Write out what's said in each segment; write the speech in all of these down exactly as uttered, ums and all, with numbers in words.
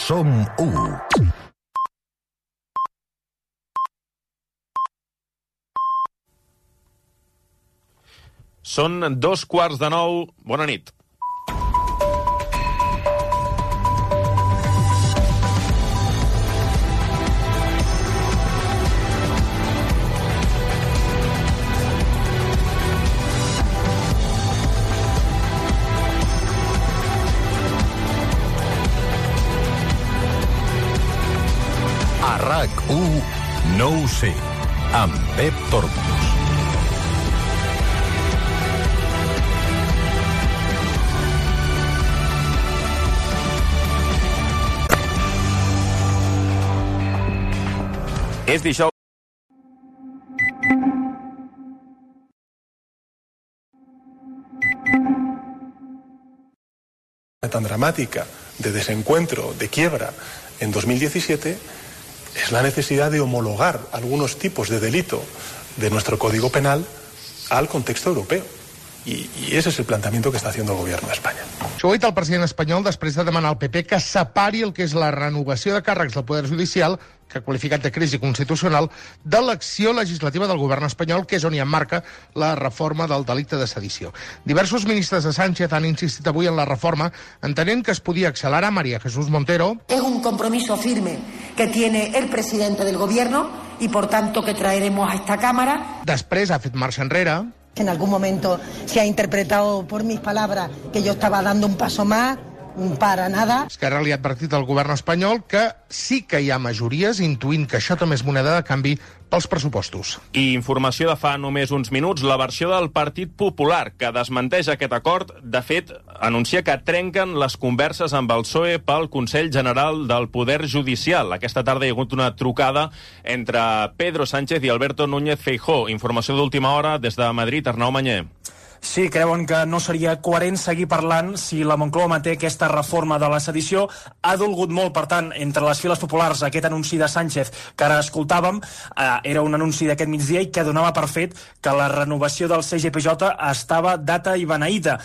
Som u. Són dos quarts de nou. Bona nit. A RAC u, no ho sé, amb Pep Tormos. És dijous. Tan dramática de desencuentro, de quiebra en dos mil diecisiete es la necesidad de homologar algunos tipos de delito de nuestro Código Penal al contexto europeo. I, i ese és el plantejament que està haciendo el govern d'Espanya. Això ho ha dit el president espanyol després de demanar al P P que separi el que és la renovació de càrrecs del Poder Judicial, que ha qualificat de crisi constitucional, de l'acció legislativa del govern espanyol, que és on hi emmarca la reforma del delicte de sedició. Diversos ministres de Sánchez han insistit avui en la reforma, entenent que es podia accelerar. María Jesús Montero. Es un compromiso firme que tiene el presidente del gobierno y, por tanto, que traeremos a esta Cámara. Després ha fet marxa enrere. En algún momento se ha interpretado por mis palabras que yo estaba dando un paso más, para nada. Esquerra li ha advertit al govern espanyol que sí que hi ha majories, intuint que això també és moneda de canvi pels pressupostos. I informació de fa només uns minuts, la versió del Partit Popular, que desmenteix aquest acord, de fet, anuncia que trenquen les converses amb el P S O E pel Consell General del Poder Judicial. Aquesta tarda hi ha hagut una trucada entre Pedro Sánchez i Alberto Núñez Feijóo. Informació d'última hora des de Madrid, Arnau Manyer. Sí, creuen que no seria coherent seguir parlant si la Moncloa manté aquesta reforma de la sedició. Ha dolgut molt, per tant, entre les files populars aquest anunci de Sánchez que ara escoltàvem. Eh, era un anunci d'aquest migdia i que donava per fet que la renovació del C G P J estava data i beneïda.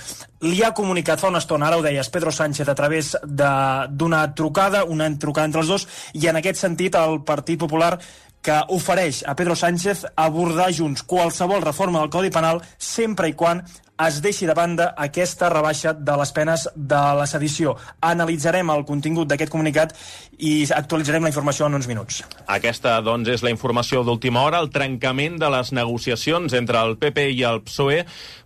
Li ha comunicat fa una estona, ara ho deies, Pedro Sánchez, a través d'una trucada, una trucada entre els dos, i en aquest sentit el Partit Popular que ofereix a Pedro Sánchez abordar junts qualsevol reforma del Codi Penal sempre i quan es deixi de banda aquesta rebaixa de les penes de la sedició. Analitzarem el contingut d'aquest comunicat i actualitzarem la informació en uns minuts. Aquesta, doncs, és la informació d'última hora, el trencament de les negociacions entre el P P i el P S O E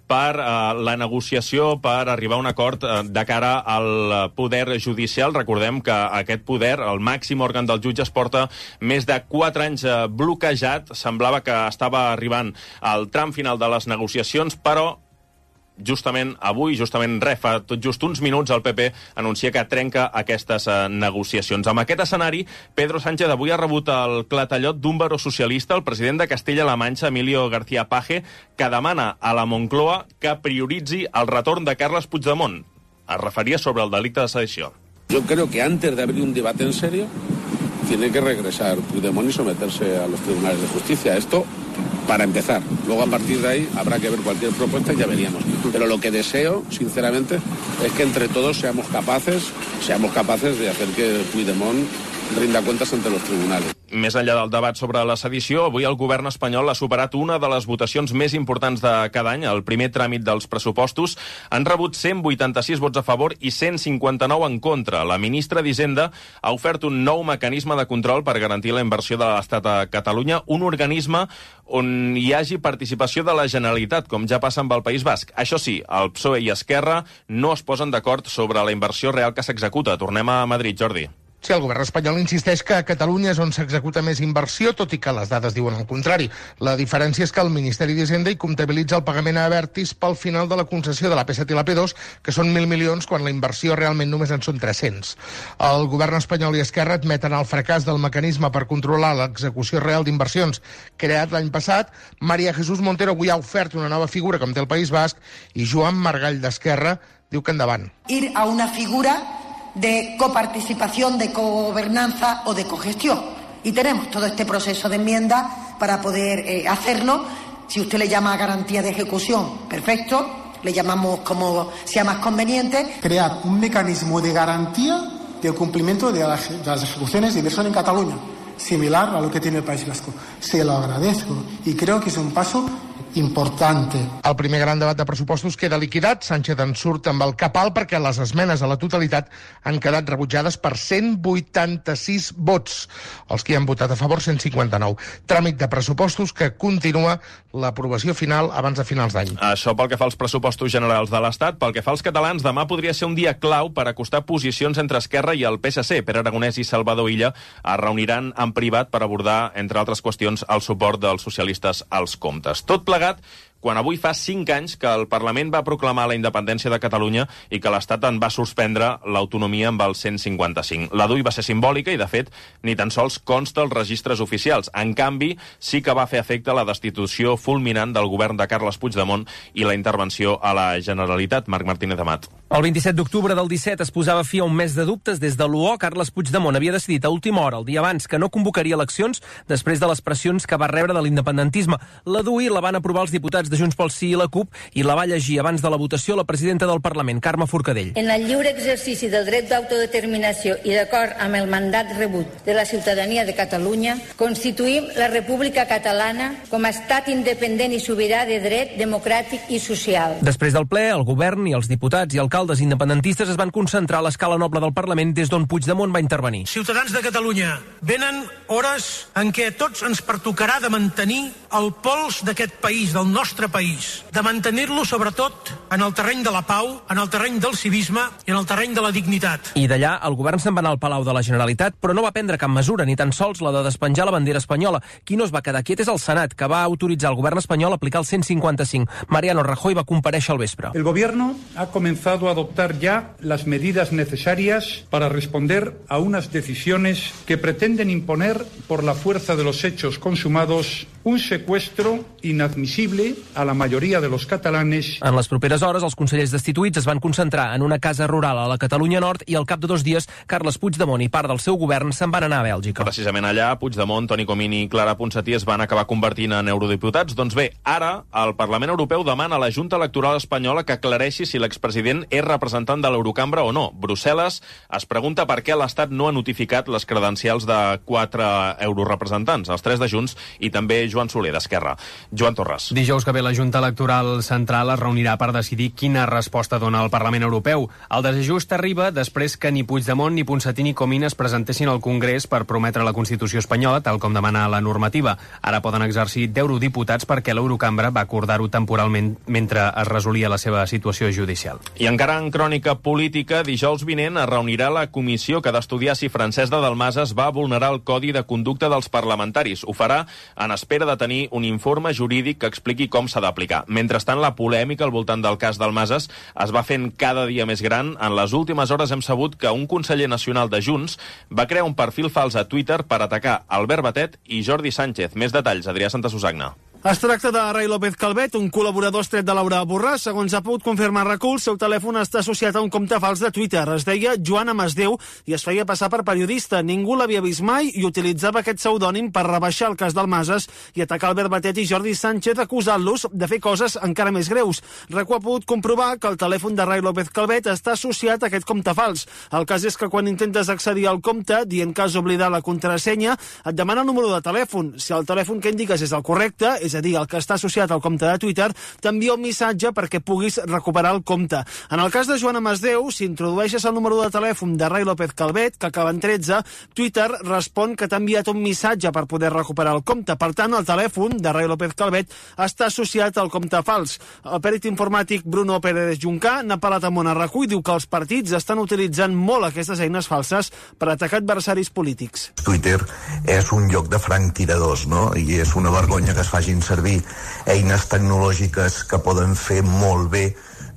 per eh, la negociació per arribar a un acord eh, de cara al Poder Judicial. Recordem que aquest poder, el màxim òrgan dels jutges, porta més de quatre anys eh, bloquejat. Semblava que estava arribant al tram final de les negociacions, però justament avui, justament re, fa tot just uns minuts, el P P anuncia que trenca aquestes eh, negociacions. Amb aquest escenari, Pedro Sánchez avui ha rebut el clatellot d'un baró socialista, el president de Castella-La Manxa, Emilio García Paje, que demana a la Moncloa que prioritzi el retorn de Carles Puigdemont. Es referia sobre el delicte de sedició. Yo creo que antes de abrir un debate en serio, tiene que regresar Puigdemont y someterse a los tribunales de justicia. Esto para empezar. Luego, a partir de ahí, habrá que ver cualquier propuesta y ya veríamos. Pero lo que deseo, sinceramente, es que entre todos seamos capaces, seamos capaces de hacer que Puigdemont rinda cuentas ante los tribunales. Més enllà del debat sobre la sedició, avui el govern espanyol ha superat una de les votacions més importants de cada any, el primer tràmit dels pressupostos. Han rebut cent vuitanta-sis vots a favor i cent cinquanta-nou en contra. La ministra d'Hisenda ha ofert un nou mecanisme de control per garantir la inversió de l'Estat a Catalunya, un organisme on hi hagi participació de la Generalitat, com ja passa amb el País Basc. Això sí, el P S O E i Esquerra no es posen d'acord sobre la inversió real que s'executa. Tornem a Madrid, Jordi. Sí, el govern espanyol insisteix que a Catalunya és on s'executa més inversió, tot i que les dades diuen el contrari. La diferència és que el Ministeri d'Hisenda hi comptabilitza el pagament a Abertis pel final de la concessió de la P set i la P dos, que són mil milions, quan la inversió realment només en són tres-cents. El govern espanyol i Esquerra admeten el fracàs del mecanisme per controlar l'execució real d'inversions creat l'any passat. María Jesús Montero avui ha ofert una nova figura, com té el País Basc, i Joan Margall d'Esquerra diu que endavant. Ir a una figura de coparticipación, de cogobernanza o de cogestión. Y tenemos todo este proceso de enmienda para poder eh, hacerlo. Si usted le llama garantía de ejecución, perfecto. Le llamamos como sea más conveniente. Crear un mecanismo de garantía del cumplimiento de, la, de las ejecuciones de inversión en Cataluña, similar a lo que tiene el País Vasco. Se lo agradezco y creo que es un paso importante. El primer gran debat de pressupostos queda liquidat. Sánchez en surt amb el cap alt perquè les esmenes a la totalitat han quedat rebutjades per cent vuitanta-sis vots. Els que hi han votat a favor, cent cinquanta-nou. Tràmit de pressupostos que continua l'aprovació final abans de finals d'any. Això pel que fa als pressupostos generals de l'Estat. Pel que fa als catalans, demà podria ser un dia clau per acostar posicions entre Esquerra i el P S C. Pere Aragonès i Salvador Illa es reuniran en privat per abordar, entre altres qüestions, el suport dels socialistes als comptes. Tot plegat quan avui fa cinc anys que el Parlament va proclamar la independència de Catalunya i que l'Estat en va suspendre l'autonomia amb el cent cinquanta-cinc. La D U I va ser simbòlica i, de fet, ni tan sols consta als registres oficials. En canvi, sí que va fer efecte la destitució fulminant del govern de Carles Puigdemont i la intervenció a la Generalitat. Marc Martínez Amat. El vint-i-set d'octubre del disset es posava fi a un mes de dubtes des de l'U O. Carles Puigdemont havia decidit a última hora, el dia abans, que no convocaria eleccions després de les pressions que va rebre de l'independentisme. La D U I la van aprovar els diputats de Junts pel Sí i la CUP i la va llegir abans de la votació la presidenta del Parlament, Carme Forcadell. En el lliure exercici del dret d'autodeterminació i d'acord amb el mandat rebut de la ciutadania de Catalunya, constituïm la República Catalana com a estat independent i sobirà de dret democràtic i social. Després del ple, el govern i els diputats i alcaldes independentistes es van concentrar a l'escala noble del Parlament des d'on Puigdemont va intervenir. Ciutadans de Catalunya, venen hores en què a tots ens pertocarà de mantenir el pols d'aquest país, del nostre país, de mantenir-lo sobretot en el terreny de la pau, en el terreny del civisme i en el terreny de la dignitat. I d'allà el govern se'n va anar al Palau de la Generalitat, però no va prendre cap mesura, ni tan sols la de despenjar la bandera espanyola. Qui no es va quedar quiet és el Senat, que va autoritzar al govern espanyol a aplicar el cent cinquanta-cinc. Mariano Rajoy va comparèixer al vespre. El gobierno ha comenzado a adoptar ya las medidas necesarias para responder a unas decisiones que pretenden imponer por la fuerza de los hechos consumados un secuestro inadmisible a la majoria de los catalanes. En les properes hores, els consellers destituïts es van concentrar en una casa rural a la Catalunya Nord i al cap de dos dies, Carles Puigdemont i part del seu govern se'n van anar a Bèlgica. Precisament allà, Puigdemont, Toni Comín i Clara Ponsatí es van acabar convertint en eurodiputats. Doncs bé, ara el Parlament Europeu demana a la Junta Electoral espanyola que aclareixi si l'expresident és representant de l'Eurocambra o no. Brussel·les es pregunta per què l'Estat no ha notificat les credencials de quatre eurorepresentants, els tres de Junts i també Joan Soler, d'Esquerra. Joan Torres. Dijous que ve la Junta Electoral Central es reunirà per decidir quina resposta dona el Parlament Europeu. El desajust arriba després que ni Puigdemont, ni Ponsatí ni Comín es presentessin al Congrés per prometre la Constitució espanyola, tal com demana la normativa. Ara poden exercir d'eurodiputats perquè l'Eurocambra va acordar-ho temporalment mentre es resolia la seva situació judicial. I encara en crònica política, dijous vinent es reunirà la comissió que ha d'estudiar si Francesc de Dalmases va vulnerar el Codi de Conducta dels Parlamentaris. Ho farà en espera de tenir un informe jurídic que expliqui com s'ha d'aplicar. Mentrestant, la polèmica al voltant del cas Dalmases es va fent cada dia més gran. En les últimes hores hem sabut que un conseller nacional de Junts va crear un perfil fals a Twitter per atacar Albert Batet i Jordi Sánchez. Més detalls, Adrià Santasusagna. Es tracta de Ray López Calvet, un col·laborador estret de Laura Borràs. Segons ha pogut confirmar RAC-U, el seu telèfon està associat a un compte fals de Twitter. Es deia Joan Amasdeu i es feia passar per periodista. Ningú l'havia vist mai i utilitzava aquest pseudònim per rebaixar el cas Dalmases i atacar Albert Batet i Jordi Sánchez, acusant-los de fer coses encara més greus. RAC-U ha pogut comprovar que el telèfon de Ray López Calvet està associat a aquest compte fals. El cas és que quan intentes accedir al compte, dient que has oblidat la contrasenya, et demana el número de telèfon. Si el telèfon que indiques és el correcte, és a dir, el que està associat al compte de Twitter, t'envia un missatge perquè puguis recuperar el compte. En el cas de Joan Amasdeu, si introdueixes el número de telèfon de Ray López Calvet, que acaba en tretze, Twitter respon que t'ha enviat un missatge per poder recuperar el compte. Per tant, el telèfon de Ray López Calvet està associat al compte fals. El pèrit informàtic Bruno Pérez Juncà n'ha parlat a Monarracú i diu que els partits estan utilitzant molt aquestes eines falses per atacar adversaris polítics. Twitter és un lloc de franctiradors, no? I és una vergonya que es facin servir eines tecnològiques que poden fer molt bé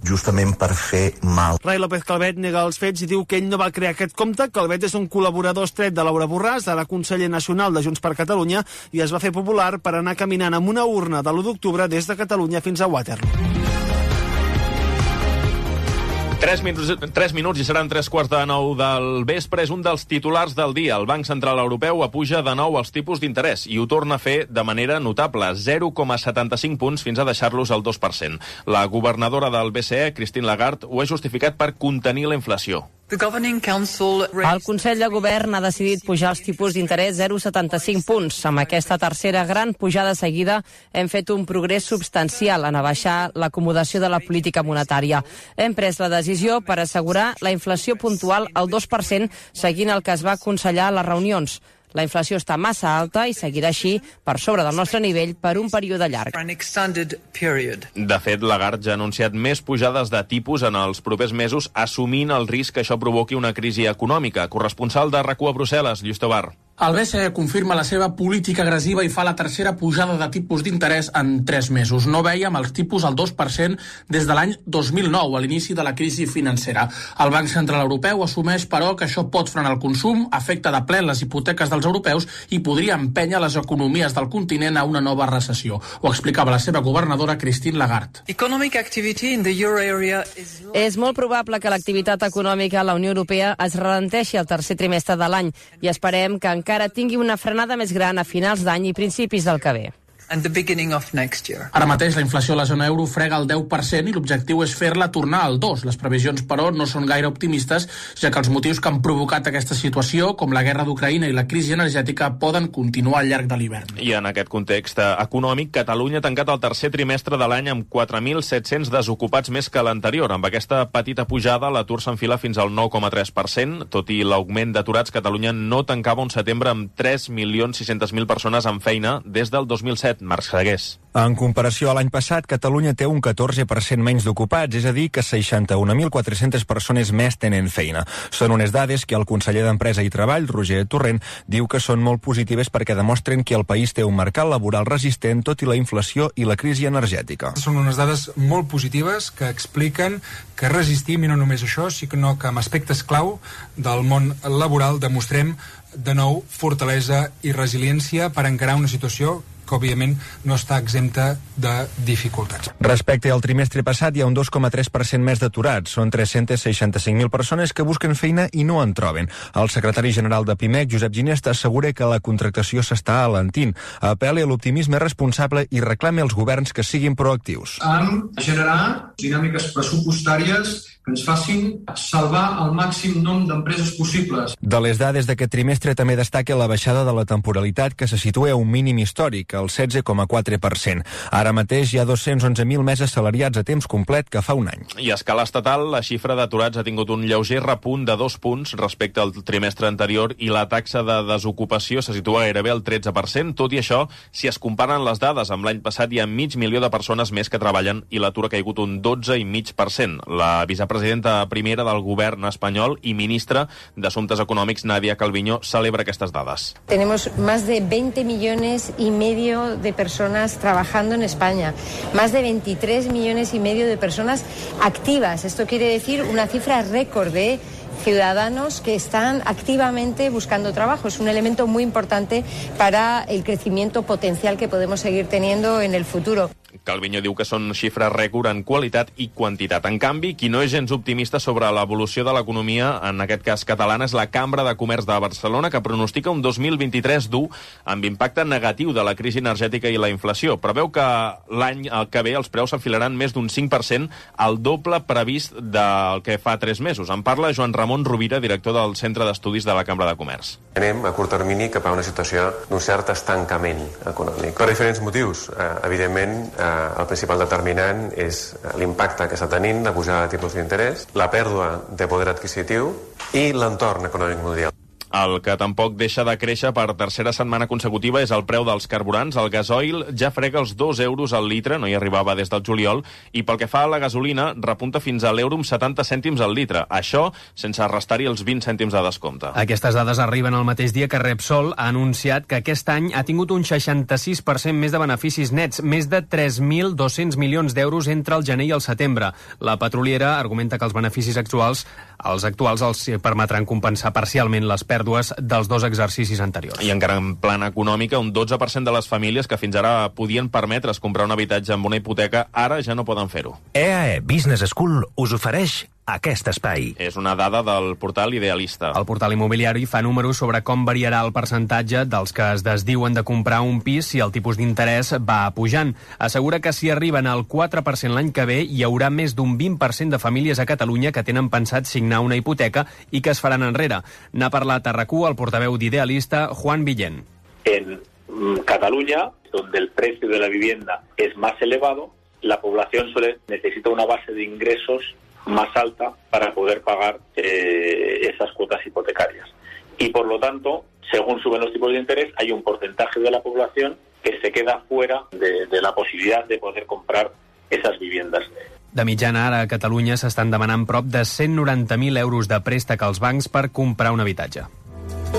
justament per fer mal. Ray López Calvet nega els fets i diu que ell no va crear aquest compte. Calvet és un col·laborador estret de Laura Borràs, ara conseller nacional de Junts per Catalunya, i es va fer popular per anar caminant amb una urna de l'u d'octubre des de Catalunya fins a Waterloo. Tres minuts, tres minuts i seran tres quarts de nou del vespre. És un dels titulars del dia. El Banc Central Europeu apuja de nou els tipus d'interès i ho torna a fer de manera notable, zero coma setanta-cinc punts fins a deixar-los al dos per cent. La governadora del B C E, Christine Lagarde, ho ha justificat per contenir la inflació. El Consell de Govern ha decidit pujar els tipus d'interès zero coma setanta-cinc punts. Amb aquesta tercera gran pujada seguida hem fet un progrés substancial en abaixar l'acomodació de la política monetària. Hem pres la decisió per assegurar la inflació puntual al dos per cent, seguint el que es va aconsellar a les reunions. La inflació està massa alta i seguirà així per sobre del nostre nivell per un període llarg. De fet, Lagarde ja ha anunciat més pujades de tipus en els propers mesos, assumint el risc que això provoqui una crisi econòmica. Corresponsal de RAC u a Brussel·les, Lluís Tobar. El B C E confirma la seva política agressiva i fa la tercera pujada de tipus d'interès en tres mesos. No vèiem els tipus al dos per cent des de l'any dos mil nou, a l'inici de la crisi financera. El Banc Central Europeu assumeix, però, que això pot frenar el consum, afecta de ple les hipoteques dels europeus i podria empènyer les economies del continent a una nova recessió. Ho explicava la seva governadora Christine Lagarde. És molt probable que l'activitat econòmica a la Unió Europea es ralenteixi al tercer trimestre de l'any i esperem que encara encara tingui una frenada més gran a finals d'any i principis del que ve. Ara mateix la inflació a la zona euro frega el deu per cent i l'objectiu és fer-la tornar al dos. Les previsions, però, no són gaire optimistes, ja que els motius que han provocat aquesta situació, com la guerra d'Ucraïna i la crisi energètica, poden continuar al llarg de l'hivern. I en aquest context econòmic, Catalunya ha tancat el tercer trimestre de l'any amb quatre mil set-cents desocupats més que l'anterior. Amb aquesta petita pujada, l'atur s'enfila fins al nou coma tres per cent. Tot i l'augment d'aturats, Catalunya no tancava un setembre amb tres milions sis-cents mil persones amb feina des del dos mil set. Marc Segués. En comparació a l'any passat, Catalunya té un catorze per cent menys d'ocupats, és a dir, que seixanta-un mil quatre-centes persones més tenen feina. Són unes dades que el conseller d'Empresa i Treball, Roger Torrent, diu que són molt positives perquè demostren que el país té un mercat laboral resistent tot i la inflació i la crisi energètica. Són unes dades molt positives que expliquen que resistim, i no només això, sinó que amb aspectes clau del món laboral demostrem de nou fortalesa i resiliència per encarar una situació que, òbviament, no està exempta de dificultats. Respecte al trimestre passat, hi ha un dos coma tres per cent més d'aturats. Són tres-cents seixanta-cinc mil persones que busquen feina i no en troben. El secretari general de Pimec, Josep Ginesta, assegura que la contractació s'està alentint. Apel·la a l'optimisme responsable i reclama als governs que siguin proactius. Han de generar dinàmiques pressupostàries que ens facin salvar el màxim nombre d'empreses possibles. De les dades d'aquest trimestre també destaca la baixada de la temporalitat, que se situa a un mínim històric, el setze coma quatre per cent. Ara mateix hi ha dos-cents onze mil més assalariats a temps complet que fa un any. I a escala estatal, la xifra d'aturats ha tingut un lleuger repunt de dos punts respecte al trimestre anterior i la taxa de desocupació se situa gairebé al tretze per cent. Tot i això, si es comparen les dades amb l'any passat, hi ha mig milió de persones més que treballen i l'atur ha caigut un dotze coma cinc per cent. La vicepresidenta primera del govern espanyol i ministra d'Assumptes Econòmics, Nadia Calviño, celebra aquestes dades. Tenemos más de veinte millones y medio de personas trabajando en España, más de veintitrés millones y medio de personas activas. Esto quiere decir una cifra récord de ciudadanos que están activamente buscando trabajo. Es un elemento muy importante para el crecimiento potencial que podemos seguir teniendo en el futuro. Calviño diu que són xifres rècord en qualitat i quantitat. En canvi, qui no és gens optimista sobre l'evolució de l'economia, en aquest cas catalana, és la Cambra de Comerç de Barcelona, que pronostica un dos mil vint-i-tres dur amb impacte negatiu de la crisi energètica i la inflació. Preveu que l'any que ve els preus s'enfilaran més d'un cinc per cent, el doble previst del que fa tres mesos. En parla Joan Ramon Rovira, director del Centre d'Estudis de la Cambra de Comerç. Anem a curt termini cap a una situació d'un cert estancament econòmic. Per diferents motius. Eh, evidentment, eh, el principal determinant és l'impacte que està tenint la pujada de tipus d'interès, la pèrdua de poder adquisitiu i l'entorn econòmic mundial. El que tampoc deixa de créixer per tercera setmana consecutiva és el preu dels carburants. El gasoil ja frega els dos euros al litre, no hi arribava des del juliol, i pel que fa a la gasolina, repunta fins a l'euro amb setanta cèntims al litre. Això sense restar-hi els vint cèntims de descompte. Aquestes dades arriben el mateix dia que Repsol ha anunciat que aquest any ha tingut un seixanta-sis per cent més de beneficis nets, més de tres mil dos-cents milions d'euros entre el gener i el setembre. La petroliera argumenta que els beneficis actuals, els actuals els permetran compensar parcialment les pèrdues dels dos exercicis anteriors. I encara en plan econòmica, un dotze per cent de les famílies que fins ara podien permetre's comprar un habitatge amb una hipoteca, ara ja no poden fer-ho. E A E Business School us ofereix aquest espai. És una dada del portal Idealista. El portal immobiliari fa números sobre com variarà el percentatge dels que es desdiuen de comprar un pis si el tipus d'interès va pujant. Assegura que si arriben al quatre per cent l'any que ve, hi haurà més d'un vint per cent de famílies a Catalunya que tenen pensat signar una hipoteca i que es faran enrere. N'ha parlat a RAC u el portaveu d'Idealista, Juan Villén. En Cataluña, donde el precio de la vivienda es más elevado, la población suele necesita una base de ingresos más alta para poder pagar eh, esas cuotas hipotecarias. Y por lo tanto, según suben los tipos de interés, hay un porcentaje de la población que se queda fuera de, de la posibilidad de poder comprar esas viviendas. De mitjana, ara a Catalunya s'estan demanant prop de cent noranta mil euros de préstec als bancs per comprar un habitatge.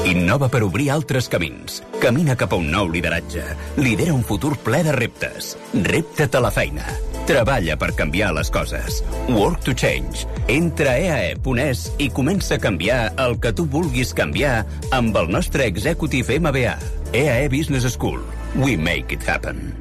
Innova per obrir altres camins. Camina cap a un nou lideratge. Lidera un futur ple de reptes. Repta't a la feina. Treballa per canviar les coses. Work to change. Entra a e a e punt es i comença a canviar el que tu vulguis canviar amb el nostre Executive M B A. E a e Business School. We make it happen.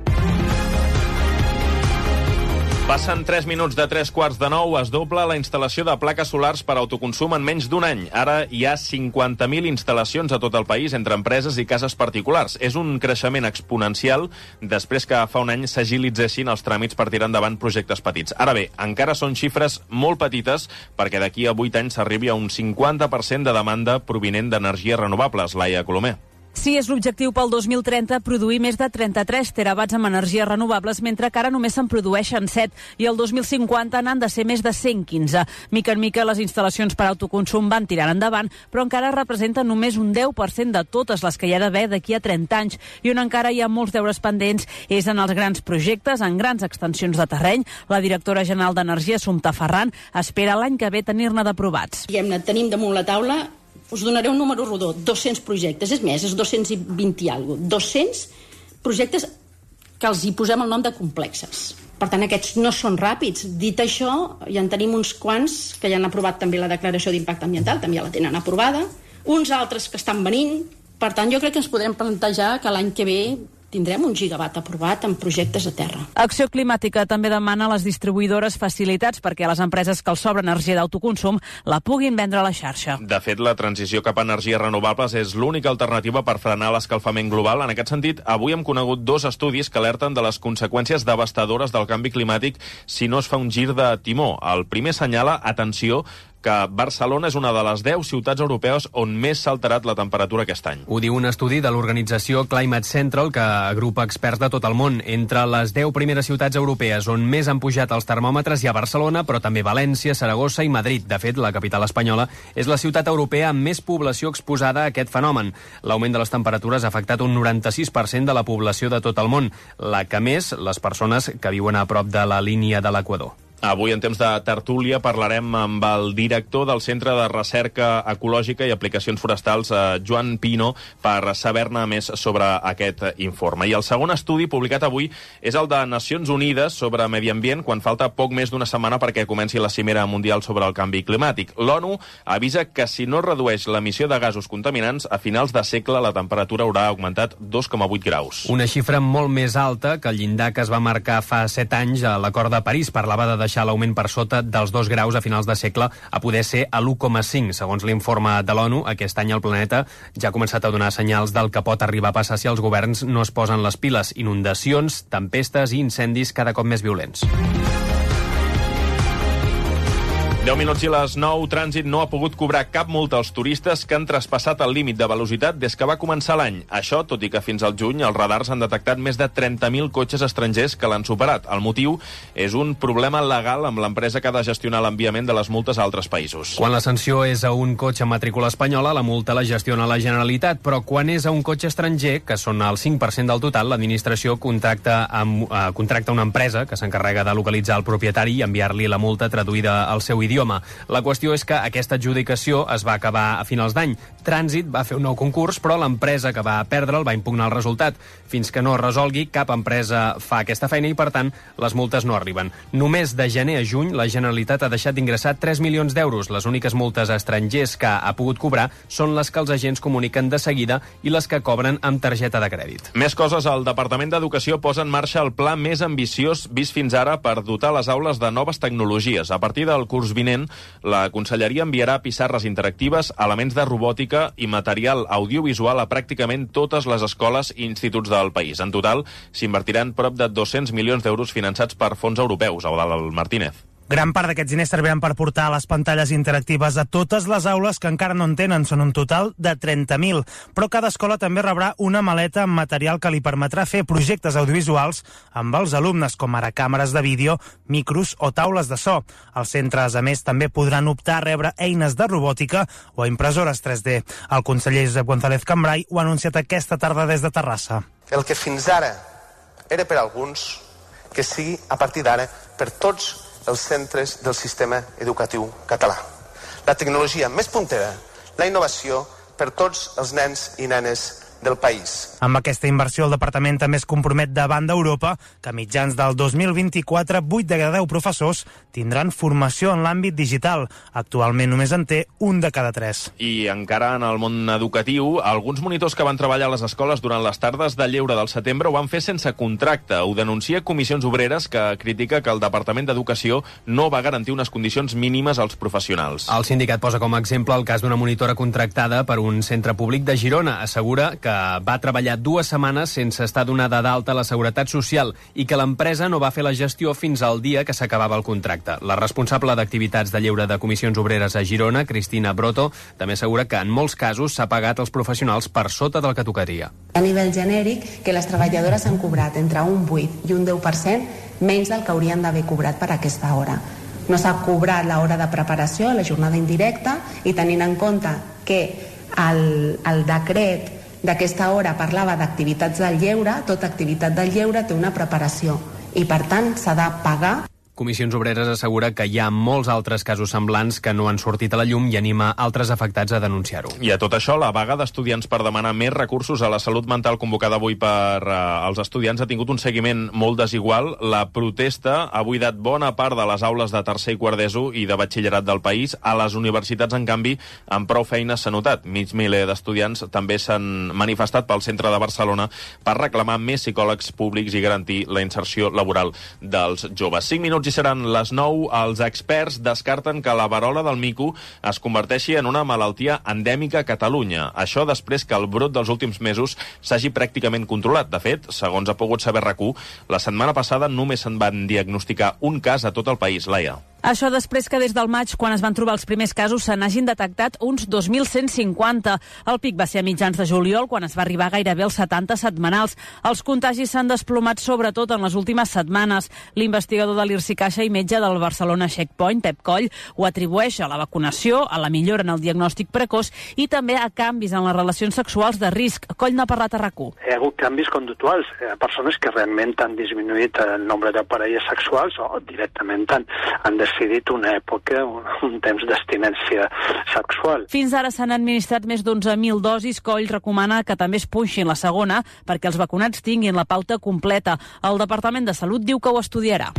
Passen tres minuts de tres quarts de nou, es dobla la instal·lació de plaques solars per autoconsum en menys d'un any. Ara hi ha cinquanta mil instal·lacions a tot el país entre empreses i cases particulars. És un creixement exponencial després que fa un any s'agilitzessin els tràmits per tirar endavant projectes petits. Ara bé, encara són xifres molt petites perquè d'aquí a vuit anys s'arribi a un cinquanta per cent de demanda provinent d'energies renovables. Laia Colomer. Sí, és l'objectiu pel dos mil trenta produir més de trenta-tres terawatts amb energies renovables, mentre que ara només se'n produeixen set i el dos mil cinquanta n'han de ser més de cent quinze. Mica en mica les instal·lacions per autoconsum van tirant endavant, però encara representen només un deu per cent de totes les que hi ha d'haver d'aquí a trenta anys, i on encara hi ha molts deures pendents és en els grans projectes, en grans extensions de terreny. La directora general d'Energia, Assumpta Ferran, espera l'any que ve tenir-ne d'aprovats. Diguem-ne, tenim damunt la taula, us donaré un número rodó, dos-cents projectes, és més, és dos-cents vint i alguna cosa, dos-cents projectes que els hi posem el nom de complexes. Per tant, aquests no són ràpids. Dit això, ja en tenim uns quants que ja han aprovat també la declaració d'impacte ambiental, també ja la tenen aprovada, uns altres que estan venint. Per tant, jo crec que ens podrem plantejar que l'any que ve tindrem un gigawatt aprovat en projectes a terra. Acció Climàtica també demana a les distribuïdores facilitats perquè a les empreses que els sobra energia d'autoconsum la puguin vendre a la xarxa. De fet, la transició cap a energies renovables és l'única alternativa per frenar l'escalfament global. En aquest sentit, avui hem conegut dos estudis que alerten de les conseqüències devastadores del canvi climàtic si no es fa un gir de timó. El primer senyala, atenció, que Barcelona és una de les deu ciutats europees on més s'ha alterat la temperatura aquest any. Ho diu un estudi de l'organització Climate Central, que agrupa experts de tot el món. Entre les deu primeres ciutats europees on més han pujat els termòmetres hi ha Barcelona, però també València, Saragossa i Madrid. De fet, la capital espanyola és la ciutat europea amb més població exposada a aquest fenomen. L'augment de les temperatures ha afectat un noranta-sis per cent de la població de tot el món, la que més les persones que viuen a prop de la línia de l'Equador. Avui, en temps de tertúlia, parlarem amb el director del Centre de Recerca Ecològica i Aplicacions Forestals, Joan Pino, per saber-ne més sobre aquest informe. I el segon estudi publicat avui és el de Nacions Unides sobre medi ambient, quan falta poc més d'una setmana perquè comenci la cimera mundial sobre el canvi climàtic. L'ONU avisa que si no redueix l'emissió de gasos contaminants, a finals de segle la temperatura haurà augmentat dos coma vuit graus. Una xifra molt més alta que el llindar que es va marcar fa set anys a l'Acord de París. Parlava de deixar l'augment per sota dels dos graus a finals de segle a poder ser a l'u coma cinc. Segons l'informe de l'ONU, aquest any el planeta ja ha començat a donar senyals del que pot arribar a passar si els governs no es posen les piles. Inundacions, tempestes i incendis cada cop més violents. deu minuts i les nou. Trànsit no ha pogut cobrar cap multa als turistes que han traspassat el límit de velocitat des que va començar l'any. Això, tot i que fins al juny els radars han detectat més de trenta mil cotxes estrangers que l'han superat. El motiu és un problema legal amb l'empresa que ha de gestionar l'enviament de les multes a altres països. Quan la sanció és a un cotxe amb matrícula espanyola, la multa la gestiona la Generalitat, però quan és a un cotxe estranger, que són el cinc per cent del total, l'administració contracta, amb, eh, contracta una empresa que s'encarrega de localitzar el propietari i enviar-li la multa traduïda al seu idioma. La qüestió és que aquesta adjudicació es va acabar a finals d'any. Trànsit va fer un nou concurs, però l'empresa que va perdre'l va impugnar el resultat. Fins que no es resolgui, cap empresa fa aquesta feina i, per tant, les multes no arriben. Només de gener a juny, la Generalitat ha deixat d'ingressar tres milions d'euros. Les úniques multes a estrangers que ha pogut cobrar són les que els agents comuniquen de seguida i les que cobren amb targeta de crèdit. Més coses. El Departament d'Educació posa en marxa el pla més ambiciós vist fins ara per dotar les aules de noves tecnologies. A partir del curs vinent pertinent, la Conselleria enviarà pissarres interactives, elements de robòtica i material audiovisual a pràcticament totes les escoles i instituts del país. En total, s'invertiran prop de dos-cents milions d'euros finançats per fons europeus. Eudald Martínez. Gran part d'aquests diners serviran per portar les pantalles interactives a totes les aules que encara no en tenen. Són un total de trenta mil. Però cada escola també rebrà una maleta amb material que li permetrà fer projectes audiovisuals amb els alumnes, com ara càmeres de vídeo, micros o taules de so. Els centres, a més, també podran optar a rebre eines de robòtica o impressores tres D. El conseller Josep González Cambray ho ha anunciat aquesta tarda des de Terrassa. El que fins ara era per alguns, que sigui a partir d'ara per tots els centres del sistema educatiu català. La tecnologia més puntera, la innovació per tots els nens i nenes del país. Amb aquesta inversió, el departament també es compromet davant d'Europa que a mitjans del dos mil vint-i-quatre, vuit de cada deu professors tindran formació en l'àmbit digital. Actualment només en té un de cada tres. I encara en el món educatiu, alguns monitors que van treballar a les escoles durant les tardes de lleure del setembre ho van fer sense contracte. Ho denuncia Comissions Obreres, que critica que el Departament d'Educació no va garantir unes condicions mínimes als professionals. El sindicat posa com a exemple el cas d'una monitora contractada per un centre públic de Girona. Assegura que va treballar dues setmanes sense estar donada d'alta a la Seguretat Social i que l'empresa no va fer la gestió fins al dia que s'acabava el contracte. La responsable d'activitats de lleure de Comissions Obreres a Girona, Cristina Broto, també assegura que en molts casos s'ha pagat als professionals per sota del que tocaria. A nivell genèric, que les treballadores han cobrat entre un vuit i un deu per cent menys del que haurien d'haver cobrat per aquesta hora. No s'ha cobrat l'hora de preparació, la jornada indirecta, i tenint en compte que el, el decret d'aquesta hora parlava d'activitats del lleure, tota activitat del lleure té una preparació i, per tant, s'ha de pagar. Comissions Obreres assegura que hi ha molts altres casos semblants que no han sortit a la llum i anima altres afectats a denunciar-ho. I a tot això, la vaga d'estudiants per demanar més recursos a la salut mental convocada avui per uh, els estudiants ha tingut un seguiment molt desigual. La protesta ha buidat bona part de les aules de tercer i quart d'ESO i de batxillerat del país. A les universitats, en canvi, amb prou feines s'ha notat. Mig miler d'estudiants també s'han manifestat pel centre de Barcelona per reclamar més psicòlegs públics i garantir la inserció laboral dels joves. Cinc minuts i seran les nou. Els experts descarten que la verola del mico es converteixi en una malaltia endèmica a Catalunya. Això després que el brot dels últims mesos s'hagi pràcticament controlat. De fet, segons ha pogut saber RAC u, la setmana passada només se'n van diagnosticar un cas a tot el país. Laia. Això després que des del maig, quan es van trobar els primers casos, se n'hagin detectat uns dos mil cent cinquanta. El pic va ser a mitjans de juliol, quan es va arribar gairebé als setanta setmanals. Els contagis s'han desplomat sobretot en les últimes setmanes. L'investigador de l'I R S I Caixa i metge del Barcelona Checkpoint, Pep Coll, ho atribueix a la vacunació, a la millora en el diagnòstic precoç i també a canvis en les relacions sexuals de risc. Coll n'ha parlat a RAC u. Hi ha hagut canvis conductuals. Hi ha persones que realment han disminuït el nombre de parelles sexuals o directament han, han decidit una època, un, un temps d'abstinència sexual. Fins ara s'han administrat més d'onze mil dosis. Coll recomana que també es punxin la segona perquè els vacunats tinguin la pauta completa. El Departament de Salut diu que ho estudiarà.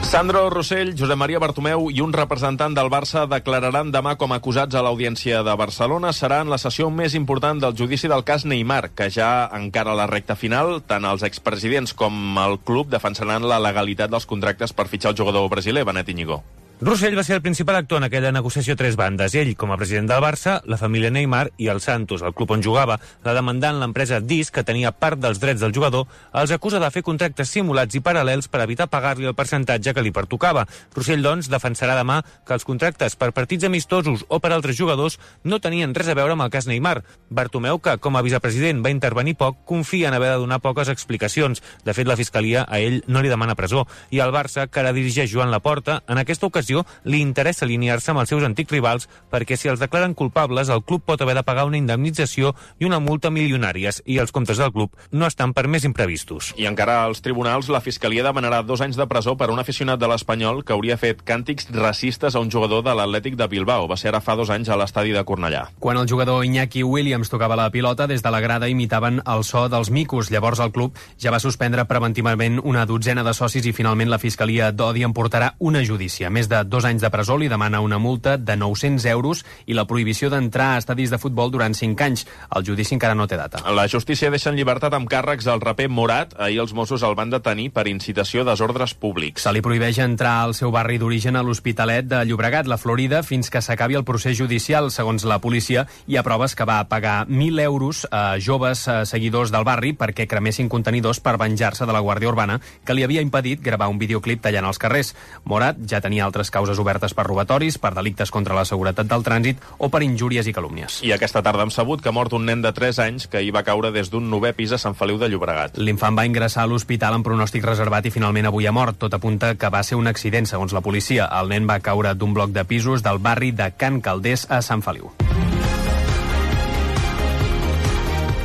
Sandro Rossell, Josep Maria Bartomeu i un representant del Barça declararan demà com a acusats a l'Audiència de Barcelona. Serà en la sessió més important del judici del cas Neymar, que ja encara la recta final. Tant els expresidents com el club defensaran la legalitat dels contractes per fitxar el jugador brasiler, Benet Íñigo. Rossell va ser el principal actor en aquella negociació a tres bandes. Ell, com a president del Barça, la família Neymar i el Santos, el club on jugava. La demandant, l'empresa Dis, que tenia part dels drets del jugador, els acusa de fer contractes simulats i paral·lels per evitar pagar-li el percentatge que li pertocava. Rossell, doncs, defensarà demà que els contractes per partits amistosos o per altres jugadors no tenien res a veure amb el cas Neymar. Bartomeu, que com a vicepresident va intervenir poc, confia en haver de donar poques explicacions. De fet, la Fiscalia a ell no li demana presó. I el Barça, que ara dirigeix Joan Laporta, en aquesta ocasió li interessa alinear-se amb els seus antics rivals perquè si els declaren culpables el club pot haver de pagar una indemnització i una multa milionàries i els comptes del club no estan per més imprevistos. I encara als tribunals la Fiscalia demanarà dos anys de presó per un aficionat de l'Espanyol que hauria fet càntics racistes a un jugador de l'Atlètic de Bilbao. Va ser ara fa dos anys a l'estadi de Cornellà. Quan el jugador Iñaki Williams tocava la pilota, des de la grada imitaven el so dels micos. Llavors el club ja va suspendre preventivament una dotzena de socis i finalment la Fiscalia d'Odi en portarà una judícia. Més de de dos anys de presó, li demana una multa de nou-cents euros i la prohibició d'entrar a estadis de futbol durant cinc anys. El judici encara no té data. La justícia deixa en llibertat amb càrrecs al raper Morat. Ahir els Mossos el van detenir per incitació a desordres públics. Se li prohibeix entrar al seu barri d'origen a l'Hospitalet de Llobregat, la Florida, fins que s'acabi el procés judicial. Segons la policia, hi ha proves que va pagar mil euros a joves a seguidors del barri perquè cremessin contenidors per venjar-se de la Guàrdia Urbana, que li havia impedit gravar un videoclip tallant els carrers. Morat ja tenia altres causes obertes per robatoris, per delictes contra la seguretat del trànsit o per injúries i calúmnies. I aquesta tarda hem sabut que ha mort un nen de tres anys que hi va caure des d'un novè pis a Sant Feliu de Llobregat. L'infant va ingressar a l'hospital amb pronòstic reservat i finalment avui ha mort. Tot apunta que va ser un accident, segons la policia. El nen va caure d'un bloc de pisos del barri de Can Calders a Sant Feliu.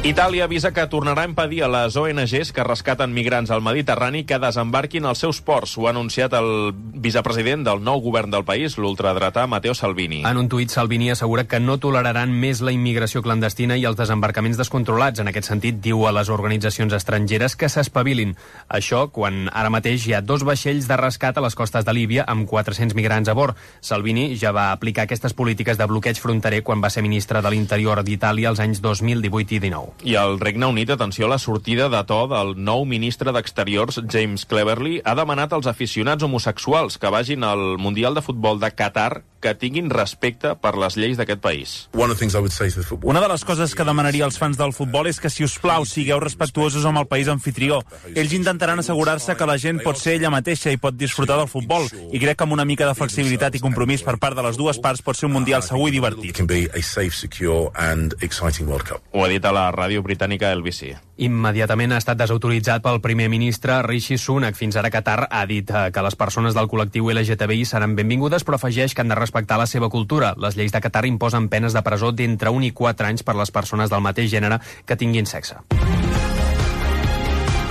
Itàlia avisa que tornarà a impedir a les O N Ges que rescaten migrants al Mediterrani que desembarquin als seus ports. Ho ha anunciat el vicepresident del nou govern del país, l'ultradretà Matteo Salvini. En un tuit, Salvini assegura que no toleraran més la immigració clandestina i els desembarcaments descontrolats. En aquest sentit, diu a les organitzacions estrangeres que s'espavilin. Això quan ara mateix hi ha dos vaixells de rescat a les costes de Líbia amb quatre-cents migrants a bord. Salvini ja va aplicar aquestes polítiques de bloqueig fronterer quan va ser ministre de l'Interior d'Itàlia els anys dos mil divuit i dinou. I al Regne Unit, atenció a la sortida de to del nou ministre d'Exteriors, James Cleverly, ha demanat als aficionats homosexuals que vagin al Mundial de Futbol de Qatar que tinguin respecte per les lleis d'aquest país. Una de les coses que demanaria als fans del futbol és que, si us plau, sigueu respectuosos amb el país anfitrió. Ells intentaran assegurar-se que la gent pot ser ella mateixa i pot disfrutar del futbol, i crec que amb una mica de flexibilitat i compromís per part de les dues parts pot ser un Mundial segur i divertit. Ho ha dit a la ràdio britànica L B C. Immediatament ha estat desautoritzat pel primer ministre Rishi Sunak. Fins ara Qatar ha dit que les persones del col·lectiu L G T B I seran benvingudes, però afegeix que han de respectar la seva cultura. Les lleis de Qatar imposen penes de presó d'entre un i quatre anys per les persones del mateix gènere que tinguin sexe.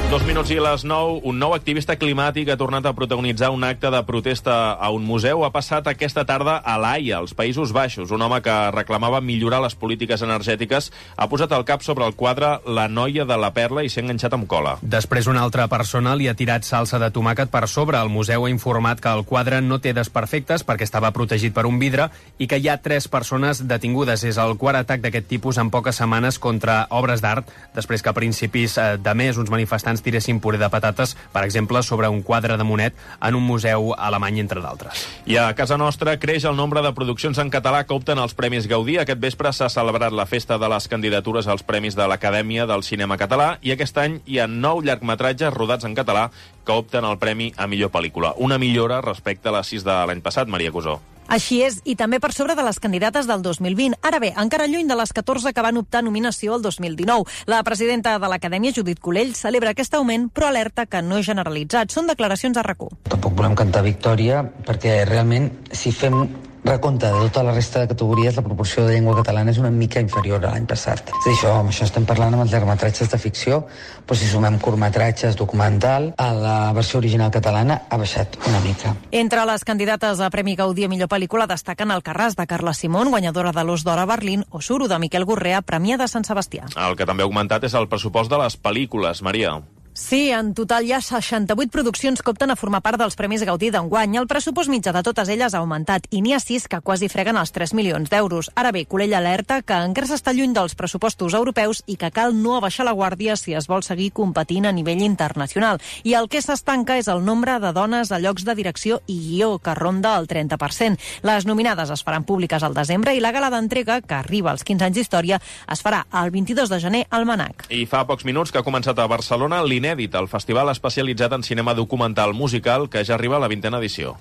Dos minuts i a les nou, un nou activista climàtic ha tornat a protagonitzar un acte de protesta a un museu. Ha passat aquesta tarda a l'Haia, als Països Baixos. Un home que reclamava millorar les polítiques energètiques ha posat el cap sobre el quadre La noia de la perla i s'ha enganxat amb cola. Després una altra persona li ha tirat salsa de tomàquet per sobre. El museu ha informat que el quadre no té desperfectes perquè estava protegit per un vidre i que hi ha tres persones detingudes. És el quart atac d'aquest tipus en poques setmanes contra obres d'art, després que a principis de mes uns manifestants tiressin puré de patates, per exemple, sobre un quadre de Monet en un museu alemany, entre d'altres. I a casa nostra creix el nombre de produccions en català que opten als Premis Gaudí. Aquest vespre s'ha celebrat la festa de les candidatures als Premis de l'Acadèmia del Cinema Català i aquest any hi ha nou llargmetratges rodats en català que opten al Premi a millor pel·lícula. Una millora respecte a les sis de l'any passat, Maria Cusó. Així és, i també per sobre de les candidates del dos mil vint. Ara bé, encara lluny de les catorze que van optar nominació el dos mil dinou. La presidenta de l'Acadèmia, Judit Colell, celebra aquest augment, però alerta que no és generalitzat. Són declaracions a RAC u. Tampoc volem cantar victòria, perquè realment, si fem recompte de tota la resta de categories, la proporció de llengua catalana és una mica inferior a l'any passat. És a dir, això, amb això estem parlant amb els llargmetratges de ficció, però si sumem curtmetratges, documental, a la versió original catalana ha baixat una mica. Entre les candidates a Premi Gaudí a millor pel·lícula destaquen Alcarràs, de Carla Simón, guanyadora de l'Os d'Or a Berlín, o Suro, de Miquel Gorrea, premià de Sant Sebastià. El que també ha augmentat és el pressupost de les pel·lícules, Maria. Sí, en total hi ha seixanta-vuit produccions que opten a formar part dels Premis Gaudí d'enguany. El pressupost mitjà de totes elles ha augmentat i n'hi ha sis que quasi freguen els tres milions d'euros. Ara bé, Colell alerta que encara s'està lluny dels pressupostos europeus i que cal no abaixar la guàrdia si es vol seguir competint a nivell internacional. I el que s'estanca és el nombre de dones a llocs de direcció i guió, que ronda el trenta per cent. Les nominades es faran públiques al desembre i la gala d'entrega, que arriba als quinze anys d'història, es farà el vint-i-dos de gener al Manac. I fa pocs minuts que ha començat a Barcelona l'Inèdit, el festival especialitzat en cinema documental musical, que ja arriba a la vintena edició.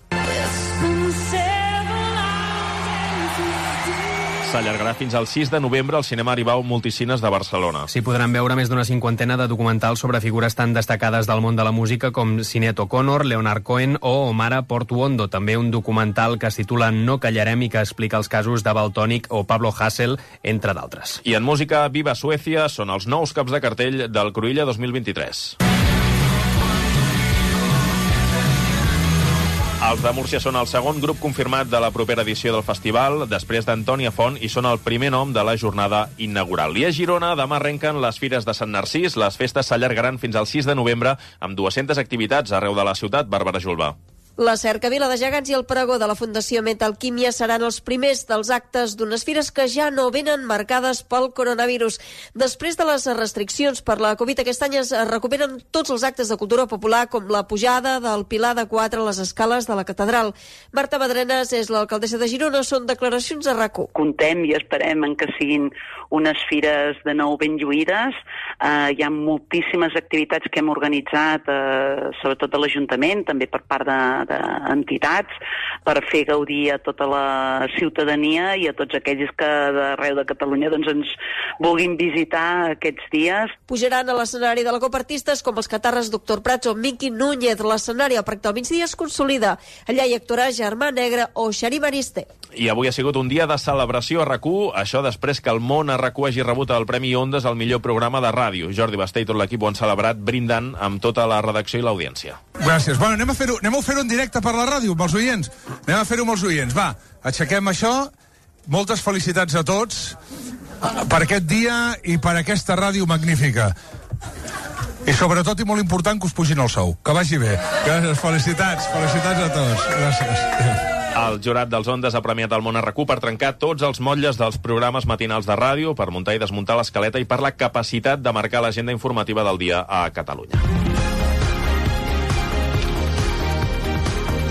S'allargarà fins al sis de novembre al Cinema Aribau Multicines de Barcelona. S'hi podran veure més d'una cinquantena de documentals sobre figures tan destacades del món de la música com Sinéad O'Connor, Leonard Cohen o Omara Portuondo. També un documental que es titula No callarem i que explica els casos de Valtònyc o Pablo Hasél, entre d'altres. I en música, Viva Suècia són els nous caps de cartell del Cruïlla dos mil vint-i-tres. Els de Múrcia són el segon grup confirmat de la propera edició del festival, després d'Antònia Font, i són el primer nom de la jornada inaugural. I a Girona demà arrenquen les Fires de Sant Narcís. Les festes s'allargaran fins al sis de novembre amb dues-centes activitats arreu de la ciutat. Bàrbara Julba. La cercavila de gegants i el pregó de la Fundació Metalquímia seran els primers dels actes d'unes fires que ja no venen marcades pel coronavirus. Després de les restriccions per la Covid, aquest any es recuperen tots els actes de cultura popular, com la pujada del Pilar de Quatre a les escales de la catedral. Marta Madrenes és l'alcaldessa de Girona, són declaracions a RAC u. Contem i esperem en que siguin unes fires de nou ben lluïdes. Eh, hi ha moltíssimes activitats que hem organitzat, eh, sobretot a l'Ajuntament, també per part de d'entitats, per fer gaudir a tota la ciutadania i a tots aquells que d'arreu de Catalunya doncs, ens vulguin visitar aquests dies. Pujaran a l'escenari de la Copa artistes com els catarres Doctor Prats o Miqui Núñez. L'escenari al Parc del Migdia es consolida. Allà hi actuarà Germà Negre o Xarí Mariste. I avui ha sigut un dia de celebració a RAC u, això després que el món a RAC u hagi rebut el Premi Ondes al millor programa de ràdio. Jordi Basté i tot l'equip ho han celebrat brindant amb tota la redacció i l'audiència. Gràcies. Bueno, anem a fer-ho anem a fer-ho en directe per la ràdio, amb els oients. Anem a fer-ho amb els oients. Va, aixequem això. Moltes felicitats a tots per aquest dia i per aquesta ràdio magnífica. I sobretot, i molt important, que us pugin el sou. Que vagi bé. Gràcies, felicitats. Felicitats a tots. Gràcies. El jurat dels Ondes ha premiat el món a RAC u per trencar tots els motlles dels programes matinals de ràdio, per muntar i desmuntar l'escaleta i per la capacitat de marcar l'agenda informativa del dia a Catalunya.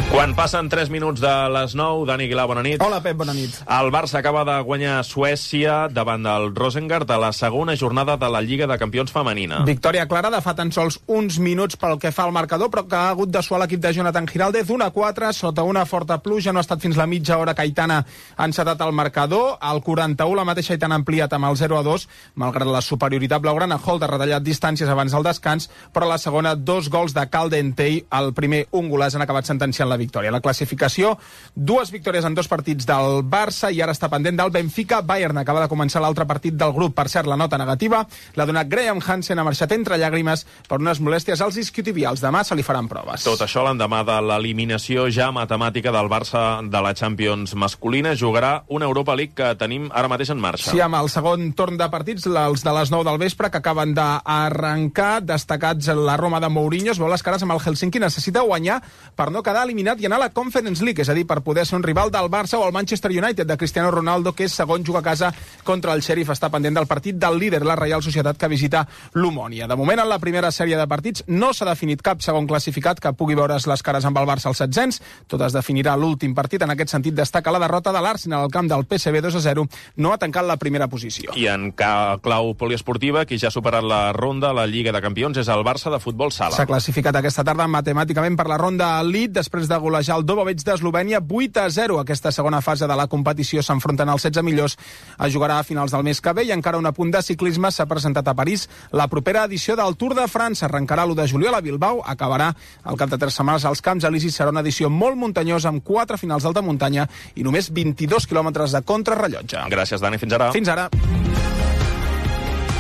Quan passen tres minuts de les nou, Dani Aguilar, bona nit. Hola, Pep, bona nit. El Barça acaba de guanyar Suècia davant del Rosengard a la segona jornada de la Lliga de Campions femenina. Victòria clara de fa tan sols uns minuts pel que fa al marcador, però que ha hagut de suar l'equip de Jonathan Giraldez. un a quatre, sota una forta pluja, no ha estat fins la mitja hora que Aitana ha encetat el marcador. Al quaranta-u, la mateixa Aitana ha ampliat amb el zero a dos, malgrat la superioritat blaugrana. Holt ha retallat distàncies abans del descans, però a la segona, dos gols de Caldentey. El primer, un golàs, han acabat sentenciant la victòria. La classificació, dues victòries en dos partits del Barça i ara està pendent del Benfica. Bayern acaba de començar l'altre partit del grup. Per cert, la nota negativa l'ha donat Graham Hansen, ha marxat entre llàgrimes per unes molèsties als isquiotibials. Demà se li faran proves. Tot això l'endemà de l'eliminació ja matemàtica del Barça de la Champions masculina. Jugarà una Europa League que tenim ara mateix en marxa. Sí, amb el segon torn de partits, els de les nou del vespre, que acaben d'arrencar, destacats la Roma de Mourinho, es veu les cares amb el Helsinki, necessita guanyar per no quedar eliminat i anar a la Conference League, és a dir, per poder ser un rival del Barça o el Manchester United de Cristiano Ronaldo, que és segon, juga a casa contra el Sheriff. Està pendent del partit del líder, la Reial Societat, que visita l'Omònia. De moment, en la primera sèrie de partits no s'ha definit cap segon classificat que pugui veure's les cares amb el Barça als setzents. Tot es definirà l'últim partit. En aquest sentit, destaca la derrota de l'Arsenal al camp del P S V dos a zero. No ha tancat la primera posició. I en clau poliesportiva, qui ja ha superat la ronda a la Lliga de Campions és el Barça de futbol sala. S'ha classificat aquesta tarda matemàticament per la ronda Elite després de golejar el Dobovets d'Eslovènia vuit a zero. Aquesta segona fase de la competició s'enfronten als setze millors. Es jugarà a finals del mes que ve i encara un apunt de ciclisme s'ha presentat a París. La propera edició del Tour de França arrencarà l'u de juliol a Bilbao, acabarà al cap de tres setmanes als Camps Elisis. Serà una edició molt muntanyosa amb quatre finals d'alta muntanya i només vint-i-dos quilòmetres de contrarrellotge. Gràcies, Dani. Fins ara. Fins ara.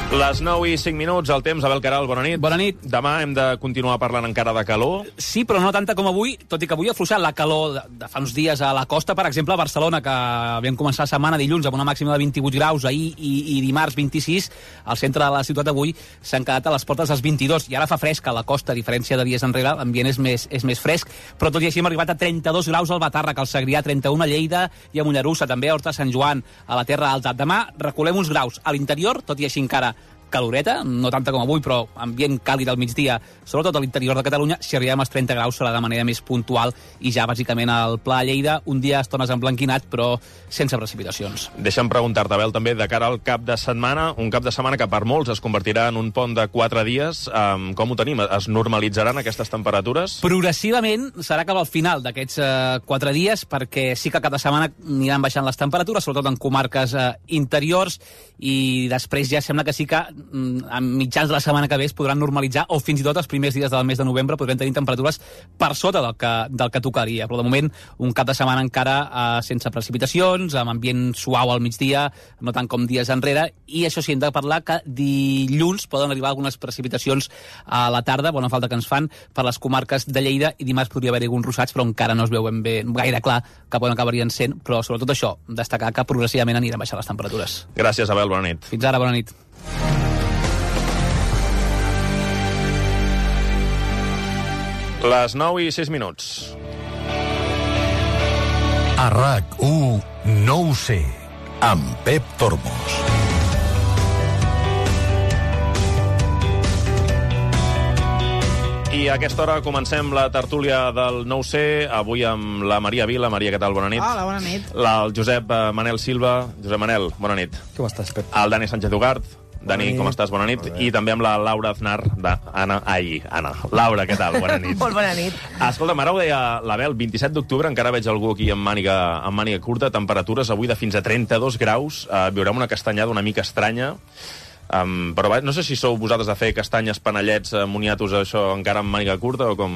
Les nou i cinc minuts, el temps. Abel Caral, bona nit. Bona nit. Demà hem de continuar parlant encara de calor. Sí, però no tanta com avui, tot i que avui ha afluixat la calor de, de fa uns dies a la costa, per exemple, a Barcelona, que vam començar la setmana dilluns amb una màxima de vint-i-vuit graus, ahir i, i dimarts vint-i-sis, al centre de la ciutat avui s'han quedat a les portes dels vint-i-dos, i ara fa fresc a la costa, a diferència de dies enrere, l'ambient és més, és més fresc, però tot i així hem arribat a trenta-dos graus al Batàrrec, al Segrià, trenta-un a Lleida i a Mollerussa, també a Horta Sant Joan, a la Terra Alta. Demà reculem uns graus a l'interior, tot i així encara caloreta, no tanta com avui, però ambient càlid al migdia, sobretot a l'interior de Catalunya. Si arribem als trenta graus serà de manera més puntual i ja bàsicament al Pla Lleida, un dia a estones emblanquinat, però sense precipitacions. Deixa'm preguntar-te, Abel, també de cara al cap de setmana, un cap de setmana que per molts es convertirà en un pont de quatre dies. Um, com ho tenim? Es normalitzaran aquestes temperatures? Progressivament serà cap al final d'aquests uh, quatre dies, perquè sí que cap de setmana aniran baixant les temperatures, sobretot en comarques uh, interiors, i després ja sembla que sí que a mitjans de la setmana que ve es podran normalitzar, o fins i tot els primers dies del mes de novembre podrem tenir temperatures per sota del que, del que tocaria, però de moment un cap de setmana encara eh, sense precipitacions, amb ambient suau al migdia, no tant com dies enrere, i això sí, hem de parlar que dilluns poden arribar algunes precipitacions a la tarda, bona falta que ens fan per les comarques de Lleida, i dimarts podria haver-hi alguns russats, però encara no es veuen bé gaire clar cap on acabarien sent, però sobretot això, destacar que progressivament aniran baixant les temperatures. Gràcies, Abel, bona nit. Fins ara, bona nit. Les nou i sis minuts. A R A C u no ho sé, amb Pep Tormos. I a aquesta hora comencem la tertúlia del No ho sé, avui amb la Maria Vila. Maria, què tal? Bona nit. Hola, bona nit. La, el Josep eh, Manel Silva. Josep Manel, bona nit. Com estàs, Pep? El Dani Sánchez Ugart. Dani, com estàs? Bona nit. I també amb la Laura Aznar. De... Anna, ai, Anna. Laura, què tal? Bona nit. Molt bona nit. Escolta, ara ho deia l'Abel, vint-i-set d'octubre, encara veig algú aquí amb màniga, amb màniga curta, temperatures avui de fins a trenta-dos graus, eh, viurem una castanyada una mica estranya. Um, però no sé si sou vosaltres a fer castanyes, panellets, uh, moniatos, això encara amb màniga curta o com...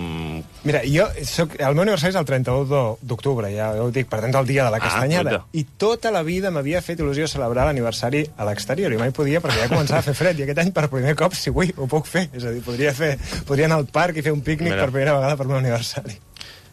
Mira, jo soc, el meu aniversari és el trenta-u d'octubre, ja ho dic, per tant, el dia de la castanyada. Ah, I tota la vida m'havia fet il·lusió celebrar l'aniversari a l'exterior, i mai podia perquè ja començava a fer fred, i aquest any per primer cop, si vull, ho puc fer. És a dir, podria, fer, podria anar al parc i fer un pícnic Mira. per primera vegada per meu aniversari.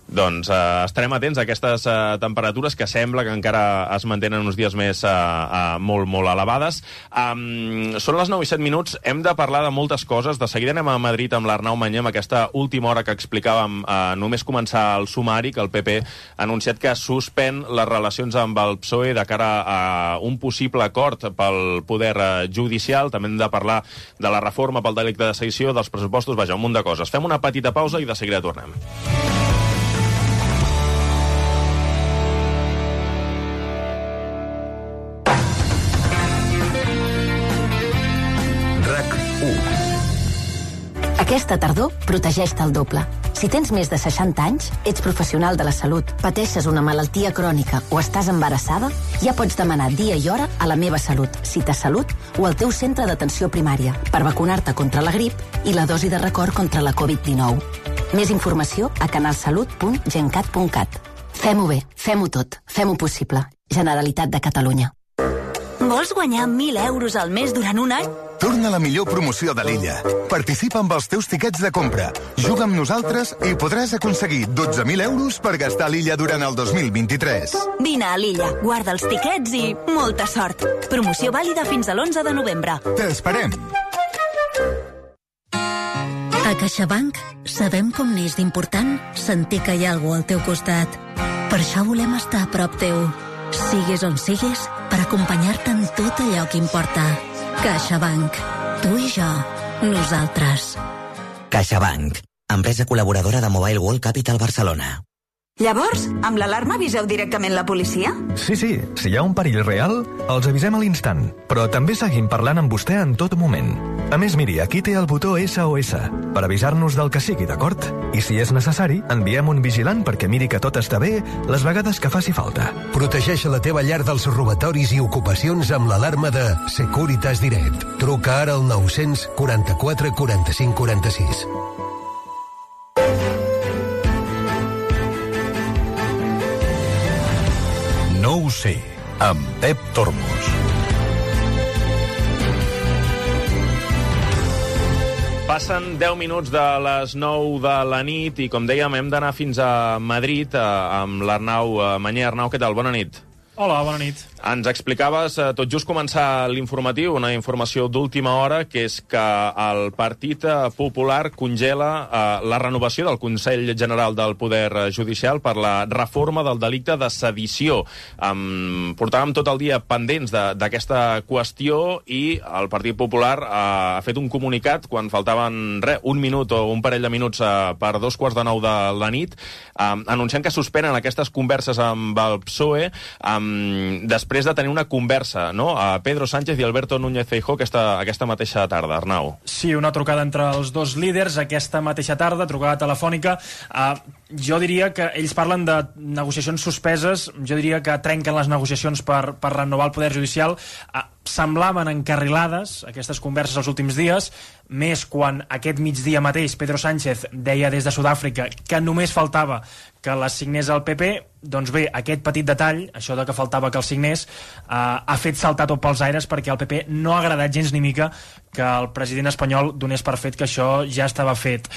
Doncs uh, estarem atents a aquestes uh, temperatures que sembla que encara es mantenen uns dies més uh, uh, molt, molt elevades. Um, són les nou i set minuts, hem de parlar de moltes coses. De seguida anem a Madrid amb l'Arnau Mañé, amb aquesta última hora que explicàvem, uh, només començar el sumari, que el P P ha anunciat que suspèn les relacions amb el P S O E de cara a un possible acord pel poder uh, judicial. També hem de parlar de la reforma pel delicte de sedició, dels pressupostos, vaja, un munt de coses. Fem una petita pausa i de seguida tornem. Aquesta tardor, protegeix-te el doble. Si tens més de seixanta anys, ets professional de la salut, pateixes una malaltia crònica o estàs embarassada, ja pots demanar dia i hora a la Meva Salut, Cita Salut o al teu centre d'atenció primària per vacunar-te contra la grip i la dosi de record contra la covid dinou. Més informació a canalsalut punt gencat punt cat. Fem-ho bé, fem-ho tot, fem-ho possible. Generalitat de Catalunya. Vols guanyar mil euros al mes durant un any? Torna la millor promoció de l'illa. Participa amb els teus tiquets de compra. Juga amb nosaltres i podràs aconseguir dotze mil euros per gastar a l'illa durant el dos mil vint-i-tres. Vine a l'illa, guarda els tiquets i molta sort. Promoció vàlida fins a l'onze de novembre. T'esperem. A CaixaBank sabem com n'és d'important sentir que hi ha algú al teu costat. Per això volem estar a prop teu. Sigues on sigues, per acompanyar-te en tot allò que importa. CaixaBank. Tu i jo. Nosaltres. CaixaBank. Empresa col·laboradora de Mobile World Capital Barcelona. Llavors, amb l'alarma aviseu directament la policia? Sí, sí. Si hi ha un perill real, els avisem a l'instant. Però també seguim parlant amb vostè en tot moment. A més, miri, aquí té el botó S O S per avisar-nos del que sigui, d'acord? I si és necessari, enviem un vigilant perquè miri que tot està bé les vegades que faci falta. Protegeix la teva llar dels robatoris i ocupacions amb l'alarma de Securitas Direct. Truca ara al nou-cents quaranta-quatre quaranta-cinc quaranta-sis. No ho sé, amb Pep Tormos. Passen deu minuts de les nou de la nit i, com dèiem, hem d'anar fins a Madrid eh, amb l'Arnau Mañé. Arnau, què tal? Bona nit. Hola, bona nit. Ens explicaves, eh, tot just començar l'informatiu, una informació d'última hora, que és que el Partit Popular congela eh, la renovació del Consell General del Poder Judicial per la reforma del delicte de sedició. Um, portàvem tot el dia pendents d'aquesta qüestió i el Partit Popular eh, ha fet un comunicat quan faltaven re, un minut o un parell de minuts eh, per dos quarts de nou de la nit, eh, anunciant que suspenen aquestes converses amb el P S O E, um, després de tenir una conversa, no?, a Pedro Sánchez i Alberto Núñez Feijóo aquesta, aquesta mateixa tarda. Arnau. Sí, una trucada entre els dos líders aquesta mateixa tarda, trucada telefònica. Uh, jo diria que ells parlen de negociacions suspeses, jo diria que trenquen les negociacions per, per renovar el Poder Judicial. Uh, semblaven encarrilades aquestes converses els últims dies, més quan aquest migdia mateix Pedro Sánchez deia des de Sud-àfrica que només faltava que les signés el P P. Doncs bé, aquest petit detall, això de que faltava que el signés, eh, ha fet saltar tot pels aires perquè al P P no ha agradat gens ni mica que el president espanyol donés per fet que això ja estava fet.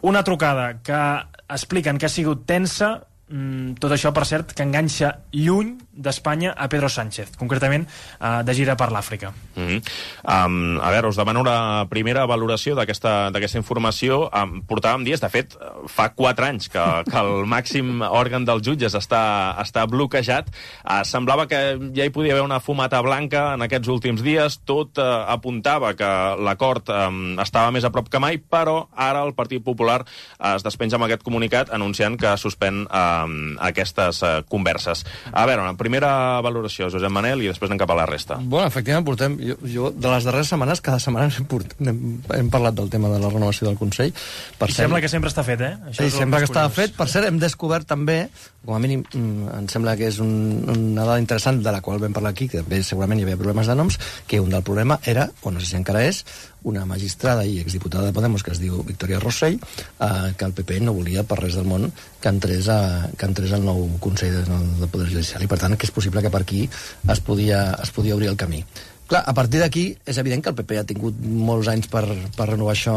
Una trucada que expliquen que ha sigut tensa, Mm, tot això, per cert, que enganxa lluny d'Espanya a Pedro Sánchez, concretament uh, de gira per l'Àfrica. Mm-hmm. um, a veure, us demano una primera valoració d'aquesta informació. Um, portàvem dies, de fet, fa quatre anys que, que el màxim òrgan dels jutges està, està bloquejat. Uh, semblava que ja hi podia haver una fumata blanca en aquests últims dies. Tot uh, apuntava que l'acord um, estava més a prop que mai, però ara el Partit Popular uh, es despenja amb aquest comunicat anunciant que suspèn uh, aquestes uh, converses. A veure, una primera valoració, Josep Manel, i després anem cap a la resta. Bueno, efectivament, portem... Jo, jo de les darreres setmanes, cada setmana hem, port, hem, hem parlat del tema de la renovació del Consell. Per I cert, sembla que sempre està fet, eh? Això sí, sembla que estava fet. Per cert, hem descobert també, com a mínim, em sembla que és un, una dada interessant de la qual vam parlar aquí, que també segurament hi havia problemes de noms, que un del problema era, o no sé si encara és, una magistrada i exdiputada de Podemos que es diu Victoria Rossell, eh, que el P P no volia per res del món que entrés, a, que entrés al nou Consell de, del Poder Judicial, i per tant que és possible que per aquí es podia, es podia obrir el camí. Clar, a partir d'aquí és evident que el P P ha tingut molts anys per, per renovar això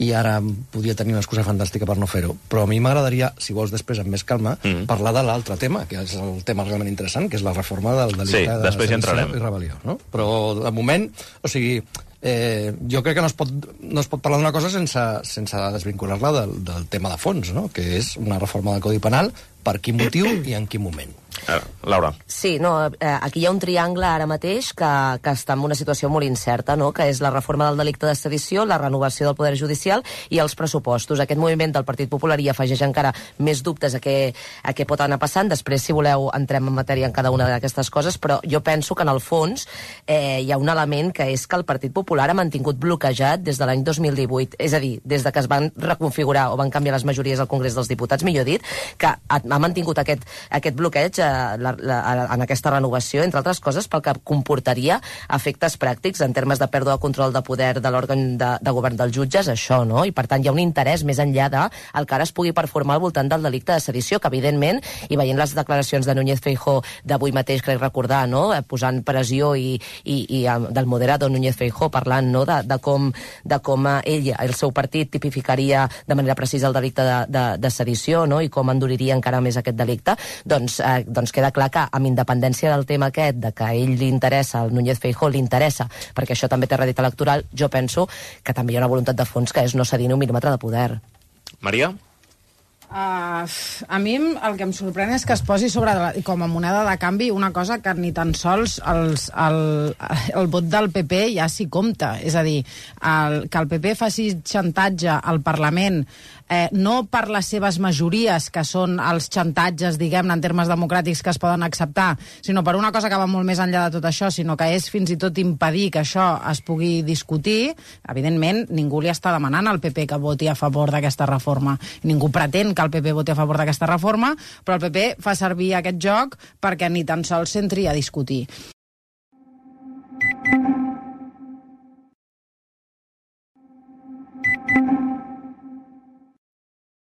i ara podia tenir una excusa fantàstica per no fer-ho, però a mi m'agradaria, si vols després amb més calma, mm. parlar de l'altre tema, que és el tema realment interessant, que és la reforma del delicte sí, de sedició i rebel·lió, no? Però de moment, o sigui, Eh, jo crec que no es pot, no es pot parlar d'una cosa sense, sense desvincular-la del, del tema de fons, no? Que és una reforma del Codi Penal, per quin motiu i en quin moment. Eh, Laura. Sí, no, eh, aquí hi ha un triangle ara mateix que, que està en una situació molt incerta, no? Que és la reforma del delicte de sedició, la renovació del Poder Judicial i els pressupostos. Aquest moviment del Partit Popular hi afegeix encara més dubtes a què, a què pot anar passant. Després, si voleu, entrem en matèria en cada una d'aquestes coses, però jo penso que en el fons eh, hi ha un element que és que el Partit Popular ha mantingut bloquejat des de l'any dos mil divuit, és a dir, des de que es van reconfigurar o van canviar les majories al Congrés dels Diputats, millor dit, que ha, ha mantingut aquest, aquest bloqueig eh, la, la, en aquesta renovació, entre altres coses, pel que comportaria efectes pràctics en termes de pèrdua de control de poder de l'òrgan de, de govern dels jutges, això, no? I per tant hi ha un interès més enllà de el que ara es pugui performar al voltant del delicte de sedició, que evidentment, i veient les declaracions de Núñez Feijóo d'avui mateix, crec recordar, no? Posant pressió i, i, i del moderado Núñez Feijóo parlant, no? de, de com, de com ell, el seu partit, tipificaria de manera precisa el delicte de, de, de sedició, no? I com enduriria encara més aquest delicte, doncs, eh, doncs queda clar que amb independència del tema aquest, de que a ell li interessa, al Núñez Feijóo li interessa, perquè això també té rèdit electoral, jo penso que també hi ha una voluntat de fons que és no cedir ni un mil·límetre de poder. Maria? Uh, a mi el que em sorprèn és que es posi sobre la, com a moneda de canvi una cosa que ni tan sols els, el, el vot del P P ja s'hi compta. És a dir, el, que el P P faci xantatge al Parlament eh, no per les seves majories, que són els xantatges, diguem-ne, en termes democràtics que es poden acceptar, sinó per una cosa que va molt més enllà de tot això, sinó que és fins i tot impedir que això es pugui discutir. Evidentment, ningú li està demanant al P P que voti a favor d'aquesta reforma. Ningú pretén que el P P voti a favor d'aquesta reforma, però el P P fa servir aquest joc perquè ni tan sols s'entri a discutir.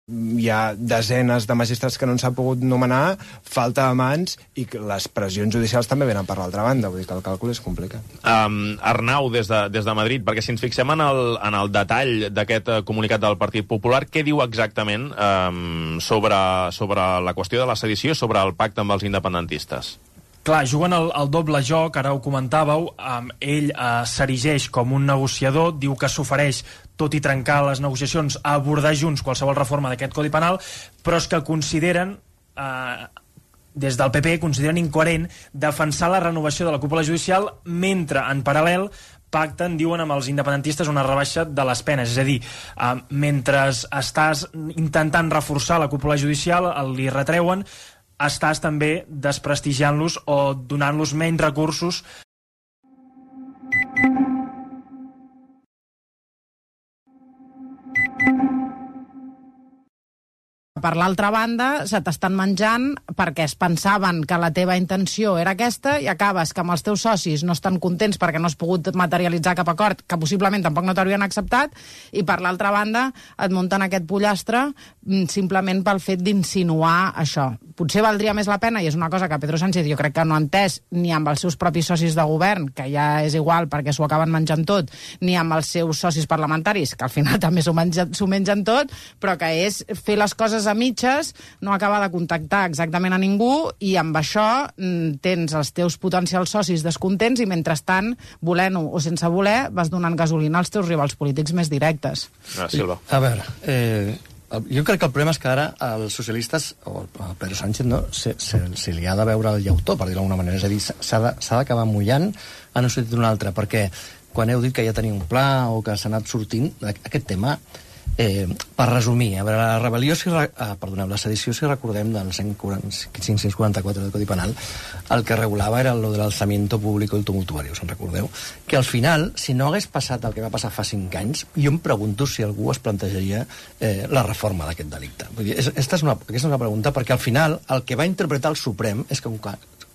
Hi ha desenes de magistrats que no s'ha pogut nomenar, falta de mans, i les pressions judicials també venen per l'altra banda, vull dir que el càlcul és complicat. Um, Arnau, des de, des de Madrid, perquè si ens fixem en el, en el detall d'aquest uh, comunicat del Partit Popular, què diu exactament um, sobre, sobre la qüestió de la sedició i sobre el pacte amb els independentistes? Clar, juguen el, el doble joc, ara ho comentàveu, um, ell uh, s'erigeix com un negociador, diu que s'ofereix, tot i trencar les negociacions, a abordar junts qualsevol reforma d'aquest Codi Penal, però és que consideren, eh, des del P P, consideren incoherent defensar la renovació de la cúpula judicial mentre, en paral·lel, pacten, diuen, amb els independentistes una rebaixa de les penes. És a dir, eh, mentre estàs intentant reforçar la cúpula judicial, li retreuen, estàs també desprestigiant-los o donant-los menys recursos. Per l'altra banda, se t'estan menjant perquè es pensaven que la teva intenció era aquesta i acabes que amb els teus socis no estan contents perquè no has pogut materialitzar cap acord, que possiblement tampoc no t'haurien acceptat, i per l'altra banda et munten aquest pollastre simplement pel fet d'insinuar això. Potser valdria més la pena, i és una cosa que Pedro Sánchez jo crec que no ha entès ni amb els seus propis socis de govern, que ja és igual perquè s'ho acaben menjant tot, ni amb els seus socis parlamentaris, que al final també s'ho mengen, s'ho mengen tot, però que és fer les coses amb mitges, no acaba de contactar exactament a ningú i amb això tens els teus potencials socis descontents i mentrestant, volent-ho o sense voler, vas donant gasolina als teus rivals polítics més directes. Ah, Silva. A veure, eh, jo crec que el problema és que ara els socialistes, o el Pedro Sánchez, no, se, se, se li ha de veure el llautó, per dir-ho d'alguna manera. És a dir, s'ha d'acabar mullant en un sentit d'un altre, perquè quan heu dit que ja tenia un pla o que s'ha anat sortint, aquest tema... Eh, per resumir, a veure, la rebel·lió, si, ah, perdoneu, la sedició, si recordem del cinc-cents quaranta-quatre del Codi Penal, el que regulava era lo de l'alzamiento público y tumultuario, us en recordeu? Que al final, si no hagués passat el que va passar fa cinc anys, jo em pregunto si algú es plantejaria eh, la reforma d'aquest delicte. Vull dir, és, esta és una, aquesta és una pregunta, perquè al final el que va interpretar el Suprem és que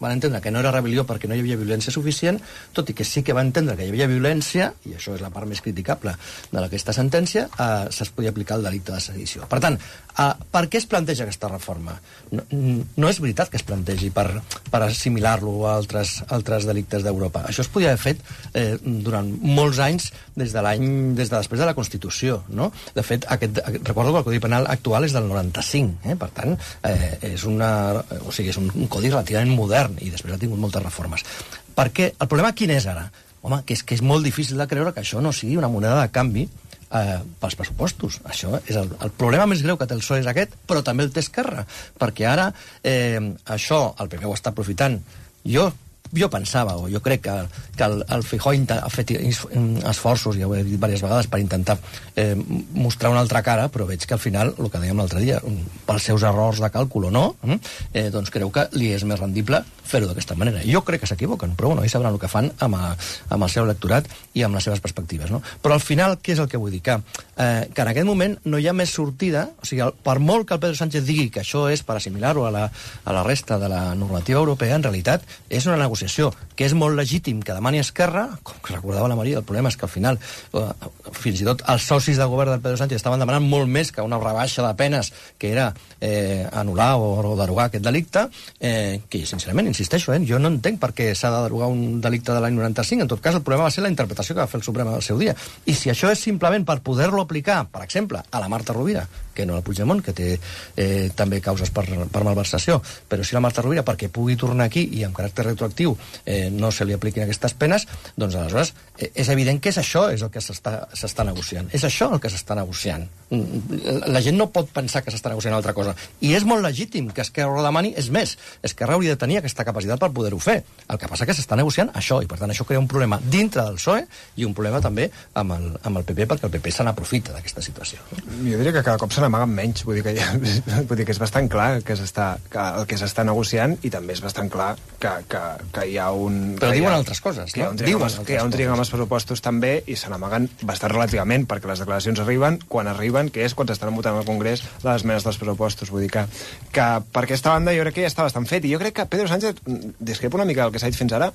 van entendre que no era rebel·lió perquè no hi havia violència suficient, tot i que sí que va entendre que hi havia violència, i això és la part més criticable d'aquesta sentència, eh, es podia aplicar el delicte de sedició. Per tant, eh, per què es planteja aquesta reforma? No, no és veritat que es plantegi per, per assimilar-lo a altres, altres delictes d'Europa. Això es podia haver fet eh, durant molts anys des de l'any, des de després de la Constitució, no? De fet, aquest, recordo que el Codi Penal actual és del noranta-cinc, eh? Per tant, eh, és, una, o sigui, és un, un codi relativament modern i després ha tingut moltes reformes. Per què? El problema quin és ara? Home, que és que és molt difícil de creure que això no sigui una moneda de canvi eh, pels pressupostos. Això és el, el problema més greu que té el P S O E és aquest, però també el té Esquerra, perquè ara eh, això el P P ho està aprofitant. Jo jo pensava, o jo crec que, que el, el Feijóo ha fet esforços, ja ho he dit diverses vegades, per intentar eh, mostrar una altra cara, però veig que al final, el que dèiem l'altre dia, pels seus errors de càlcul o no, eh, doncs creu que li és més rendible fer-ho d'aquesta manera. Jo crec que s'equivoquen, però bueno, ells sabran el que fan amb, a, amb el seu electorat i amb les seves perspectives, no? Però al final, què és el que vull dir? Que, eh, que en aquest moment no hi ha més sortida, o sigui, el, per molt que el Pedro Sánchez digui que això és per assimilar-ho a la, a la resta de la normativa europea, en realitat és una negociació que és molt legítim que demani Esquerra, com que recordava la Maria, el problema és que al final eh, fins i tot els socis de govern del Pedro Sánchez estaven demanant molt més que una rebaixa de penes, que era eh, anul·lar o, o derogar aquest delicte, eh, que sincerament, insisteixo, eh, jo no entenc per què s'ha de derogar un delicte de l'any noranta-cinc. En tot cas, el problema va ser la interpretació que va fer el Suprem al seu dia. I si això és simplement per poder-lo aplicar, per exemple, a la Marta Rovira, que no la Puigdemont, que té eh, també causes per, per malversació, però si la Marta Rovira, perquè pugui tornar aquí i amb caràcter retroactiu eh, no se li apliquin aquestes penes, doncs aleshores eh, és evident que és això és el que s'està negociant. És això el que s'està negociant. La gent no pot pensar que s'està negociant altra cosa. I és molt legítim que Esquerra ho demani. És més, Esquerra hauria de tenir aquesta capacitat per poder-ho fer. El que passa que s'està negociant això, i per tant això crea un problema dintre del P S O E i un problema també amb el, amb el P P, perquè el P P se n'aprofita d'aquesta situació. Jo diria que cada cop se n'amaguen menys, vull dir que, ja, vull dir que és bastant clar que, que el que s'està negociant, i també és bastant clar que, que, que hi ha un... Però diuen ha, altres coses, que no? Hi ha un triangle, que hi ha un triangle amb els pressupostos també, i se n'amaguen bastant relativament, perquè les declaracions arriben quan arriben, que és quan s'estan votant al Congrés les esmenes dels pressupostos. Vull dir que, que per aquesta banda jo crec que ja està bastant fet, i jo crec que Pedro Sánchez discrepa una mica del que s'ha dit fins ara,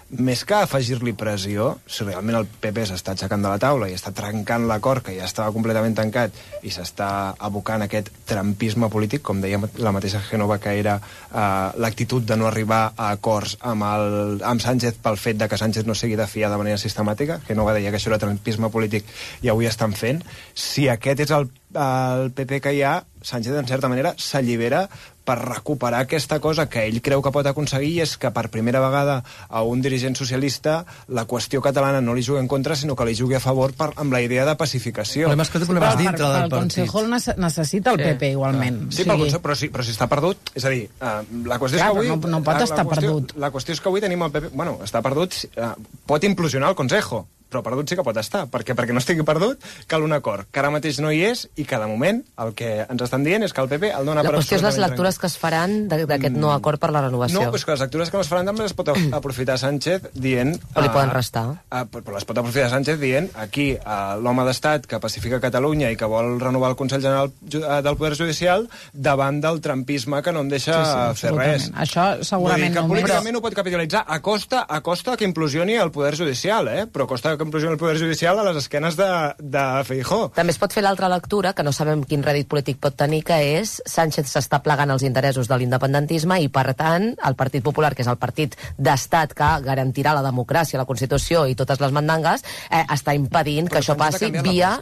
més que afegir-li pressió, si realment el P P s'està aixecant de la taula i està trencant l'acord que ja estava completament tancat i s'està abocant aquest trampisme polític, com deia la mateixa Génova, que era eh, l'actitud de no arribar a acords amb, el, amb Sánchez pel fet de que Sánchez no sigui de fiar de manera sistemàtica. Génova deia que això era trampisme polític i avui estan fent. Si aquest és el, el P P que hi ha, Sánchez, en certa manera, s'allibera per recuperar aquesta cosa que ell creu que pot aconseguir, i és que per primera vegada a un dirigent socialista la qüestió catalana no li jugui en contra, sinó que li jugui a favor per, amb la idea de pacificació. Però, que problemes dintre per, del el Consejo necessita el sí. P P igualment. Sí, sí. Consejo, però, si, però si està perdut, és a dir, uh, la qüestió Clar, és que avui... No, no pot la, estar la qüestió, perdut. La qüestió és que avui tenim el P P... Bueno, està perdut, uh, pot implosionar el Consejo, però perdut sí que pot estar, perquè perquè no estigui perdut cal un acord, que ara mateix no hi és, i que de moment el que ens estan dient és que el P P el dona la per... La qüestió és les lectures que es faran d'aquest no acord per la renovació. No, és que les lectures que es faran també les pot aprofitar Sánchez dient... O li poden restar. Uh, uh, però les pot aprofitar Sánchez dient aquí uh, l'home d'estat que pacifica Catalunya i que vol renovar el Consell General del Poder Judicial davant del trampisme que no en deixa sí, sí, fer res. Això segurament que no... políticament ho pot capitalitzar a costa, a costa que implosioni el Poder Judicial, eh? Però a costa que implosioni el Poder Judicial a les esquenes de, de Feijóo. També es pot fer l'altra lectura, que no sabem quin rèdit polític pot tenir, que és Sánchez s'està plegant els interessos de l'independentisme i, per tant, el Partit Popular, que és el partit d'estat que garantirà la democràcia, la Constitució i totes les mandangues, eh, està impedint, però que això passi via...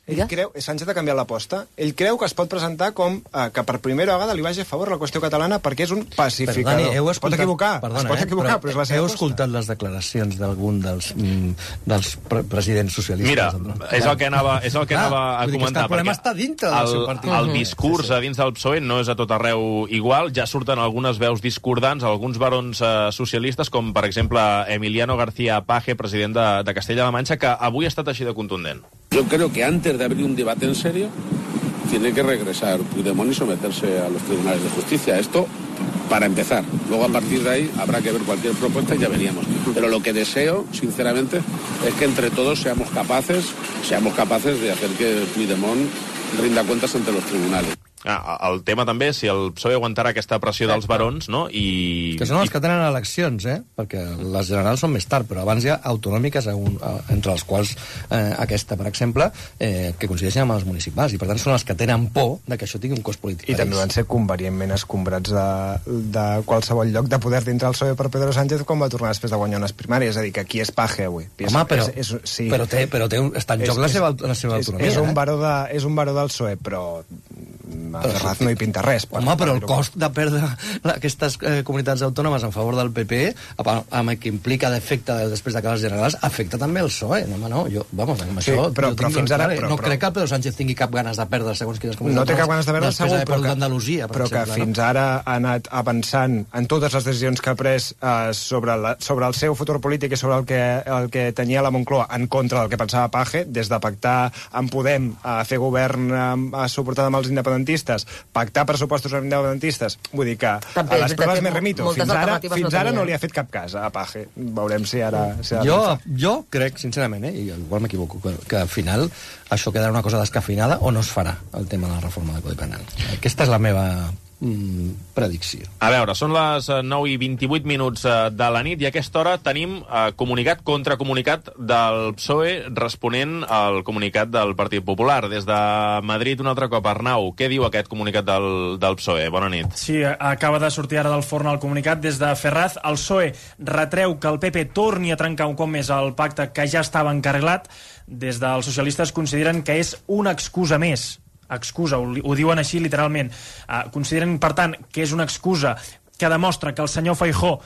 ell creu, Sánchez ha canviat l'aposta, ell creu que es pot presentar com eh, que per primera vegada li vagi a favor la qüestió catalana perquè és un pacificador. Però, Dani, heu escoltat, es pot equivocar, perdona, es pot equivocar, eh, però, però és la seva heu aposta. escoltat les declaracions d'algun dels, mm, dels pre presidents socialistes? Mira, és el que anava, és el que anava a comentar. El problema està dintre del el, seu partit. El discurs sí, sí. a dins del P S O E no és a tot arreu igual. Ja surten algunes veus discordants, alguns barons eh, socialistes, com per exemple Emiliano García Paje, president de, de Castella-La Manxa, que avui ha estat així de contundent. Yo creo que antes de abrir un debate en serio, tiene que regresar Puigdemont y someterse a los tribunales de justicia. Esto para empezar. Luego, a partir de ahí, habrá que ver cualquier propuesta y ya veríamos. Pero lo que deseo, sinceramente, es que entre todos seamos capaces, seamos capaces de hacer que Puigdemont rinda cuentas ante los tribunales. Ah, el tema també, si el P S O E aguantarà aquesta pressió dels barons, no? I... Que són els que tenen eleccions, eh? Perquè les generals són més tard, però abans hi ha autonòmiques, un, entre les quals eh, aquesta, per exemple, eh, que coincideixen amb els municipals, i per tant són els que tenen por de que això tingui un cost polític. I també van ser convenientment escombrats de, de qualsevol lloc de poder dintre el P S O E per Pedro Sánchez quan va tornar després de guanyar unes primàries, és a dir, que aquí és Paje avui. Home, però, és, és, sí. però, té, però té un, està en joc és, la seva, la seva és, autonomia. És un, eh? baró de, és un baró del P S O E, però a Ferraz no hi pinta res. Home, però el cost de perdre aquestes eh, comunitats autònomes en favor del P P, amb el que implica d'efecte després de les generals, afecta també el P S O E. No, home, no, jo, vamos, amb sí, això... Però, però fins ara... Però, no però, crec que el Pedro Sánchez tingui cap ganes de perdre segons quines comunitats. No té cap ganes de perdre, segur, però que, Andalusia, però exemple, que fins no? ara ha anat avançant en totes les decisions que ha pres eh, sobre, la, sobre el seu futur polític i sobre el que, el que tenia la Moncloa en contra del que pensava Paje, des de pactar amb Podem, a fer govern a suportar amb els independentistes, pactar pressupostos amb independentistes, vull dir que també, a les proves me mo remito. Fins ara, fins ara no li ha fet cap cas a Paje. Veurem si ara... Si ara jo, jo crec, sincerament, eh, i igual m'equivoco, que, que al final això quedarà una cosa descafeinada o no es farà el tema de la reforma del Codi Penal. Aquesta és la meva mm, predicció. A veure, són les nou i vint-i-vuit minuts de la nit i a aquesta hora tenim eh, comunicat contra comunicat del P S O E responent al comunicat del Partit Popular. Des de Madrid, un altre cop, Arnau, què diu aquest comunicat del, del P S O E? Bona nit. Sí, acaba de sortir ara del forn el comunicat des de Ferraz. El P S O E retreu que el P P torni a trencar un cop més el pacte que ja estava encarrilat. Des dels socialistes consideren que és una excusa més. Excusa, ho, ho diuen així literalment. Uh, consideren, per tant, que és una excusa que demostra que el senyor Feijóo,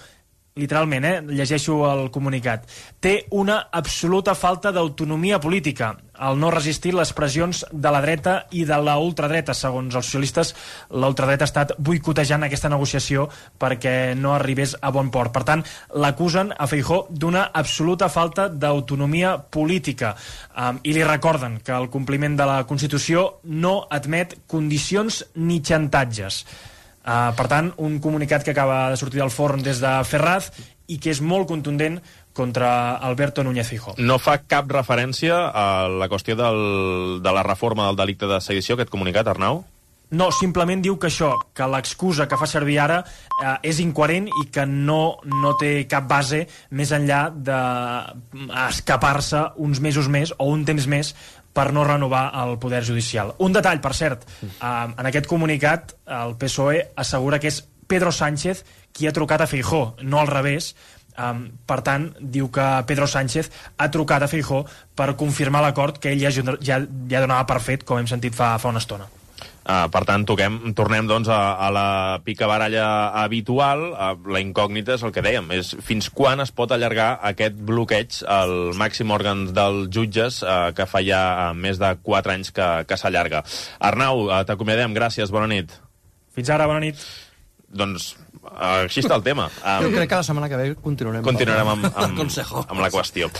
literalment, eh, llegeixo el comunicat, té una absoluta falta d'autonomia política al no resistir les pressions de la dreta i de la ultradreta. Segons els socialistes, la ultradreta ha estat boicotejant aquesta negociació perquè no arribés a bon port. Per tant, l'acusen a Feijóo d'una absoluta falta d'autonomia política. Um, I li recorden que el compliment de la Constitució no admet condicions ni xantatges. Uh, per tant, un comunicat que acaba de sortir del forn des de Ferraz i que és molt contundent contra Alberto Núñez Feijóo. No fa cap referència a la qüestió del, de la reforma del delicte de sedició, aquest comunicat, Arnau? No, simplement diu que això, que l'excusa que fa servir ara eh, és incoherent i que no, no té cap base més enllà d'escapar-se uns mesos més o un temps més per no renovar el poder judicial. Un detall, per cert, eh, en aquest comunicat el P S O E assegura que és Pedro Sánchez qui ha trucat a Feijóo, no al revés. Um, per tant, diu que Pedro Sánchez ha trucat a Feijóo per confirmar l'acord que ell ja, ja, ja donava per fet, com hem sentit fa, fa una estona. Uh, per tant, toquem, tornem doncs, a, a la picabaralla habitual. Uh, la incògnita és el que dèiem, és fins quan es pot allargar aquest bloqueig al màxim òrgan dels jutges, uh, que fa ja uh, més de quatre anys que, que s'allarga. Arnau, uh, t'acomiadem, gràcies, bona nit. Fins ara, bona nit. Doncs uh, així està el tema. Um, jo crec que la setmana que ve continuarem, continuarem amb, amb, amb la qüestió.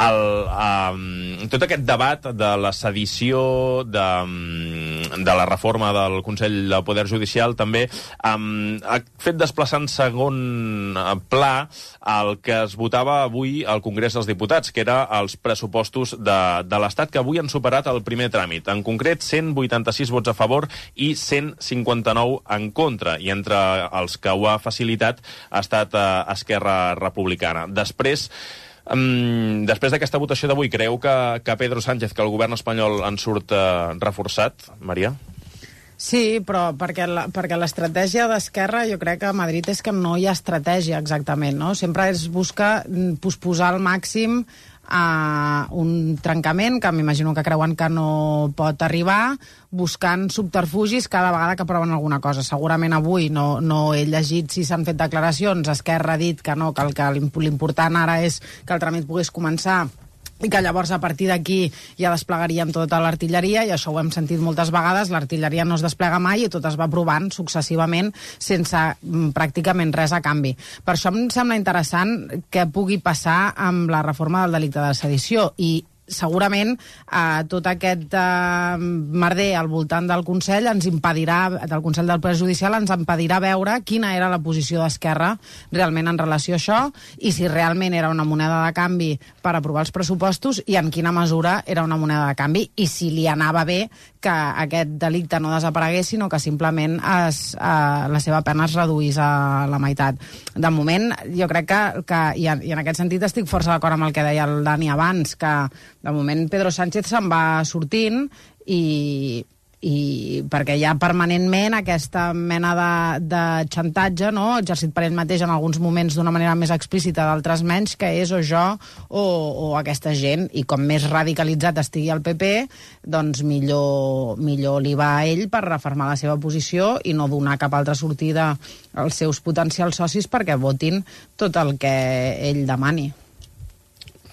El, um, tot aquest debat de la sedició, de, de la reforma del Consell del Poder Judicial, també um, ha fet desplaçar en segon pla el que es votava avui al Congrés dels Diputats, que era els pressupostos de, de l'Estat, que avui han superat el primer tràmit. En concret, cent vuitanta-sis vots a favor i cent cinquanta-nou en contra. I entre els que ho ha facilitat ha estat eh, Esquerra Republicana. Després, um, després d'aquesta votació d'avui, creu que, que Pedro Sánchez, que el govern espanyol en surt eh, reforçat, Maria? Sí, però perquè la, perquè l'estratègia d'Esquerra jo crec que a Madrid és que no hi ha estratègia exactament, no? Sempre és buscar posposar al màxim a un trencament que m'imagino que creuen que no pot arribar, buscant subterfugis cada vegada que proven alguna cosa. Segurament avui no, no he llegit si s'han fet declaracions, Esquerra ha dit que no, que el que l'important ara és que el tràmit pogués començar i que llavors a partir d'aquí ja desplegaríem tota l'artilleria, i això ho hem sentit moltes vegades, l'artilleria no es desplega mai i tot es va provant successivament sense mm, pràcticament res a canvi. Per això em sembla interessant què pugui passar amb la reforma del delicte de sedició, i segurament eh, tot aquest eh, merder al voltant del Consell ens impedirà, del Consell del Poder Judicial ens impedirà veure quina era la posició d'Esquerra realment en relació a això, i si realment era una moneda de canvi per aprovar els pressupostos i en quina mesura era una moneda de canvi, i si li anava bé que aquest delicte no desaparegués, sinó que simplement es, eh, la seva pena es reduís a la meitat. De moment, jo crec que, que i, en, i en aquest sentit estic força d'acord amb el que deia el Dani abans, que de moment Pedro Sánchez se'n va sortint i, i perquè hi ha permanentment aquesta mena de, de xantatge, no? Exercit per ell mateix en alguns moments d'una manera més explícita, d'altres menys, que és o jo o, o aquesta gent, i com més radicalitzat estigui el P P, doncs millor, millor li va a ell per refermar la seva posició i no donar cap altra sortida als seus potencials socis perquè votin tot el que ell demani.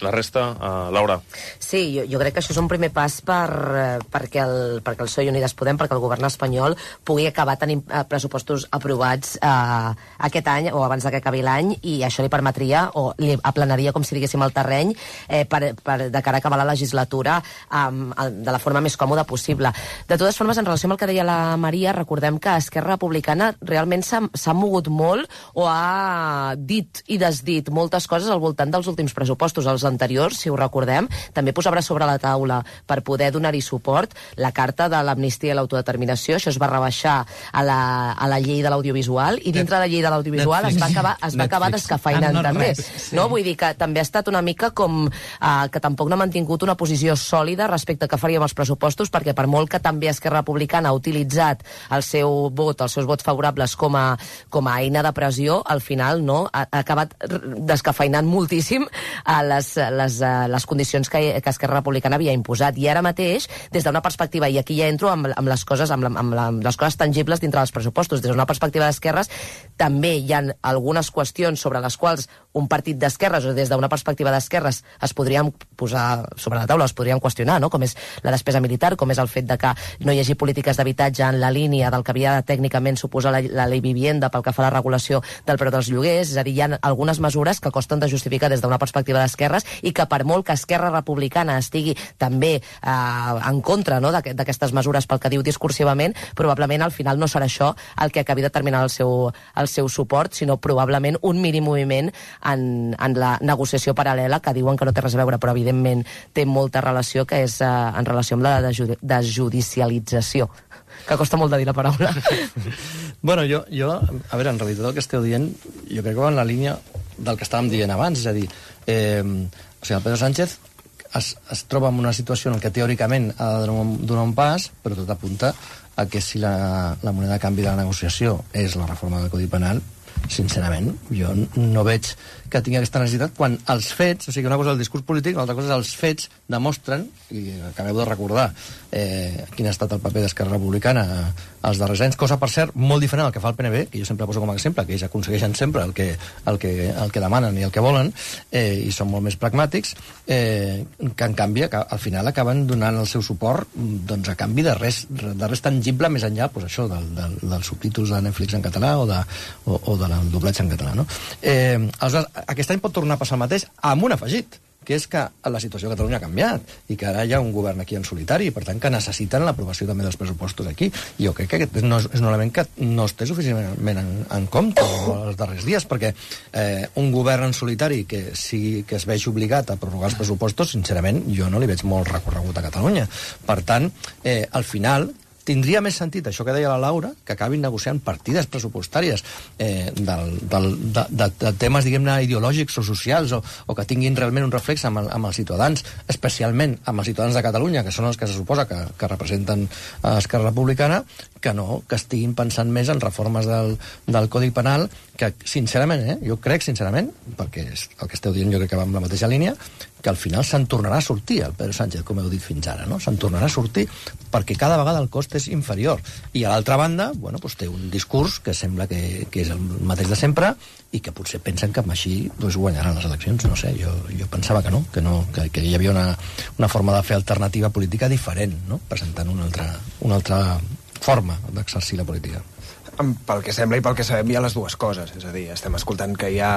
La resta, uh, Laura. Sí, jo, jo crec que això és un primer pas per, eh, perquè, el, perquè el P S O E i Unides Podem, perquè el govern espanyol pugui acabar tenint eh, pressupostos aprovats eh, aquest any o abans que acabi l'any, i això li permetria o li aplanaria, com si diguéssim, el terreny eh, per, per, de cara a acabar la legislatura eh, de la forma més còmoda possible. De totes formes, en relació amb el que deia la Maria, recordem que Esquerra Republicana realment s'ha mogut molt o ha dit i desdit moltes coses al voltant dels últims pressupostos. Els anteriors, si ho recordem, també posava sobre la taula per poder donar-hi suport la carta de l'amnistia i l'autodeterminació. Això es va rebaixar a la, a la llei de l'audiovisual, i dintre de la llei de l'audiovisual es va acabar, es va acabar descafeinant, ah, no, també. Sí. No? Vull dir que també ha estat una mica com eh, que tampoc no ha mantingut una posició sòlida respecte a què faríem els pressupostos, perquè per molt que també Esquerra Republicana ha utilitzat el seu vot, els seus vots favorables com a, com a eina de pressió, al final no ha, ha acabat descafeinant moltíssim a les Les, les condicions que, que Esquerra Republicana havia imposat. I ara mateix, des d'una perspectiva, i aquí ja entro amb, amb les coses amb, la, amb, la, amb les coses tangibles dintre dels pressupostos, des d'una perspectiva d'esquerres, també hi ha algunes qüestions sobre les quals un partit d'esquerres, o des d'una perspectiva d'esquerres, es podrien posar sobre la taula, es podrien qüestionar, no? Com és la despesa militar, com és el fet de que no hi hagi polítiques d'habitatge en la línia del que havia de tècnicament suposar la, la Ley Vivienda pel que fa a la regulació del preu dels lloguers. És a dir, hi ha algunes mesures que costen de justificar des d'una perspectiva d'esquerres, i que per molt que Esquerra Republicana estigui també eh, en contra, no?, d'aquestes mesures pel que diu discursivament, probablement al final no serà això el que acabi determinant el seu, el seu suport, sinó probablement un mínim moviment en, en la negociació paral·lela, que diuen que no té res a veure, però evidentment té molta relació, que és eh, en relació amb la desjudicialització, que costa molt de dir la paraula. Bueno, jo, jo, a veure, en realitat el que esteu dient, jo crec que va en la línia del que estàvem dient abans, és a dir, eh, o sigui, el Pedro Sánchez es, es troba en una situació en què teòricament ha de donar un, donar un pas, però tot apunta a que si la, la moneda de canvi de la negociació és la reforma del Codi Penal, sincerament, jo no veig que tingui aquesta necessitat, quan els fets, o sigui, una cosa és el discurs polític, l'altra cosa és els fets demostren, i acabeu de recordar eh, quin ha estat el paper d'Esquerra Republicana els darrers anys, cosa, per cert, molt diferent al que fa el P N B, que jo sempre poso com a exemple, que ells aconsegueixen sempre el que, el que, el que demanen i el que volen, eh, i són molt més pragmàtics, eh, que en canvi al final acaben donant el seu suport doncs, a canvi de res, de res tangible més enllà pues, això, del, del, dels subtítols de Netflix en català o, de, o, o del doblatge en català. No? Eh, aleshores, aquest any pot tornar a passar el mateix amb un afegit, que és que la situació a Catalunya ha canviat i que ara hi ha un govern aquí en solitari i per tant que necessiten l'aprovació també dels pressupostos aquí. I jo crec que aquest no és, és un element que no es té suficientment en, en compte els darrers dies, perquè eh, un govern en solitari que, sigui, que es vegi obligat a prorrogar els pressupostos, sincerament jo no li veig molt recorregut a Catalunya. Per tant, eh, al final tindria més sentit, això que deia la Laura, que acabin negociant partides pressupostàries eh, del, del, de, de, de temes, diguem-ne, ideològics o socials, o, o que tinguin realment un reflex amb, el, amb els ciutadans, especialment amb els ciutadans de Catalunya, que són els que se suposa que, que representen a Esquerra Republicana, que no, que estiguin pensant més en reformes del, del Codi Penal, que, sincerament, eh, jo crec, sincerament, perquè és el que esteu dient jo crec que va amb la mateixa línia, que al final se'n tornarà a sortir el Pedro Sánchez, com heu dit fins ara, no? Se'n tornarà a sortir perquè cada vegada el cost és inferior. I a l'altra banda, bueno, doncs té un discurs que sembla que, que és el mateix de sempre i que potser pensen que amb així doncs, guanyaran les eleccions. No sé, jo, jo pensava que no, que, no que, que hi havia una, una forma de fer alternativa política diferent, no? Presentant una altra, una altra forma d'exercir la política. Pel que sembla i pel que sabem hi ha les dues coses, és a dir, estem escoltant que hi ha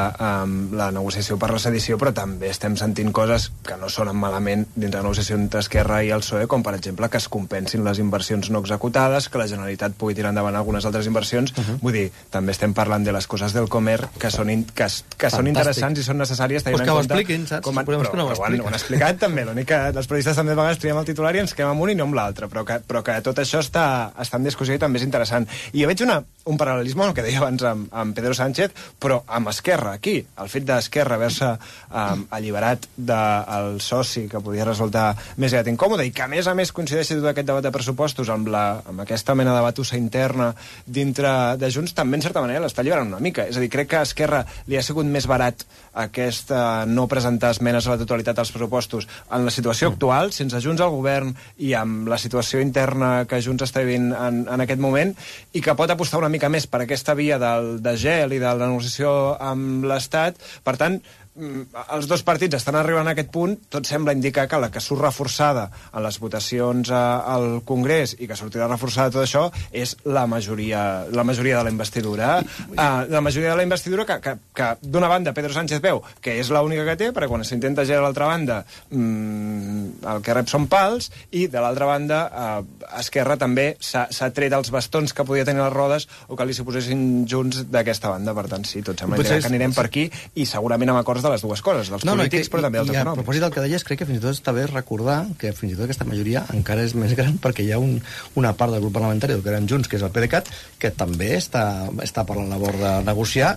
um, la negociació per la sedició, però també estem sentint coses que no sonen malament dins la negociació entre Esquerra i el P S O E, com per exemple que es compensin les inversions no executades, que la Generalitat pugui tirar endavant algunes altres inversions. Uh-huh. Vull dir, també estem parlant de les coses del Comer que són, in, que, que són interessants i són necessàries tenint pues que en ho compte... expliquin, saps? Com, però, però, però ho, han, ho han explicat també, l'únic que els periodistes també a vegades triem el titular i ens quedem amb un i no amb l'altre, però, que, però que tot això està, està en discussió i també és interessant. I jo veig una, un paral·lelisme el que deia abans amb, amb Pedro Sánchez, però amb Esquerra, aquí. El fet d'Esquerra haver-se um, alliberat del soci que podia resultar més aviat incòmode i que, a més a més, coincideixi tot aquest debat de pressupostos amb, la, amb aquesta mena de batussa interna dintre de Junts, també, en certa manera, l'està alliberant una mica. És a dir, crec que a Esquerra li ha sigut més barat aquest uh, no presentar esmenes a la totalitat als pressupostos en la situació actual, sense Junts al govern i amb la situació interna que Junts està vivint en, en aquest moment, i que pot apostar una mica més per aquesta via del, de gel i de la negociació amb l'Estat. Per tant, els dos partits estan arribant a aquest punt, tot sembla indicar que la que surt reforçada en les votacions a, al Congrés i que sortirà reforçada tot això és la majoria, la majoria de la investidura. Uh, la majoria de la investidura que, que, que d'una banda Pedro Sánchez veu que és l'única que té, perquè quan s'intenta gelar a l'altra banda mmm, el que rep són pals, i de l'altra banda uh, Esquerra també s'ha tret els bastons que podia tenir les rodes o que li suposessin Junts d'aquesta banda. Per tant, sí, tot sembla que anirem per aquí i segurament amb acords de les dues coses, dels no, polítics, no, que, però també dels econòmics. A propòsit del que deies, crec que fins i tot està bé recordar que fins i tot aquesta majoria encara és més gran perquè hi ha un, una part del grup parlamentari del que eren Junts, que és el PDeCAT, que també està, està per la labor de negociar,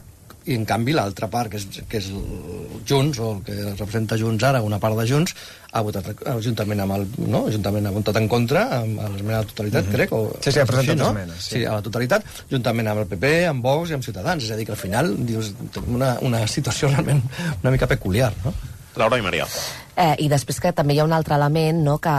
i en canvi l'altra part, que és, que és Junts, o el que representa Junts ara, una part de Junts, ha votat juntament amb el... No? Juntament ha votat en contra amb l'esmena a la totalitat, mm-hmm. crec. O, sí, sí, ha presentat no? esmenes. Sí. sí, a la totalitat, juntament amb el P P, amb Vox i amb Ciutadans. És a dir, que al final dius, una, una situació realment una mica peculiar, no? Laura i Maria. Eh, I després que també hi ha un altre element, no?, que,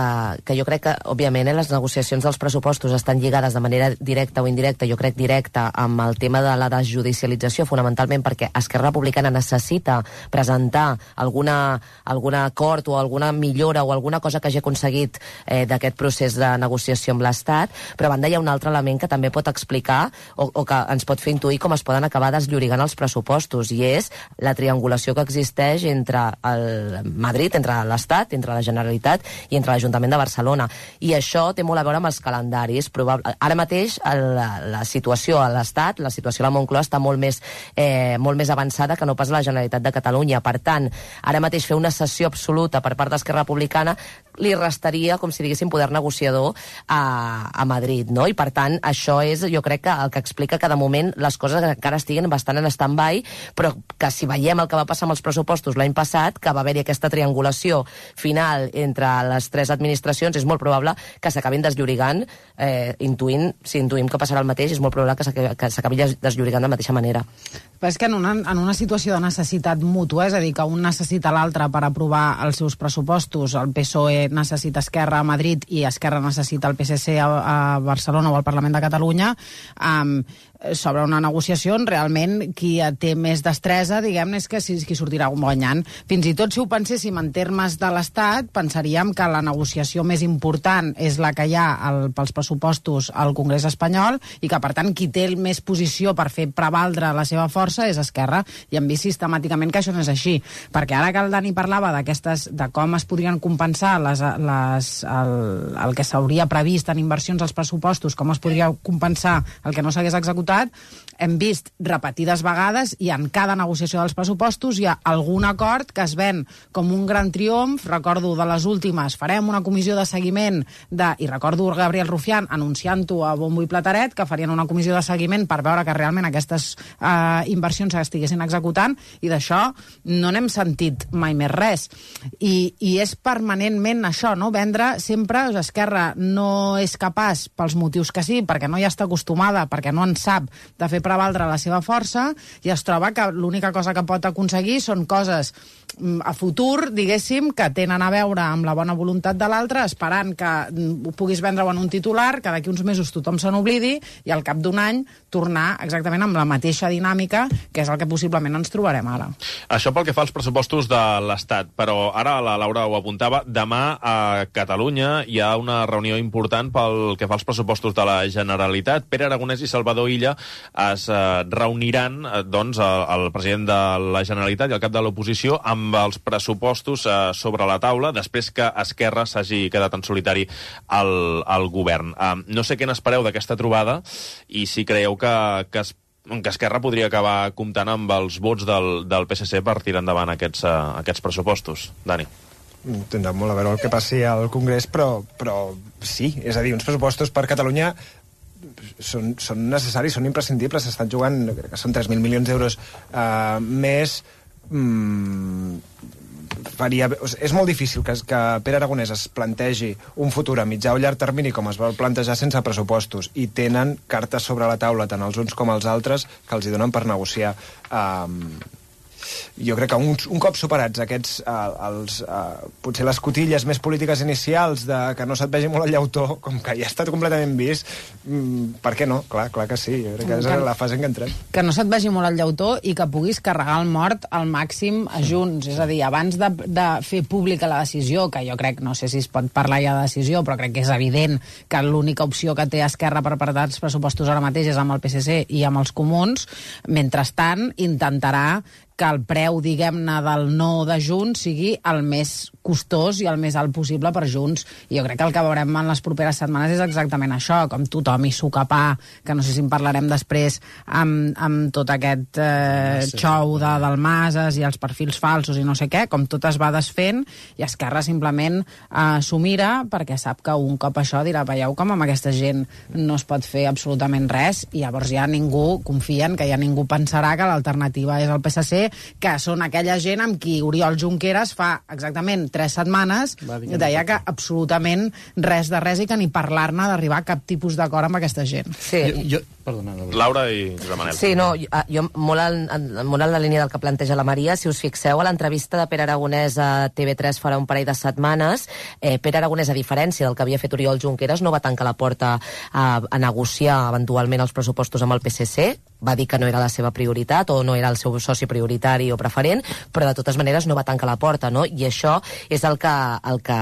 que jo crec que, òbviament, eh, les negociacions dels pressupostos estan lligades de manera directa o indirecta, jo crec directa, amb el tema de la desjudicialització, fonamentalment perquè Esquerra Republicana necessita presentar alguna, algun acord o alguna millora o alguna cosa que hagi aconseguit eh, d'aquest procés de negociació amb l'Estat, però a banda hi ha un altre element que també pot explicar o, o que ens pot fer intuir com es poden acabar desllorigant els pressupostos, i és la triangulació que existeix entre el Madrid, entre l'Estat, entre la Generalitat i entre l'Ajuntament de Barcelona. I això té molt a veure amb els calendaris. Probable... Ara mateix la, la situació a l'Estat, la situació a la Moncloa està molt més, eh, molt més avançada que no pas la Generalitat de Catalunya. Per tant, ara mateix fer una cessió absoluta per part d'Esquerra Republicana li restaria, com si diguéssim, poder negociador a, a Madrid, no? I per tant, això és, jo crec, que el que explica que de moment les coses encara estiguen bastant en stand-by, però que si veiem el que va passar amb els pressupostos l'any passat, que va haver-hi aquesta triangulació final entre les tres administracions, és molt probable que s'acabin desllorigant, eh, intuint, si intuïm que passarà el mateix, és molt probable que s'acabi desllorigant de la mateixa manera. Però és que en una, en una situació de necessitat mútua, és a dir, que un necessita l'altre per aprovar els seus pressupostos, el P S O E necessita Esquerra a Madrid i Esquerra necessita el P S C a, a Barcelona o al Parlament de Catalunya, um, sobre una negociació, realment qui té més destresa, diguem-ne, és que si, qui sortirà guanyant. Fins i tot si ho penséssim en termes de l'Estat, pensaríem que la negociació més important és la que hi ha el, pels pressupostos al Congrés espanyol i que, per tant, qui té més posició per fer prevaldre la seva força és Esquerra, i hem vist sistemàticament que això no és així. Perquè ara que el Dani parlava d'aquestes, de com es podrien compensar les, les, el, el que s'hauria previst en inversions als pressupostos, com es podria compensar el que no s'hagués executat, diputat, hem vist repetides vegades i en cada negociació dels pressupostos hi ha algun acord que es ven com un gran triomf. Recordo de les últimes, farem una comissió de seguiment de, i recordo Gabriel Rufián anunciant-ho a bombo i plateret, que farien una comissió de seguiment per veure que realment aquestes eh, inversions s'estiguessin executant, i d'això no n'hem sentit mai més res. I, i és permanentment això, no? Vendre sempre, Esquerra no és capaç, pels motius que sí, perquè no hi està acostumada, perquè no en sap de fer prevaldre la seva força, i es troba que l'única cosa que pot aconseguir són coses a futur, diguéssim, que tenen a veure amb la bona voluntat de l'altre, esperant que ho puguis vendre-ho en un titular, que d'aquí uns mesos tothom se n'oblidi, i al cap d'un any tornar exactament amb la mateixa dinàmica, que és el que possiblement ens trobarem ara. Això pel que fa als pressupostos de l'Estat, però ara la Laura ho apuntava, demà a Catalunya hi ha una reunió important pel que fa als pressupostos de la Generalitat. Pere Aragonès i Salvador Illa es eh, reuniran eh, doncs, el, el president de la Generalitat i el cap de l'oposició amb els pressupostos eh, sobre la taula després que Esquerra s'hagi quedat en solitari al, al govern. Eh, no sé què n'espereu d'aquesta trobada i si creieu que, que, es, que Esquerra podria acabar comptant amb els vots del, del P S C per tirar endavant aquests, uh, aquests pressupostos. Dani. Tindrà molt a veure el que passi al Congrés, però, però sí, és a dir, uns pressupostos per Catalunya són, són necessaris, són imprescindibles, s'estan jugant, crec que són tres mil milions d'euros uh, més. Mm, faria, és molt difícil que, que Pere Aragonès es plantegi un futur a mitjà o llarg termini com es va plantejar sense pressupostos, i tenen cartes sobre la taula tant els uns com els altres que els hi donen per negociar. Um, jo crec que un, un cop superats aquests uh, els, uh, potser les cotilles més polítiques inicials de que no se't vegi molt el llautó, com que ja ha estat completament vist, mm, per què no? Clar, clar que sí, jo crec que és que, la fase en què entrem. Que no se't vegi molt el llautó i que puguis carregar el mort al màxim a Junts, és a dir, abans de, de fer pública la decisió, que jo crec, no sé si es pot parlar ja de decisió, però crec que és evident que l'única opció que té Esquerra per apretar els pressupostos ara mateix és amb el P S C i amb els comuns. Mentrestant, intentarà que el preu, diguem-ne, del no de Junts sigui el més costós i el més alt possible per Junts. I jo crec que el que veurem en les properes setmanes és exactament això, com tothom hi socapar, que no sé si en parlarem després, amb, amb tot aquest eh, xou de Dalmases i els perfils falsos i no sé què, com tot es va desfent, i Esquerra simplement eh, s'ho mira perquè sap que un cop això dirà, veieu com amb aquesta gent no es pot fer absolutament res, i llavors ja ningú confia en que ja ningú pensarà que l'alternativa és el P S C, que són aquella gent amb qui Oriol Junqueras fa exactament tres setmanes deia que absolutament res de res i que ni parlar-ne d'arribar a cap tipus d'acord amb aquesta gent. Sí. Jo, jo, perdona, Laura i Josep Manel. Sí, no, jo, jo molt, en, molt en la línia del que planteja la Maria, si us fixeu a l'entrevista de Pere Aragonès a T V tres farà un parell de setmanes, eh, Pere Aragonès, a diferència del que havia fet Oriol Junqueras, no va tancar la porta a, a negociar eventualment els pressupostos amb el P S C, va dir que no era la seva prioritat o no era el seu soci prioritari o preferent, però de totes maneres no va tancar la porta, no? I això és el que, el que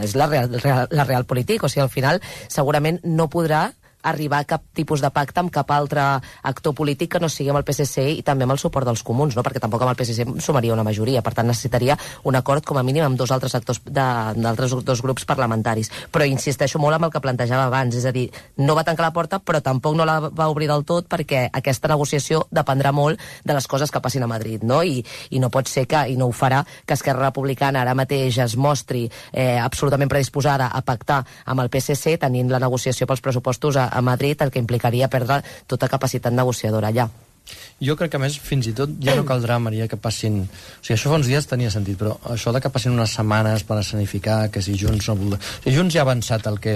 és la real, la real política, o sigui, al final segurament no podrà arribar a cap tipus de pacte amb cap altre actor polític que no sigui amb el P S C i també amb el suport dels comuns, no? Perquè tampoc amb el P S C sumaria una majoria, per tant necessitaria un acord com a mínim amb dos altres actors d'altres dos grups parlamentaris. Però insisteixo molt amb el que plantejava abans, és a dir, no va tancar la porta però tampoc no la va obrir del tot, perquè aquesta negociació dependrà molt de les coses que passin a Madrid, no? I, i no pot ser que, i no ho farà, que Esquerra Republicana ara mateix es mostri eh, absolutament predisposada a pactar amb el P S C tenint la negociació pels pressupostos a a Madrid, el que implicaria perdre tota capacitat negociadora allà. Jo crec que, a més, fins i tot ja no caldrà, Maria, que passin... O sigui, això fa uns dies tenia sentit, però això de que passin unes setmanes per escenificar que si Junts no vol... O sigui, Junts ja ha avançat el que,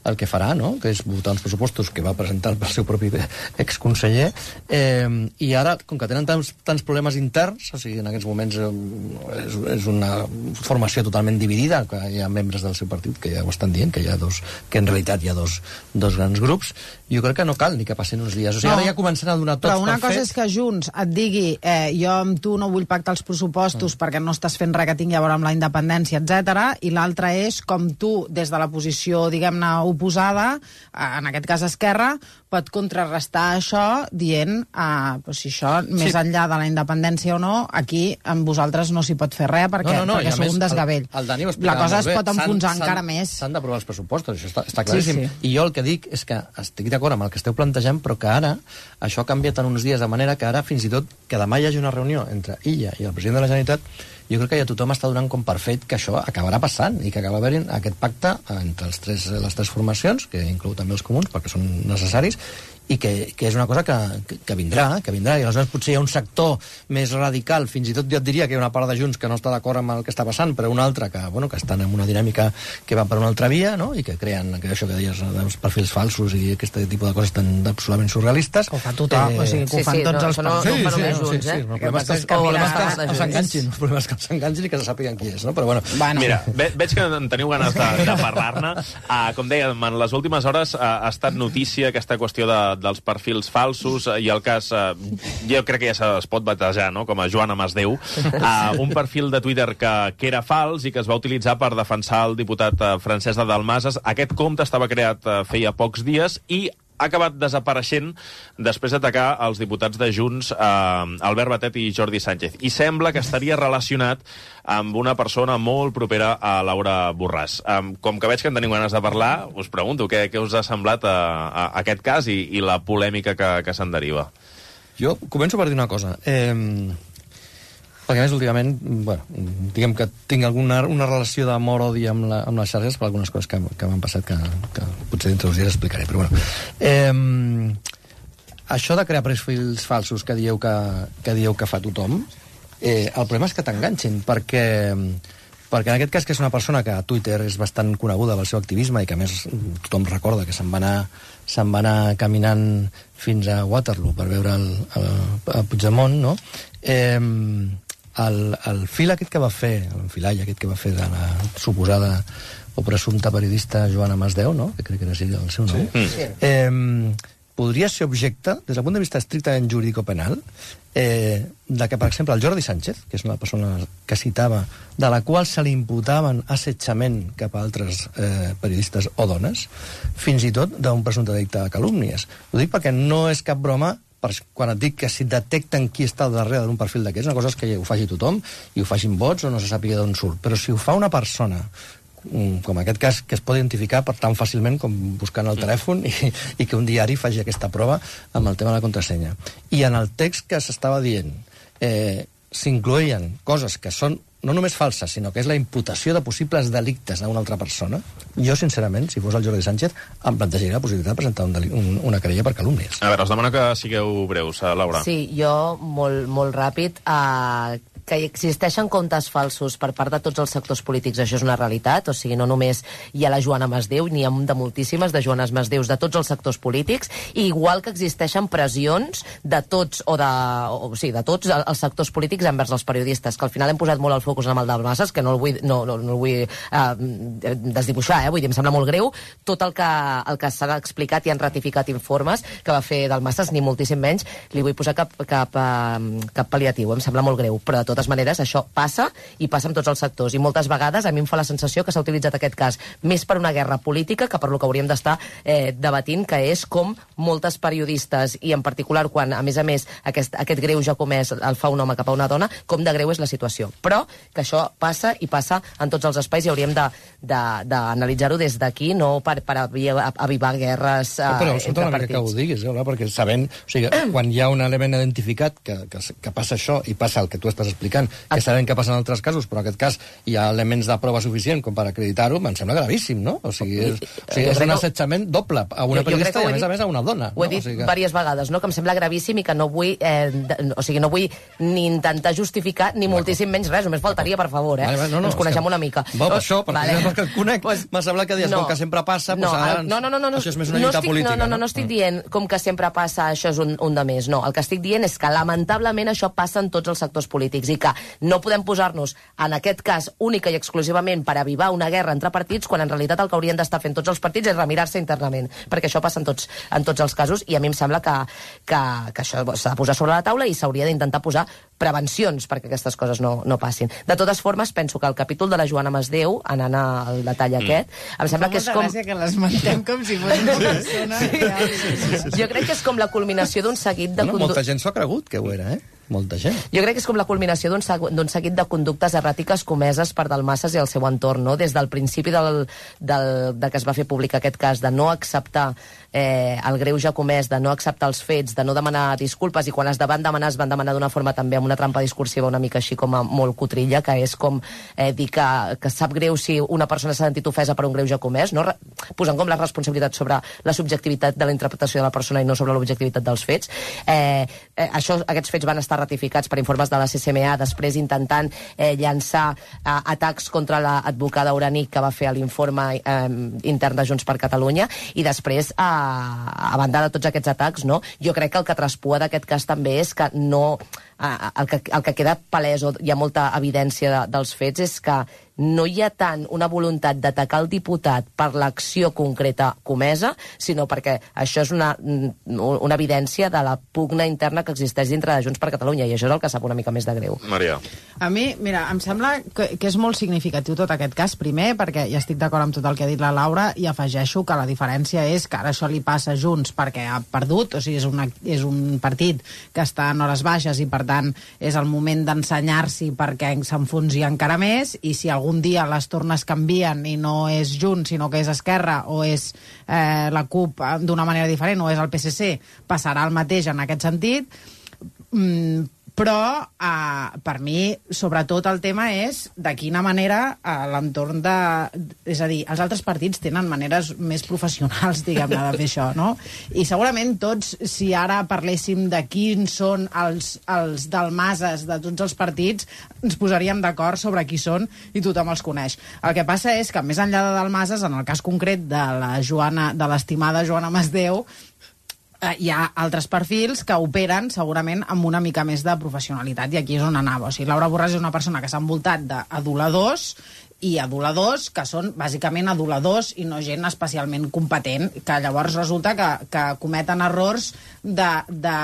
el que farà, no?, que és votar uns pressupostos que va presentar pel seu propi exconseller, eh, i ara, com que tenen tants, tants problemes interns, o sigui, en aquests moments eh, és, és una formació totalment dividida, que hi ha membres del seu partit que ja ho estan dient, que hi ha dos... que en realitat hi ha dos, dos grans grups, jo crec que no cal ni que passin uns dies. O sigui, no, ara ja comencen a donar tots pel cosa fet... és que Junts et digui eh, jo amb tu no vull pactar els pressupostos mm. perquè no estàs fent res que tingui a veure amb la independència, etcètera. I l'altra és com tu, des de la posició, diguem-ne, oposada, en aquest cas Esquerra, pot contrarrestar això dient eh, pues, si això, sí. més enllà de la independència o no, aquí amb vosaltres no s'hi pot fer res perquè, no, no, no, perquè sou un desgavell. El, el la cosa es pot enfonsar encara més. S'han d'aprovar els pressupostos, això està, està claríssim. Sí, sí. I jo el que dic és que estic d'acord amb el que esteu plantejant, però que ara això ha canviat en uns dies de manera que ara fins i tot que demà hi hagi una reunió entre ella i el president de la Generalitat, jo crec que ja tothom està donant com per fet que això acabarà passant i que acaba haver-hi aquest pacte entre els tres, les tres formacions, que inclou també els comuns, perquè són necessaris, i que, que és una cosa que, que, que vindrà, que vindrà, i aleshores potser hi ha un sector més radical, fins i tot jo et diria que hi ha una part de Junts que no està d'acord amb el que està passant, però una altra que, bueno, que estan en una dinàmica que va per una altra via, no?, i que creen que això que deies, els perfils falsos i aquest tipus de coses tan absolutament surrealistes. Ho fa tothom, eh, o sigui, que ho fan sí, tots no, els... No, sí, no, sí, sí, junts, sí, eh? sí, el problema és que, que, que s'enganxin, el problema és que s'enganxin i que se sàpiguen qui és, no? Però bueno... bueno. Mira, ve, veig que en teniu ganes de, de parlar-ne. Uh, com dèiem, en les últimes hores uh, ha estat notícia aquesta qüestió de, dels perfils falsos, i el cas, eh, jo crec que ja es pot batejar, no?, com a Joana Masdeu, eh, un perfil de Twitter que, que era fals i que es va utilitzar per defensar el diputat eh, Francesc de Dalmases. Aquest compte estava creat eh, feia pocs dies i ha acabat desapareixent després d'atacar els diputats de Junts, eh, Albert Batet i Jordi Sánchez. I sembla que estaria relacionat amb una persona molt propera a Laura Borràs. Eh, com que veig que en teniu ganes de parlar, us pregunto què, què us ha semblat a, a aquest cas i, i la polèmica que, que se'n deriva. Jo començo per dir una cosa. Eh, perquè, a més, últimament, bueno, diguem que tinc alguna una relació d'amor-odi amb, la, amb les xarxes per algunes coses que, que m'han passat que, que potser dintre uns dies explicaré, però bueno. Eh, això de crear perfils falsos que dieu que, que dieu que fa tothom, eh, el problema és que t'enganxin, perquè, perquè en aquest cas, que és una persona que a Twitter és bastant coneguda pel seu activisme i que a més tothom recorda que se'n va anar, se'n va anar caminant fins a Waterloo per veure el, el, el Puigdemont, no? Eh, el, el fil aquest que va fer, l'enfilall aquest que va fer de la suposada o presumpta periodista Joana Masdeu, no?, que crec que era així el seu nom, sí. eh, podria ser objecte, des del punt de vista estrictament jurídico-penal, eh, de que, per exemple, el Jordi Sánchez, que és una persona que citava, de la qual se li imputaven assetjament cap a altres eh, periodistes o dones, fins i tot d'un presumpte delicte de calúmnies. Ho dic perquè no és cap broma, per, quan et dic que si detecten qui està darrere d'un perfil d'aquests, una cosa és que ho faci tothom i ho facin bots o no se sàpiga d'on surt, però si ho fa una persona com aquest cas, que es pot identificar per tan fàcilment com buscant el telèfon i, i que un diari faci aquesta prova amb el tema de la contrasenya. I en el text que s'estava dient eh, s'incloïen coses que són no només falses, sinó que és la imputació de possibles delictes a una altra persona. Jo, sincerament, si fos el Jordi Sánchez, em plantejaria la possibilitat de presentar un deli- un, una querella per calúmnies. A veure, us demano que sigueu breus, Laura. Sí, jo, molt, molt ràpid, eh, que existeixen comptes falsos per part de tots els sectors polítics, això és una realitat, o sigui, no només hi ha la Joana Masdeu, n'hi ha de moltíssimes de Joanes Masdeus de tots els sectors polítics, i igual que existeixen pressions de tots, o de, o, sí, de tots els sectors polítics envers els periodistes, que al final hem posat molt el focus en el de Masses, que no el vull, no, no, no el vull eh, desdibuixar, eh? Vull dir, em sembla molt greu tot el que, el que s'ha explicat i han ratificat informes que va fer del Masses, ni moltíssim menys li vull posar cap, cap, eh, cap pal·liatiu, em sembla molt greu, però de totes maneres això passa i passa amb tots els sectors, i moltes vegades a mi em fa la sensació que s'ha utilitzat aquest cas més per una guerra política que per lo que hauríem d'estar eh, debatint, que és com moltes periodistes, i en particular quan a més a més aquest, aquest greu ja comès el fa un home cap a una dona, com de greu és la situació, però que això passa i passa en tots els espais i hauríem d'analitzar-ho de, de, des d'aquí, no per, per avivar guerres eh, però, però entre partits. Que ho diguis, eh, perquè sabent, o sigui, quan hi ha un element identificat que, que, que passa això i passa el que tu estàs explicant, que sabem que passa en altres casos, però en aquest cas hi ha elements de prova suficient com per acreditar-ho, em sembla gravíssim, no? O sigui, és, o sigui, és un assetjament doble a una periodista i a més a més a una dona. Ho he dit no? o sigui que... diverses vegades, no? Que em sembla gravíssim i que no vull, eh, de, o sigui, no vull ni intentar justificar ni moltíssim menys res, només faltaria, per favor, eh? Vale, no, no, Ens coneixem que... una mica. Va, per això, perquè vale. que et conec, pues, m'ha semblat que dius no. com que sempre passa, no, pues, ara, no, no, no, no, això és més una no lluita estic, política. No, no, no, no estic dient com que sempre passa, això és un, un de més. No, el que estic dient és que lamentablement això passa en tots els sectors polítics i dir que no podem posar-nos, en aquest cas, única i exclusivament per avivar una guerra entre partits, quan en realitat el que haurien d'estar fent tots els partits és remirar-se internament, perquè això passa en tots, en tots els casos, i a mi em sembla que, que, que això s'ha de posar sobre la taula i s'hauria d'intentar posar prevencions perquè aquestes coses no, no passin. De totes formes, penso que el capítol de la Joana Masdeu, anant al detall aquest, mm. em sembla que és com... Fa molta gràcia que l'esmentem com si fos una persona... Sí. Sí, sí, sí. Jo crec que és com la culminació d'un seguit de... Bueno, molta gent s'ho ha cregut que ho era, eh? Molta gent. Jo crec que és com la culminació d'un seguit de conductes erràtiques comeses per Dalmases i el seu entorn, no? Des del principi del, del, de que es va fer públic aquest cas, de no acceptar eh, el greuge comès, de no acceptar els fets, de no demanar disculpes, i quan es van demanar, es van demanar d'una forma també amb una trampa discursiva una mica així com a molt cotrilla, que és com eh, dir que, que sap greu si una persona s'ha sentit ofesa per un greuge comès, no? Posant com la responsabilitat sobre la subjectivitat de la interpretació de la persona i no sobre l'objectivitat dels fets. Eh, eh, això, aquests fets van estar ratificats per informes de la C C M A, després intentant eh, llançar eh, atacs contra l'advocada Uranic que va fer l'informe eh, intern de Junts per Catalunya, i després, eh, a banda de tots aquests atacs, no? Jo crec que el que traspua d'aquest cas també és que no... Eh, el, que, el que queda palès, o hi ha molta evidència de, dels fets, és que no hi ha tant una voluntat d'atacar el diputat per l'acció concreta comesa, sinó perquè això és una, una evidència de la pugna interna que existeix dintre de Junts per Catalunya, i això és el que sap una mica més de greu. Maria. A mi, mira, em sembla que, que és molt significatiu tot aquest cas, primer, perquè ja estic d'acord amb tot el que ha dit la Laura, i afegeixo que la diferència és que ara això li passa a Junts perquè ha perdut, o sigui, és, una, és un partit que està en hores baixes i, per tant, és el moment d'ensenyar-s'hi perquè s'enfonsi encara més, i si algú un dia les tornes canvien i no és Junts, sinó que és Esquerra o és eh, la CUP d'una manera diferent, o és el P S C, passarà el mateix en aquest sentit. Mm, però eh, per mi, sobretot, el tema és de quina manera eh, l'entorn de... És a dir, els altres partits tenen maneres més professionals, diguem-ne, de fer això, no? I segurament tots, si ara parléssim de quins són els, els dalmases de tots els partits, ens posaríem d'acord sobre qui són i tothom els coneix. El que passa és que, més enllà de dalmases, en el cas concret de la Joana, de l'estimada Joana Masdeu, Uh, hi ha altres perfils que operen segurament amb una mica més de professionalitat, i aquí és on anava. O sigui, Laura Borràs és una persona que s'ha envoltat d'aduladors, i aduladors que són bàsicament aduladors i no gent especialment competent, que llavors resulta que, que cometen errors de, de,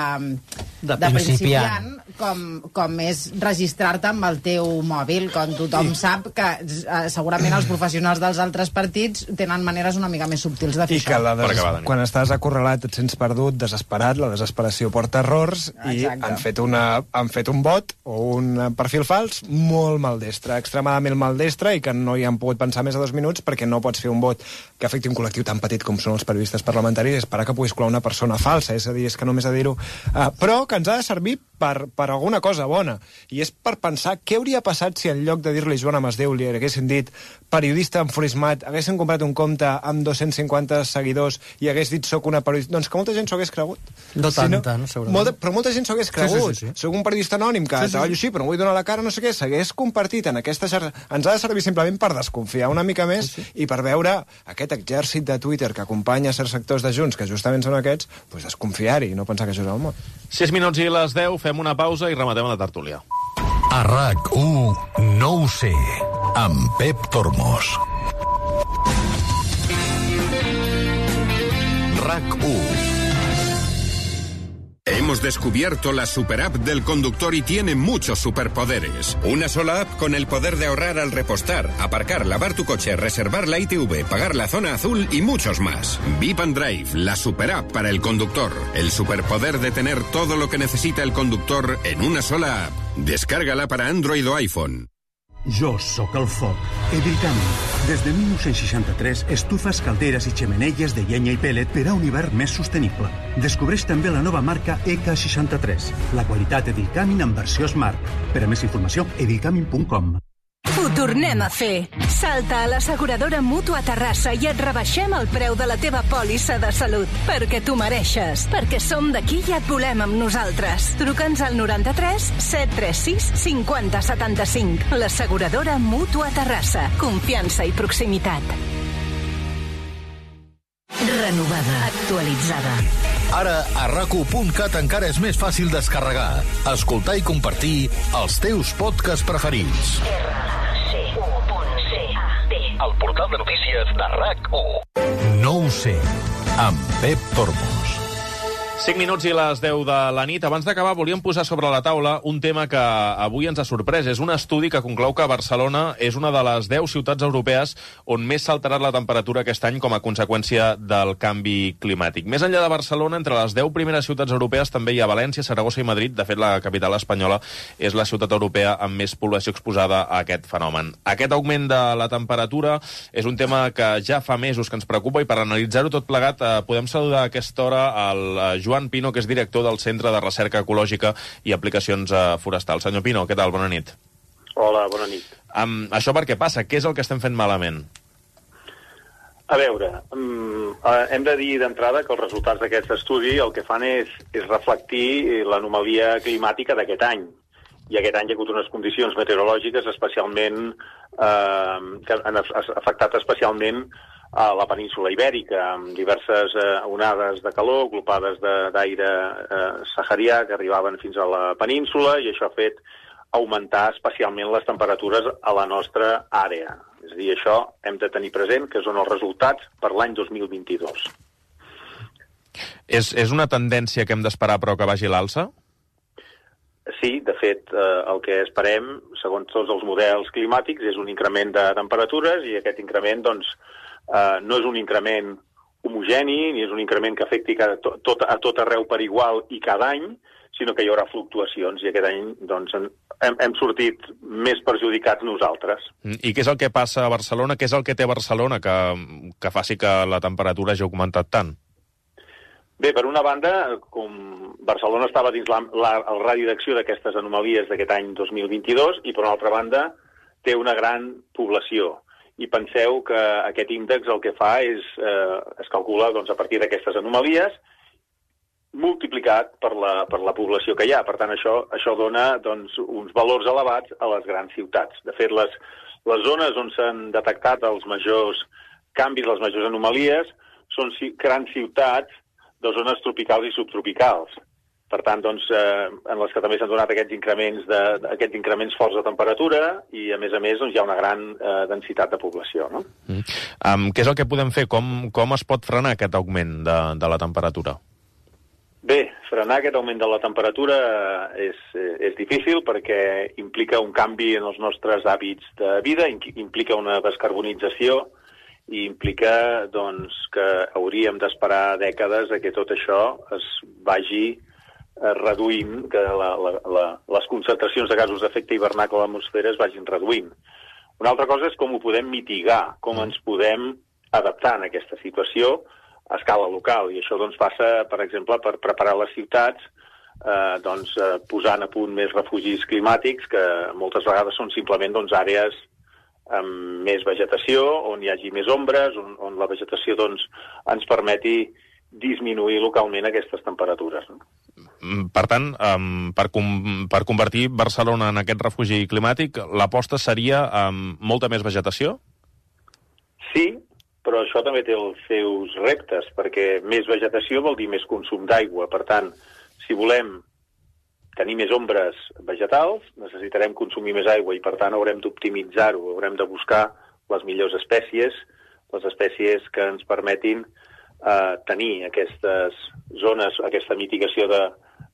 de, de principiant, com, com és registrar-te amb el teu mòbil, quan tothom sí. sap que eh, segurament els professionals dels altres partits tenen maneres una mica més subtils de fer I això. Que la des... quan estàs acorralat et sents perdut, desesperat, la desesperació porta errors. Exacte. I han fet, una, han fet un bot o un perfil fals molt maldestre, extremadament maldestre, i que no hi han pogut pensar més de dos minuts perquè no pots fer un vot que afecti un col·lectiu tan petit com són els periodistes parlamentaris i esperar que puguis colar una persona falsa, és a dir, és que només a dir-ho, uh, però que ens ha de servir per, per alguna cosa bona, i és per pensar què hauria passat si en lloc de dir-li Joana Masdeu li haguessin dit periodista enfurismat, haguessin comprat un compte amb dos-cents cinquanta seguidors i hagués dit soc una periodista, doncs que molta gent s'ho hagués cregut. No tant, si no, tant, segurament. Molta, però molta gent s'ho hagués cregut. Sí, sí, sí, sí. Soc un periodista anònim que sí, sí. treballo així, però no vull donar la cara, no sé què, s'hagués compartit en aquesta xarxa. Ens ha de servir simplement per desconfiar una mica més sí, sí. i per veure aquest exèrcit de Twitter que acompanya certs sectors de Junts, que justament són aquests, doncs desconfiar-hi i no pensar que això és el món. Sis minuts i les deu, fem una pausa i rematem la tertúlia. A RAC u, no ho sé, amb Pep Tormos. RAC u. Hemos descubierto la superapp del conductor y tiene muchos superpoderes. Una sola app con el poder de ahorrar al repostar, aparcar, lavar tu coche, reservar la I T V, pagar la zona azul y muchos más. Vip and Drive, la superapp para el conductor. El superpoder de tener todo lo que necesita el conductor en una sola app. Descárgala para Android o iPhone. Jo sóc el foc. Evilcam. Des de mil nou-cents seixanta-tres, estufes, calderes i xemeneies de llenya i pellet per a un hivern més sostenible. Descobreix també la nova marca E K seixanta-tres. La qualitat Evilcamin en versió Smart. Per a més informació, evilcamin punt com. Ho tornem a fer. Salta a l'asseguradora Mútua Terrassa i et rebaixem el preu de la teva pòlissa de salut. Perquè tu mereixes. Perquè som d'aquí i et volem amb nosaltres. Truca'ns al noranta-tres set tres sis cinquanta setanta-cinc. L'asseguradora Mútua Terrassa. Confiança i proximitat. Renovada. Actualitzada. Ara, a rac u punt cat encara és més fàcil descarregar, escoltar i compartir els teus podcasts preferits. El portal de notícies de RAC u. No ho sé, amb Pep Tormos. cinc minuts i les deu de la nit. Abans d'acabar, volíem posar sobre la taula un tema que avui ens ha sorprès. És un estudi que conclou que Barcelona és una de les deu ciutats europees on més s'ha alterat la temperatura aquest any com a conseqüència del canvi climàtic. Més enllà de Barcelona, entre les deu primeres ciutats europees també hi ha València, Saragossa i Madrid. De fet, la capital espanyola és la ciutat europea amb més població exposada a aquest fenomen. Aquest augment de la temperatura és un tema que ja fa mesos que ens preocupa i per analitzar-ho tot plegat eh, podem saludar a aquesta hora el eh, Joan Pino, que és director del Centre de Recerca Ecològica i Aplicacions eh, Forestals. Senyor Pino, què tal? Bona nit. Hola, bona nit. Um, això per què passa? Què és el que estem fent malament? A veure, um, hem de dir d'entrada que els resultats d'aquest estudi el que fan és, és reflectir l'anomalia climàtica d'aquest any. I aquest any hi ha hagut unes condicions meteorològiques especialment eh, que han afectat especialment a la península Ibèrica, amb diverses eh, onades de calor, glopades d'aire eh, saharià que arribaven fins a la península, i això ha fet augmentar especialment les temperatures a la nostra àrea. És a dir, això hem de tenir present que són els resultats per l'any dos mil vint-i-dos. És, és una tendència que hem d'esperar però que vagi a l'alça? Sí, de fet, eh, el que esperem, segons tots els models climàtics, és un increment de temperatures, i aquest increment, doncs, Uh, no és un increment homogeni, ni és un increment que afecti cada, tot, a tot arreu per igual i cada any, sinó que hi haurà fluctuacions, i aquest any doncs, hem, hem sortit més perjudicats nosaltres. I què és el que passa a Barcelona? Què és el que té Barcelona que, que faci que la temperatura hagi augmentat tant? Bé, per una banda, com Barcelona estava dins la, la, el radi d'acció d'aquestes anomalies d'aquest any dos mil vint-i-dos, i per una altra banda té una gran població. I penseu que aquest índex el que fa és, eh, es calcula doncs, a partir d'aquestes anomalies multiplicat per la, per la població que hi ha. Per tant, això, això dona doncs, uns valors elevats a les grans ciutats. De fet, les, les zones on s'han detectat els majors canvis, les majors anomalies, són grans ciutats de zones tropicals i subtropicals. Per tant, doncs, eh, en les que també s'han donat aquests increments, de, aquests increments forts de temperatura, i, a més a més, doncs, hi ha una gran eh, densitat de població. No? Mm. Um, què és el que podem fer? Com, com es pot frenar aquest augment de, de la temperatura? Bé, frenar aquest augment de la temperatura és, és difícil perquè implica un canvi en els nostres hàbits de vida, implica una descarbonització i implica doncs, que hauríem d'esperar dècades a que tot això es vagi reduint, que la, la, la, les concentracions de gasos d'efecte hivernacle a l'atmosfera es vagin reduint. Una altra cosa és com ho podem mitigar, com ens podem adaptar a aquesta situació a escala local, i això doncs, passa, per exemple, per preparar les ciutats eh, doncs, eh, posant a punt més refugis climàtics, que moltes vegades són simplement doncs, àrees amb més vegetació, on hi hagi més ombres, on, on la vegetació doncs, ens permeti disminuir localment aquestes temperatures. No? Per tant, um, per, com, per convertir Barcelona en aquest refugi climàtic, l'aposta seria um, molta més vegetació? Sí, però això també té els seus reptes, perquè més vegetació vol dir més consum d'aigua. Per tant, si volem tenir més ombres vegetals, necessitarem consumir més aigua, i per tant haurem d'optimitzar-ho, haurem de buscar les millors espècies, les espècies que ens permetin eh, tenir aquestes zones, aquesta mitigació de,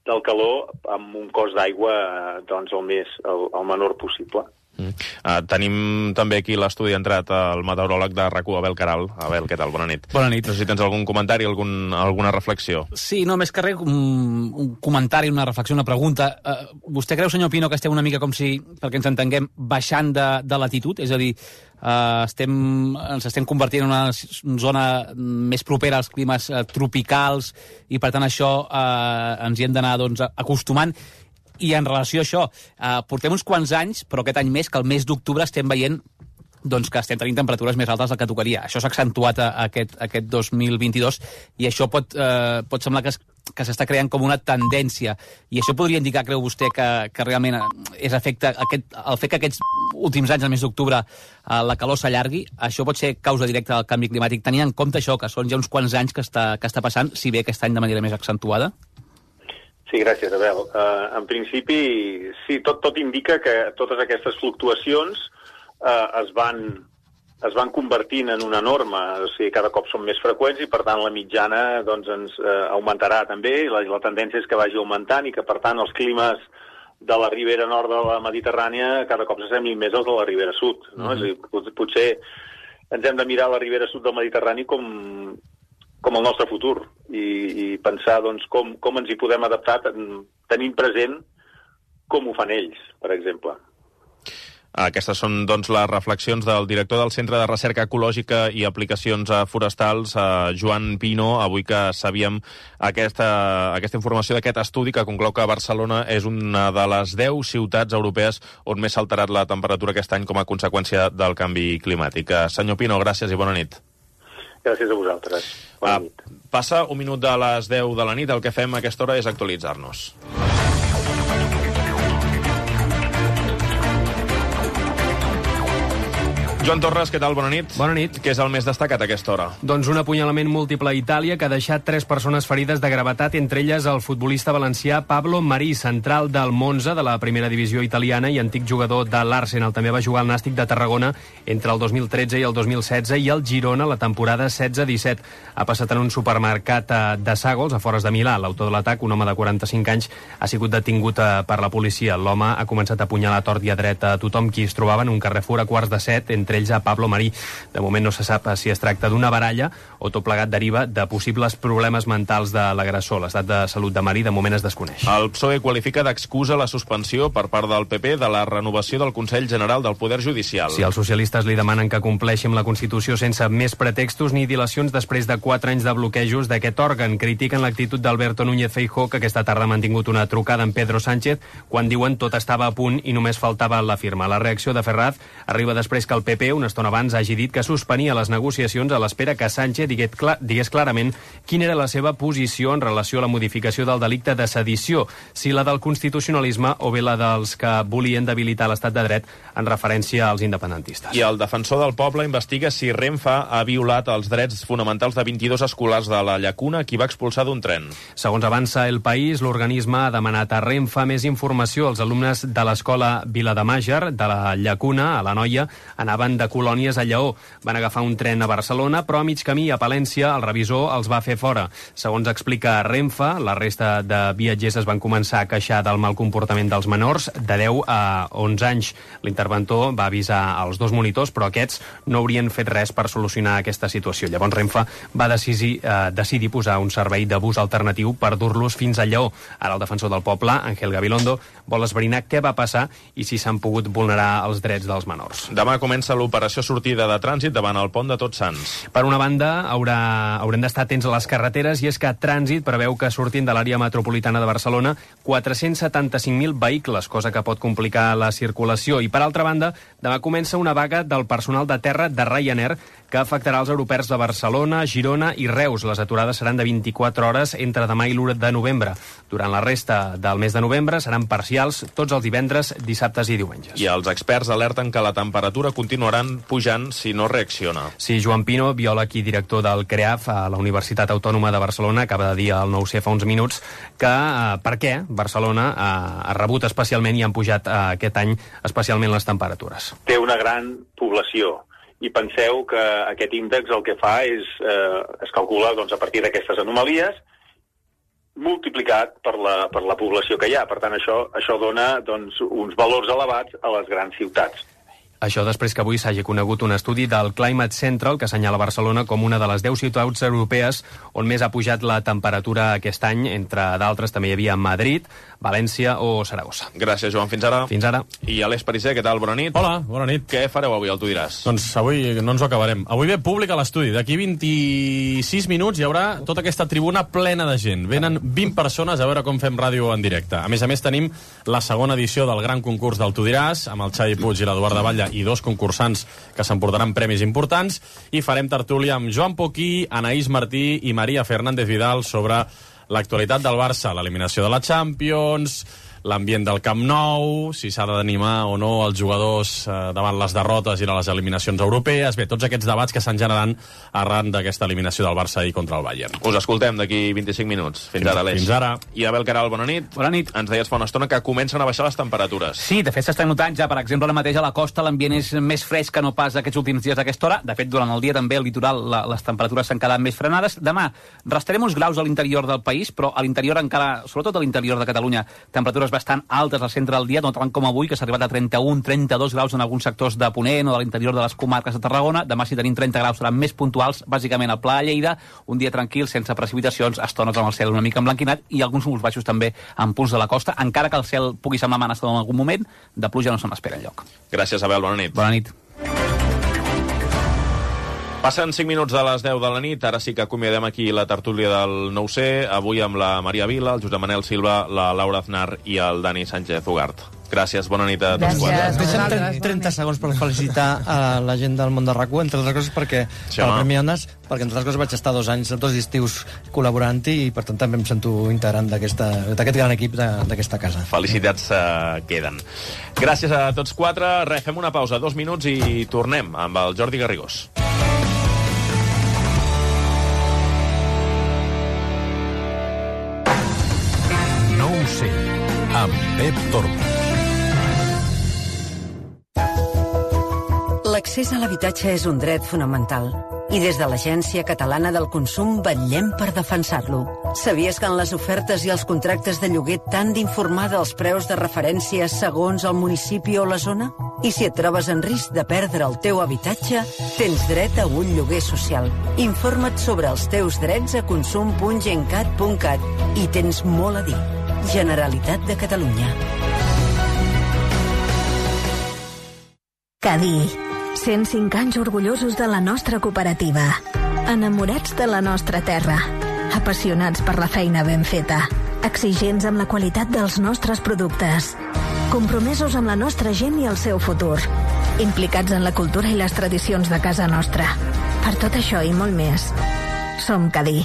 del calor amb un cost d'aigua eh, doncs el, més, el, el menor possible. Mm. Uh, tenim també aquí l'estudi entrat el meteoròleg de RAC u, Abel Caral. Abel, què tal? Bona nit. Bona nit. No sé si tens algun comentari, algun, alguna reflexió. Sí, no, més que res, un, un comentari, una reflexió, una pregunta. Uh, vostè creu, senyor Pino, que estem una mica com si, perquè ens entenguem, baixant de, de latitud? És a dir, uh, estem, ens estem convertint en una zona més propera als climes uh, tropicals, i per tant això uh, ens hi hem d'anar doncs, acostumant. I en relació a això, eh, portem uns quants anys, però aquest any més, que el mes d'octubre estem veient doncs, que estem tenint temperatures més altes del que tocaria. Això s'ha accentuat a, a aquest, a aquest dos mil vint-i-dos, i això pot, eh, pot semblar que es, que s'està creant com una tendència. I això podria indicar, creu vostè, que, que realment és efecte, aquest, el fet que aquests últims anys, al mes d'octubre, eh, la calor s'allargui, això pot ser causa directa del canvi climàtic, tenint en compte això, que són ja uns quants anys que està, que està passant, si bé aquest any de manera més accentuada? Sí, gràcies, Abel. Uh, en principi, sí, tot, tot indica que totes aquestes fluctuacions uh, es van... es van convertint en una norma, o sigui, cada cop són més freqüents i, per tant, la mitjana doncs, ens eh, augmentarà també, i la, la tendència és que vagi augmentant i que, per tant, els climes de la ribera nord de la Mediterrània cada cop s'assemblin més als de la ribera sud. No? Mm-hmm. És a dir, potser ens hem de mirar la ribera sud del Mediterrani com, com el nostre futur i, i pensar doncs, com, com ens hi podem adaptar tenint present com ho fan ells, per exemple. Aquestes són doncs, les reflexions del director del Centre de Recerca Ecològica i Aplicacions Forestals, eh, Joan Pino, avui que sabíem aquesta, aquesta informació d'aquest estudi que conclou que Barcelona és una de les deu ciutats europees on més s'ha alterat la temperatura aquest any com a conseqüència del canvi climàtic. Eh, senyor Pino, gràcies i bona nit. Gràcies a vosaltres. Bona ah, nit. Passa un minut de les deu de la nit, el que fem a aquesta hora és actualitzar-nos. Joan Torres, què tal? Bona nit. Bona nit. Què és el més destacat a aquesta hora? Doncs un apunyalament múltiple a Itàlia que ha deixat tres persones ferides de gravetat, entre elles el futbolista valencià Pablo Marí, central del Monza, de la primera divisió italiana i antic jugador de l'Arsenal. També va jugar al Nàstic de Tarragona entre el dos mil tretze i el dos mil setze i el Girona la temporada setze disset. Ha passat en un supermercat de Sàgols, a fores de Milà. L'autor de l'atac, un home de quaranta-cinc anys, ha sigut detingut per la policia. L'home ha començat a apunyalar a tort i a dret a tothom qui es trobava en un Carrefour a quarts de set, entre ells a Pablo Marí. De moment no se sap si es tracta d'una baralla o tot plegat deriva de possibles problemes mentals de l'agressor. L'estat de salut de Marí de moment es desconeix. El P S O E qualifica d'excusa la suspensió per part del P P de la renovació del Consell General del Poder Judicial. Si els socialistes li demanen que compleixi amb la Constitució sense més pretextos ni dilacions després de quatre anys de bloquejos d'aquest òrgan. Critiquen l'actitud d'Alberto Núñez Feijóo, que aquesta tarda ha mantingut una trucada amb Pedro Sánchez quan diuen tot estava a punt i només faltava la firma. La reacció de Ferraz arriba després que el P P, una estona abans, hagi dit que suspenia les negociacions a l'espera que Sánchez digués, clar, digués clarament quina era la seva posició en relació a la modificació del delicte de sedició, si la del constitucionalisme o bé la dels que volien debilitar l'estat de dret en referència als independentistes. I el defensor del poble investiga si Renfe ha violat els drets fonamentals de vint-i-dos escolars de la Llacuna, qui va expulsar d'un tren. Segons avança El País, l'organisme ha demanat a Renfe més informació. Els alumnes de l'escola Vilademàger, de la Llacuna, a la Noia, anaven de colònies a Lleó. Van agafar un tren a Barcelona, però a mig camí a Palència el revisor els va fer fora. Segons explica Renfe, la resta de viatgers es van començar a queixar del mal comportament dels menors de deu a onze anys. L'interventor va avisar als dos monitors, però aquests no haurien fet res per solucionar aquesta situació. Llavors Renfe va decidir, eh, decidir posar un servei de bus alternatiu per dur-los fins a Lleó. Ara el defensor del poble, Ángel Gabilondo, vol esbrinar què va passar i si s'han pogut vulnerar els drets dels menors. Demà comença l'operació sortida de trànsit davant el pont de Tots Sants. Per una banda, haurà, haurem d'estar atents a les carreteres, i és que Trànsit preveu que surtin de l'àrea metropolitana de Barcelona quatre-cents setanta-cinc mil vehicles, cosa que pot complicar la circulació. I per altra banda, demà comença una vaga del personal de terra de Ryanair que afectarà els aeroports de Barcelona, Girona i Reus. Les aturades seran de vint-i-quatre hores entre demà i l'u de novembre. Durant la resta del mes de novembre seran parcials tots els divendres, dissabtes i diumenges. I els experts alerten que la temperatura continuaran pujant si no reacciona. Sí, Joan Pino, biòleg i director del CREAF a la Universitat Autònoma de Barcelona, acaba de dir al nou ce fa uns minuts que eh, per què Barcelona eh, ha rebut especialment i han pujat eh, aquest any especialment les temperatures. Té una gran població. I penseu que aquest índex el que fa és, eh, es calcula doncs, a partir d'aquestes anomalies, multiplicat per la, per la població que hi ha. Per tant, això, això dona doncs, uns valors elevats a les grans ciutats. Això després que avui s'hagi conegut un estudi del Climate Central que assenyala Barcelona com una de les deu ciutats europees on més ha pujat la temperatura aquest any. Entre d'altres també hi havia Madrid, València o Saragossa. Gràcies, Joan. Fins ara. Fins ara. I Aleix Pariser, què tal? Bona nit. Hola, bona nit. Què fareu avui, el Tu diràs? Doncs avui no ens ho acabarem. Avui ve públic a l'estudi. D'aquí vint-i-sis minuts hi haurà tota aquesta tribuna plena de gent. Venen vint persones a veure com fem ràdio en directe. A més a més, tenim la segona edició del gran concurs del Tu diràs, amb el Xavi Puig i l'Eduard de Batlle i dos concursants que s'emportaran premis importants, i farem tertúlia amb Joan Poquí, Anaïs Martí i Maria Fernández Vidal sobre l'actualitat del Barça, l'eliminació de la Champions, l'ambient del Camp Nou, si s'ha d'animar o no els jugadors eh, davant les derrotes i les eliminacions europees. Bé, tots aquests debats que s'han generat arran d'aquesta eliminació del Barça ahir contra el Bayern. Us escoltem d'aquí vint-i-cinc minuts. Fins, fins ara, Aleix. Fins ara. I Abel Caral, bona nit. Bona nit. Ens deies fa una estona que comencen a baixar les temperatures. Sí, de fet s'està notant ja, per exemple, ara mateix a la costa l'ambient és més fresc que no pas aquests últims dies a aquesta hora. De fet, durant el dia també al litoral la, les temperatures s'han quedat més frenades. Demà restarem uns graus a l'interior del país, però a l'interior encara, sobretot a l'interior de Catalunya, temperatures bastant altes al centre del dia, no tant com avui, que s'ha arribat a trenta-un trenta-dos graus en alguns sectors de Ponent o de l'interior de les comarques de Tarragona. Demà, si tenim trenta graus, seran més puntuals, bàsicament al Pla de Lleida, un dia tranquil, sense precipitacions, estones amb el cel una mica emblanquinat i alguns núvols baixos també en punts de la costa, encara que el cel pugui semblar amenaçador en algun moment, de pluja no se n'espera enlloc. Gràcies, Abel, bona nit. Bona nit. Passen cinc minuts de les deu de la nit, ara sí que acomiadem aquí la tertúlia del nou C, avui amb la Maria Vila, el Josep Manel Silva, la Laura Aznar i el Dani Sánchez Ugart. Gràcies, bona nit a tots quatre. Deixa'm trenta segons per felicitar a la gent del món de RAC u, entre altres coses perquè, sí, per el Premi Ones, perquè entre altres coses vaig estar dos anys, dos estius col·laborant-hi i per tant també em sento integrant d'aquest gran equip d'aquesta casa. Felicitats uh, queden. Gràcies a tots quatre. Re, fem una pausa, dos minuts i tornem amb el Jordi Garrigós. nou C, amb Pep Tormos. L'accés a l'habitatge és un dret fonamental i des de l'Agència Catalana del Consum vetllem per defensar-lo. Sabies que en les ofertes i els contractes de lloguer t'han d'informar dels preus de referència segons el municipi o la zona? I si et trobes en risc de perdre el teu habitatge, tens dret a un lloguer social. Informa't sobre els teus drets a consum punt gencat punt cat i tens molt a dir. Generalitat de Catalunya. Cadí. cent cinc anys orgullosos de la nostra cooperativa. Enamorats de la nostra terra. Apassionats per la feina ben feta. Exigents amb la qualitat dels nostres productes. Compromesos amb la nostra gent i el seu futur. Implicats en la cultura i les tradicions de casa nostra. Per tot això i molt més, som Cadí.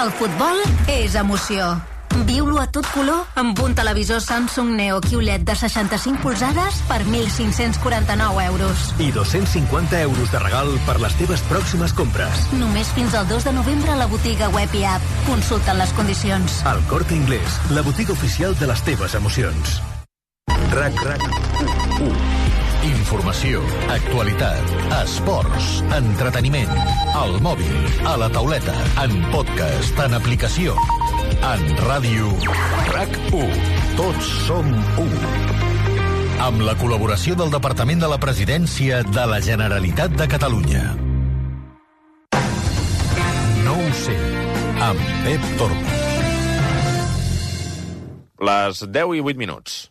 El futbol és emoció. Viu-lo a tot color amb un televisor Samsung Neo Q L E D de seixanta-cinc polzades per mil cinc-cents quaranta-nou euros. I dos-cents cinquanta euros de regal per les teves pròximes compres. Només fins al dos de novembre a la botiga web i app. Consulta les condicions. El Corte Inglés, la botiga oficial de les teves emocions. RAC RAC u. Informació, actualitat, esports, entreteniment, al mòbil, a la tauleta, en podcast, en aplicació, en ràdio. RAC u. Tots som u. Amb la col·laboració del Departament de la Presidència de la Generalitat de Catalunya. nou C, amb Pep Tormos. Les deu i vuit minuts.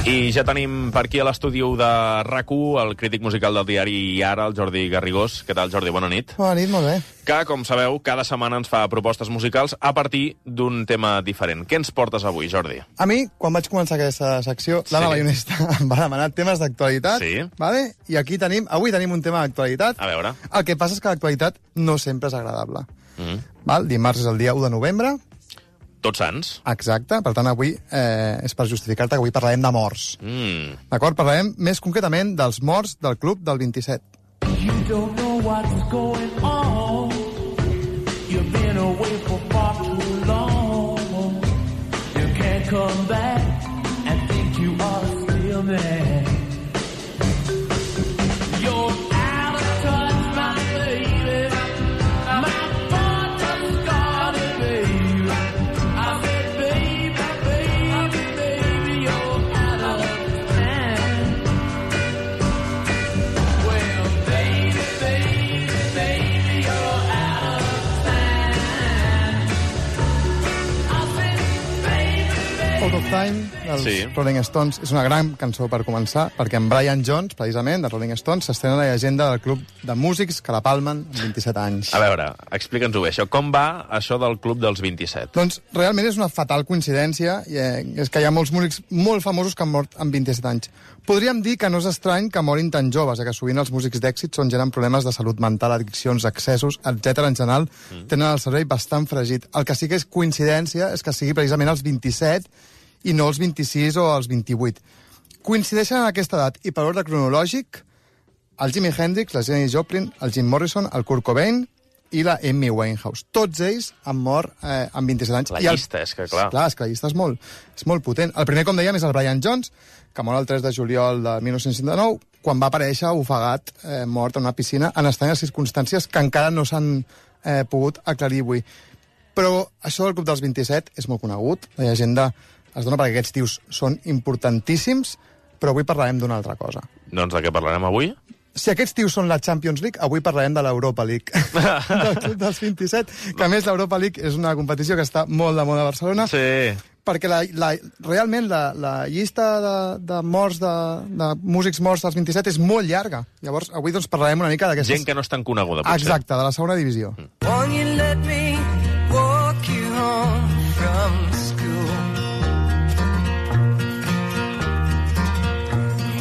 I ja tenim per aquí a l'estudi de RAC u el crític musical del diari I Ara, el Jordi Garrigós. Què tal, Jordi? Bona nit. Bona nit, molt bé. Que, com sabeu, cada setmana ens fa propostes musicals a partir d'un tema diferent. Què ens portes avui, Jordi? A mi, quan vaig començar aquesta secció, sí. l'Anna Bayonesta em va demanar temes d'actualitat. Sí. Vale? I aquí tenim, avui tenim un tema d'actualitat. A veure. El que passa és que l'actualitat no sempre és agradable. Mm. Val? Dimarts és el dia u de novembre. Tots Sants. Exacte, per tant avui eh, és per justificar-te que avui parlarem de morts. Mm. D'acord? Parlarem més concretament dels morts del Club del vint-i-set. You don't know what's going on. You've been away for far too long. You can't come back and think you are still there. You're out of touch, my baby. My thoughts are scarred, baby. I said, baby, baby, baby, you're out of time. Well, baby, baby, baby, you're out of time. I said, baby, baby. Out of Time, dels Sí. Rolling Stones, és una gran cançó per començar, perquè en Brian Jones, precisament, de Rolling Stones, s'estrena la llegenda del club de músics que la palmen amb vint-i-set anys. A veure, explica'ns-ho bé, això. Com va això del club dels vint-i-set? Doncs realment és una fatal coincidència, i, eh, és que hi ha molts músics molt famosos que han mort amb vint-i-set anys. Podríem dir que no és estrany que morin tan joves, eh, que sovint els músics d'èxit són gent amb problemes de salut mental, addiccions, excessos, etcètera. En general, mm. tenen el cervell bastant fregit. El que sí que és coincidència és que sigui precisament els vint-i-set i no els vint-i-sis o els vint-i-vuit. Coincideixen en aquesta edat i per ordre cronològic el Jimi Hendrix, la Janis Joplin, el Jim Morrison, el Kurt Cobain i la Amy Winehouse. Tots ells han mort eh, amb vint-i-set anys. La I el... llista, és que clar. Clar, és que la llista és molt, és molt potent. El primer, com dèiem, és el Brian Jones, que mor el tres de juliol de mil nou-cents seixanta-nou, quan va aparèixer ofegat, eh, mort en una piscina, en estranyes circumstàncies que encara no s'han eh, pogut aclarir avui. Però això del club dels vint-i-set és molt conegut. La llegenda es dona perquè aquests tios són importantíssims, però avui parlarem d'una altra cosa. Doncs de què parlarem avui? Si aquests tios són la Champions League, avui parlarem de l'Europa League, del club dels vint-i-set, que a més l'Europa League és una competició que està molt de moda a Barcelona, sí. perquè la, la, realment la, la llista de, de morts, de, de músics morts dels vint-i-set és molt llarga. Llavors, avui doncs, parlarem una mica d'aquestes... Gent que no és tan coneguda, potser. Exacte, de la segona divisió. Mm. Won't you let me walk you home from school?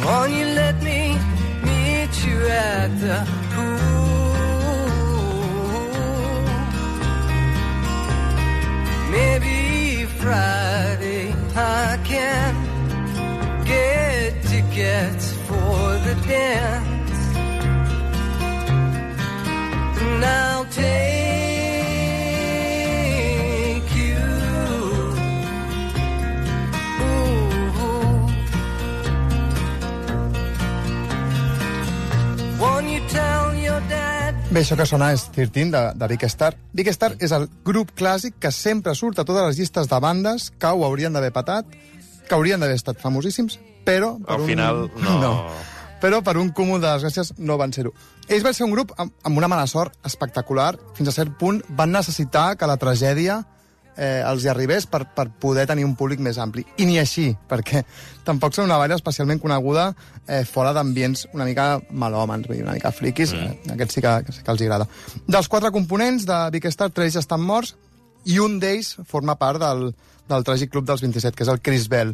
Won't you let me meet you at the pool? Maybe Friday I can get tickets for the dance, and I'll take Bé, això que sona és treze, de, de Big Star. Big Star és el grup clàssic que sempre surt a totes les llistes de bandes que ho haurien d'haver patat, que haurien d'haver estat famosíssims, però... Per Al un... final, no. no. Però per un cúmul de desgràcies no van ser-ho. Ells van ser un grup amb, amb una mala sort espectacular. Fins a cert punt van necessitar que la tragèdia eh, els hi arribés per, per poder tenir un públic més ampli. I ni així, perquè tampoc són una banda especialment coneguda eh, fora d'ambients una mica malòmens, una mica friquis, mm. eh, aquests sí que, sí que els agrada. Dels quatre components de Big Star, tres ja estan morts, i un d'ells forma part del, del tràgic club dels vint-i-set, que és el Chris Bell,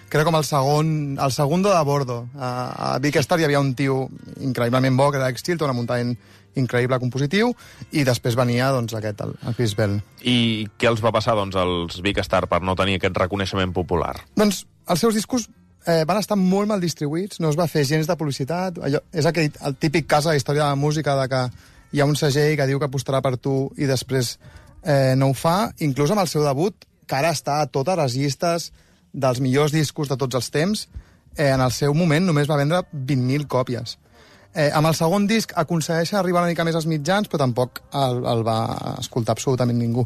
que era com el segon, el segundo de bordo. A, a Big Star hi havia un tio increïblement bo, que era Alex Chilton, un muntant increïble compositiu, i després venia doncs, aquest, el, el Chris Bell. I què els va passar doncs, als Big Star per no tenir aquest reconeixement popular? Doncs els seus discos eh, van estar molt mal distribuïts, no es va fer gens de publicitat. Allò, és aquell, el típic cas de la història de la música de que hi ha un segell que diu que apostarà per tu i després eh, no ho fa. Inclús amb el seu debut, que ara està a totes les llistes dels millors discos de tots els temps, eh, en el seu moment només va vendre vint mil còpies. Eh, amb el segon disc aconsegueixen arribar una mica més als mitjans, però tampoc el, el va escoltar absolutament ningú.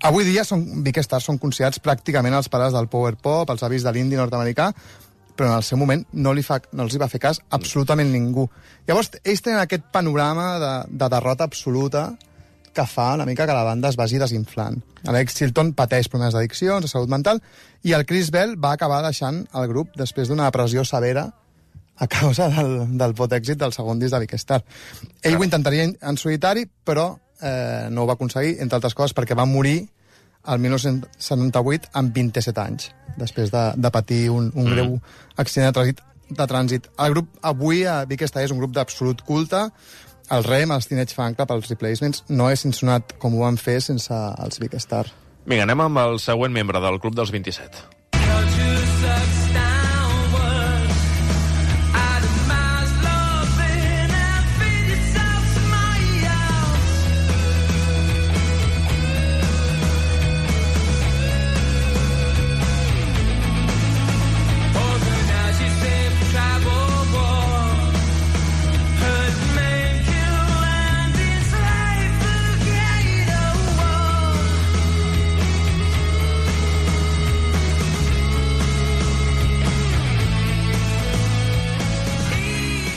Avui dia són, Big Star són considerats pràcticament els pares del power pop, els avis de l'indie nord-americà, però en el seu moment no, li fa, no els hi va fer cas absolutament ningú. Llavors, ells tenen aquest panorama de, de derrota absoluta que fa una mica que la banda es vagi desinflant. Alex Chilton pateix problemes d'addiccions, de salut mental, i el Chris Bell va acabar deixant el grup després d'una depressió severa a causa del, del pot èxit del segon disc de Big Star. Ell ho intentaria en solitari, però eh, no ho va aconseguir, entre altres coses, perquè va morir el mil nou-cents setanta-vuit amb vint-i-set anys, després de, de patir un, un greu accident de trànsit, de trànsit. El grup avui, a Big Star, és un grup d'absolut culte. El R E M, els Teenage Fan Club, els Replacements, no és sonat com ho van fer sense els Big Star. Vinga, anem amb el següent membre del Club dels vint-i-set.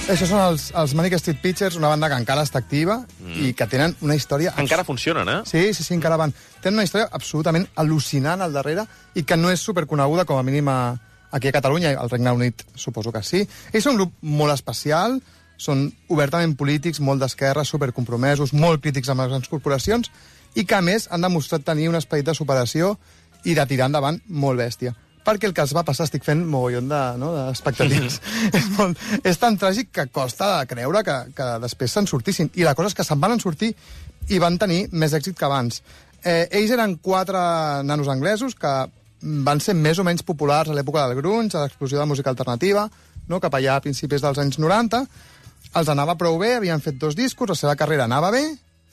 Això són els, els Manic Street Preachers, una banda que encara està activa mm. i que tenen una història... Encara funcionen, eh? Sí, sí, sí, encara van. Tenen una història absolutament al·lucinant al darrere i que no és superconeguda, com a mínim a, aquí a Catalunya, al Regne Unit suposo que sí. Ells són un grup molt especial, són obertament polítics, molt d'esquerra, supercompromesos, molt crítics amb les grans corporacions i que, a més, han demostrat tenir un esperit de superació i de tirar endavant molt bèstia. Perquè el que es va passar, estic fent mogollon de, no, d'expectatives. és, molt, és tan tràgic que costa de creure que, que després se'n sortissin. I la cosa és que se'n van sortir i van tenir més èxit que abans. Eh, ells eren quatre nanos anglesos que van ser més o menys populars a l'època del grunge, a l'explosió de música alternativa, no, cap allà a principis dels anys noranta. Els anava prou bé, havien fet dos discos, la seva carrera anava bé,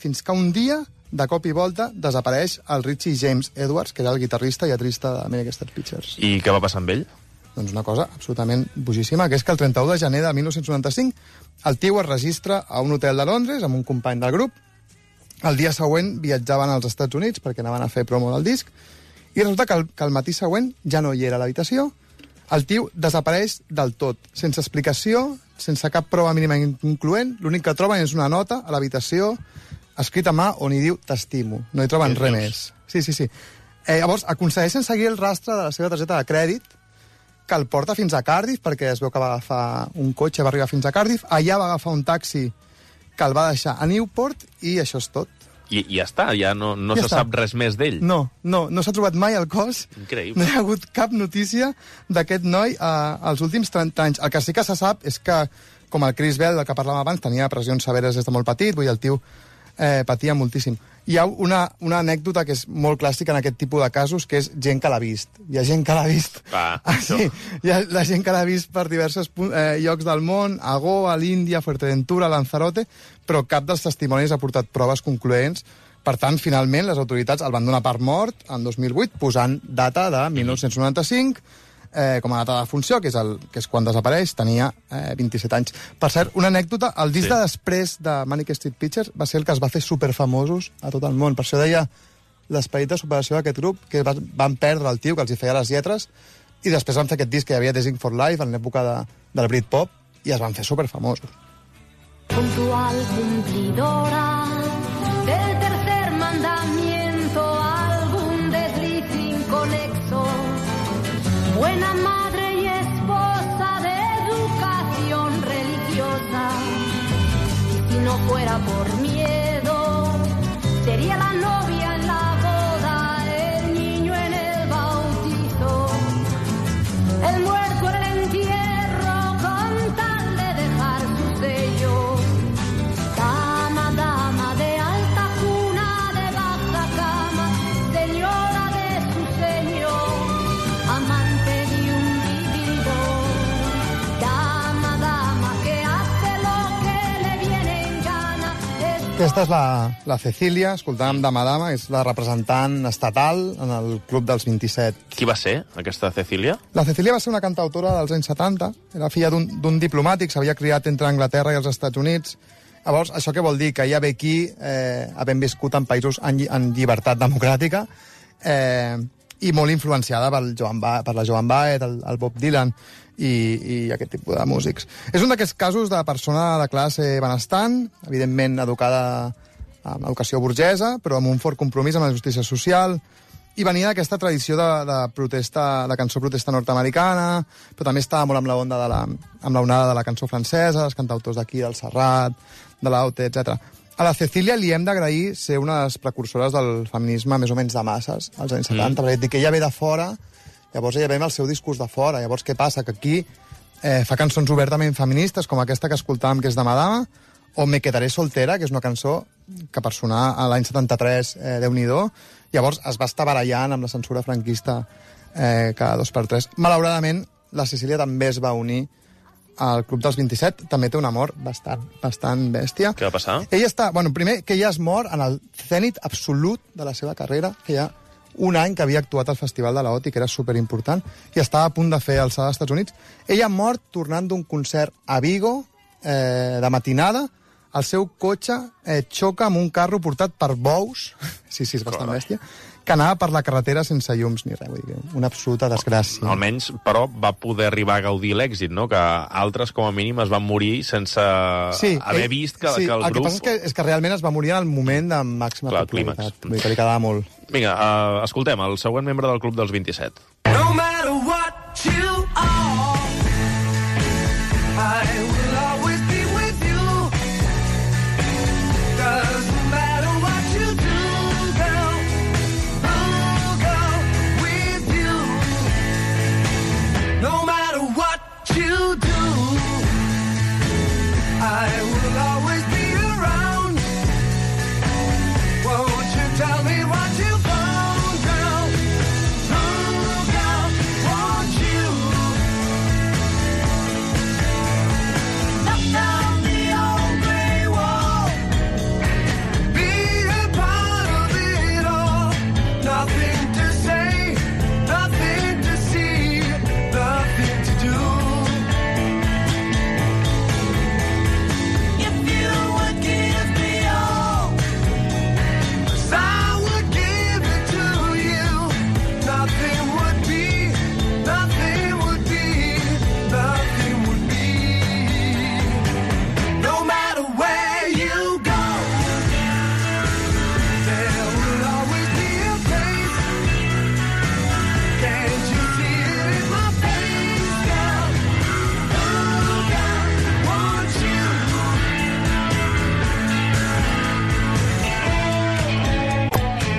fins que un dia, de cop i volta, desapareix el Richie James Edwards, que era el guitarrista i atrista de Manic Street Preachers. I què va passar amb ell? Doncs una cosa absolutament bojíssima, que és que el trenta-u de gener de mil nou-cents noranta-cinc el tio es registra a un hotel de Londres amb un company del grup. El dia següent viatjaven als Estats Units perquè anaven a fer promo del disc i resulta que el, que el matí següent ja no hi era a l'habitació. El tio desapareix del tot, sense explicació, sense cap prova mínima incloent. L'únic que troben és una nota a l'habitació escrit a mà on hi diu t'estimo. No hi troben res més. Sí, sí, sí. Eh, llavors, aconsegueixen seguir el rastre de la seva targeta de crèdit, que el porta fins a Cardiff, perquè es veu que va agafar un cotxe, va arribar fins a Cardiff, allà va agafar un taxi que el va deixar a Newport, i això és tot. I, i ja està, ja no, no Ja se està. sap res més d'ell. No, no, no s'ha trobat mai el cos. Increïble. No hi ha hagut cap notícia d'aquest noi eh, als últims trenta anys. El que sí que se sap és que, com el Chris Bell, del que parlàvem abans, tenia pressions severes des de molt petit, vull dir, el tio eh, patia moltíssim. Hi ha una, una anècdota que és molt clàssica en aquest tipus de casos, que és gent que l'ha vist. Hi ha gent que l'ha vist. Ah, ah, sí. Hi ha la gent que l'ha vist per diversos eh, llocs del món, a Goa, a l'Índia, Fuerteventura, Lanzarote, però cap dels testimonis ha portat proves concloents. Per tant, finalment, les autoritats el van donar per mort en dos mil vuit, posant data de mil nou-cents noranta-cinc, eh, com a data de funció, que és, el, que és quan desapareix, tenia eh, vint-i-set anys. Per cert, una anècdota, el disc sí. de després de Manic Street Preachers va ser el que es va fer superfamosos a tot el món. Per això deia l'esperit de superació d'aquest grup, que va, van perdre el tio que els hi feia les lletres, i després van fer aquest disc que hi havia Dancing for Life, en l'època de, del Britpop, i es van fer superfamosos. Puntual cumplidora del tercer mandamiento, algún desliz inconexo, buena madre y esposa de educación religiosa. Y si no fuera por miedo, sería la novia en la boda, el niño en el bautizo, el muerto en el entierro, con tal de dejar su sello. Dama, dama de alta cuna, de baja cama, señora de su señor, amante de un vividor. Dama, dama que hace lo que le viene en gana. Aquesta és la, la Cecília, escoltàvem Dama Dama, és la representant estatal en el Club dels vint-i-set. Qui va ser, aquesta Cecília? La Cecília va ser una cantautora dels anys setanta, era filla d'un diplomàtic, s'havia criat entre Anglaterra i els Estats Units. Llavors, això què vol dir? Que ella ve aquí, eh, havent viscut en països en, lli en llibertat democràtica, eh, i molt influenciada pel Joan ba per la Joan Baez, el, el Bob Dylan i, i aquest tipus de músics. És un d'aquests casos de persona de classe benestant, evidentment educada amb educació burgesa, però amb un fort compromís amb la justícia social, i venia d'aquesta tradició de, de protesta, de cançó protesta nord-americana, però també estava molt amb la onda de la, amb la onada de la cançó francesa, els cantautors d'aquí, del Serrat, de l'Aute, etcètera. A la Cecília li hem d'agrair ser una de les precursores del feminisme més o menys de masses, als anys setanta, mm. perquè que ella ve de fora, llavors ella ve amb el seu discurs de fora. Llavors què passa? Que aquí eh, fa cançons obertament feministes, com aquesta que escoltàvem, que és de Madama, o Me quedaré soltera, que és una cançó que per sonar a l'any setanta-tres, eh, Déu-n'hi-do, llavors es va estar barallant amb la censura franquista eh, cada dos per tres. Malauradament, la Cecília també es va unir al Club dels vint-i-set, també té un amor bastant, bastant bèstia. Què va passar? Ella està, bueno, primer, que ella es mor en el zènit absolut de la seva carrera, que ja un any que havia actuat al Festival de la O T I, que era superimportant, i estava a punt de fer alçada als Estats Units. Ella ha mort tornant d'un concert a Vigo, eh, de matinada, el seu cotxe eh, xoca amb un carro portat per bous, sí, sí, és bastant Carai. bèstia, que anava per la carretera sense llums ni res. Vull dir, una absoluta desgràcia. Almenys, però, va poder arribar a gaudir l'èxit, no? Que altres, com a mínim, es van morir sense sí, haver ell, vist que, sí, que el, el grup... que passa és que, és que realment es va morir en el moment de màxima Clar, popularitat. clímax. Vull dir que li quedava molt. Vinga, uh, escoltem, el següent membre del Club dels vint-i-set. No matter what you are, I will always be with you. Doesn't matter what you do, girl, I'll go with you. No matter what you do, I will always be around. Won't you tell me what you found, girl? Oh, girl, won't you? Knock down the old grey wall. Be a part of it all. Nothing to say, nothing to see, nothing to do. If you would give me all, 'cause I would give it to you. Nothing would be, nothing would be, nothing would be. No matter where you go, there will always be a place. Can't you see it in my face, girl? Oh, girl, won't you?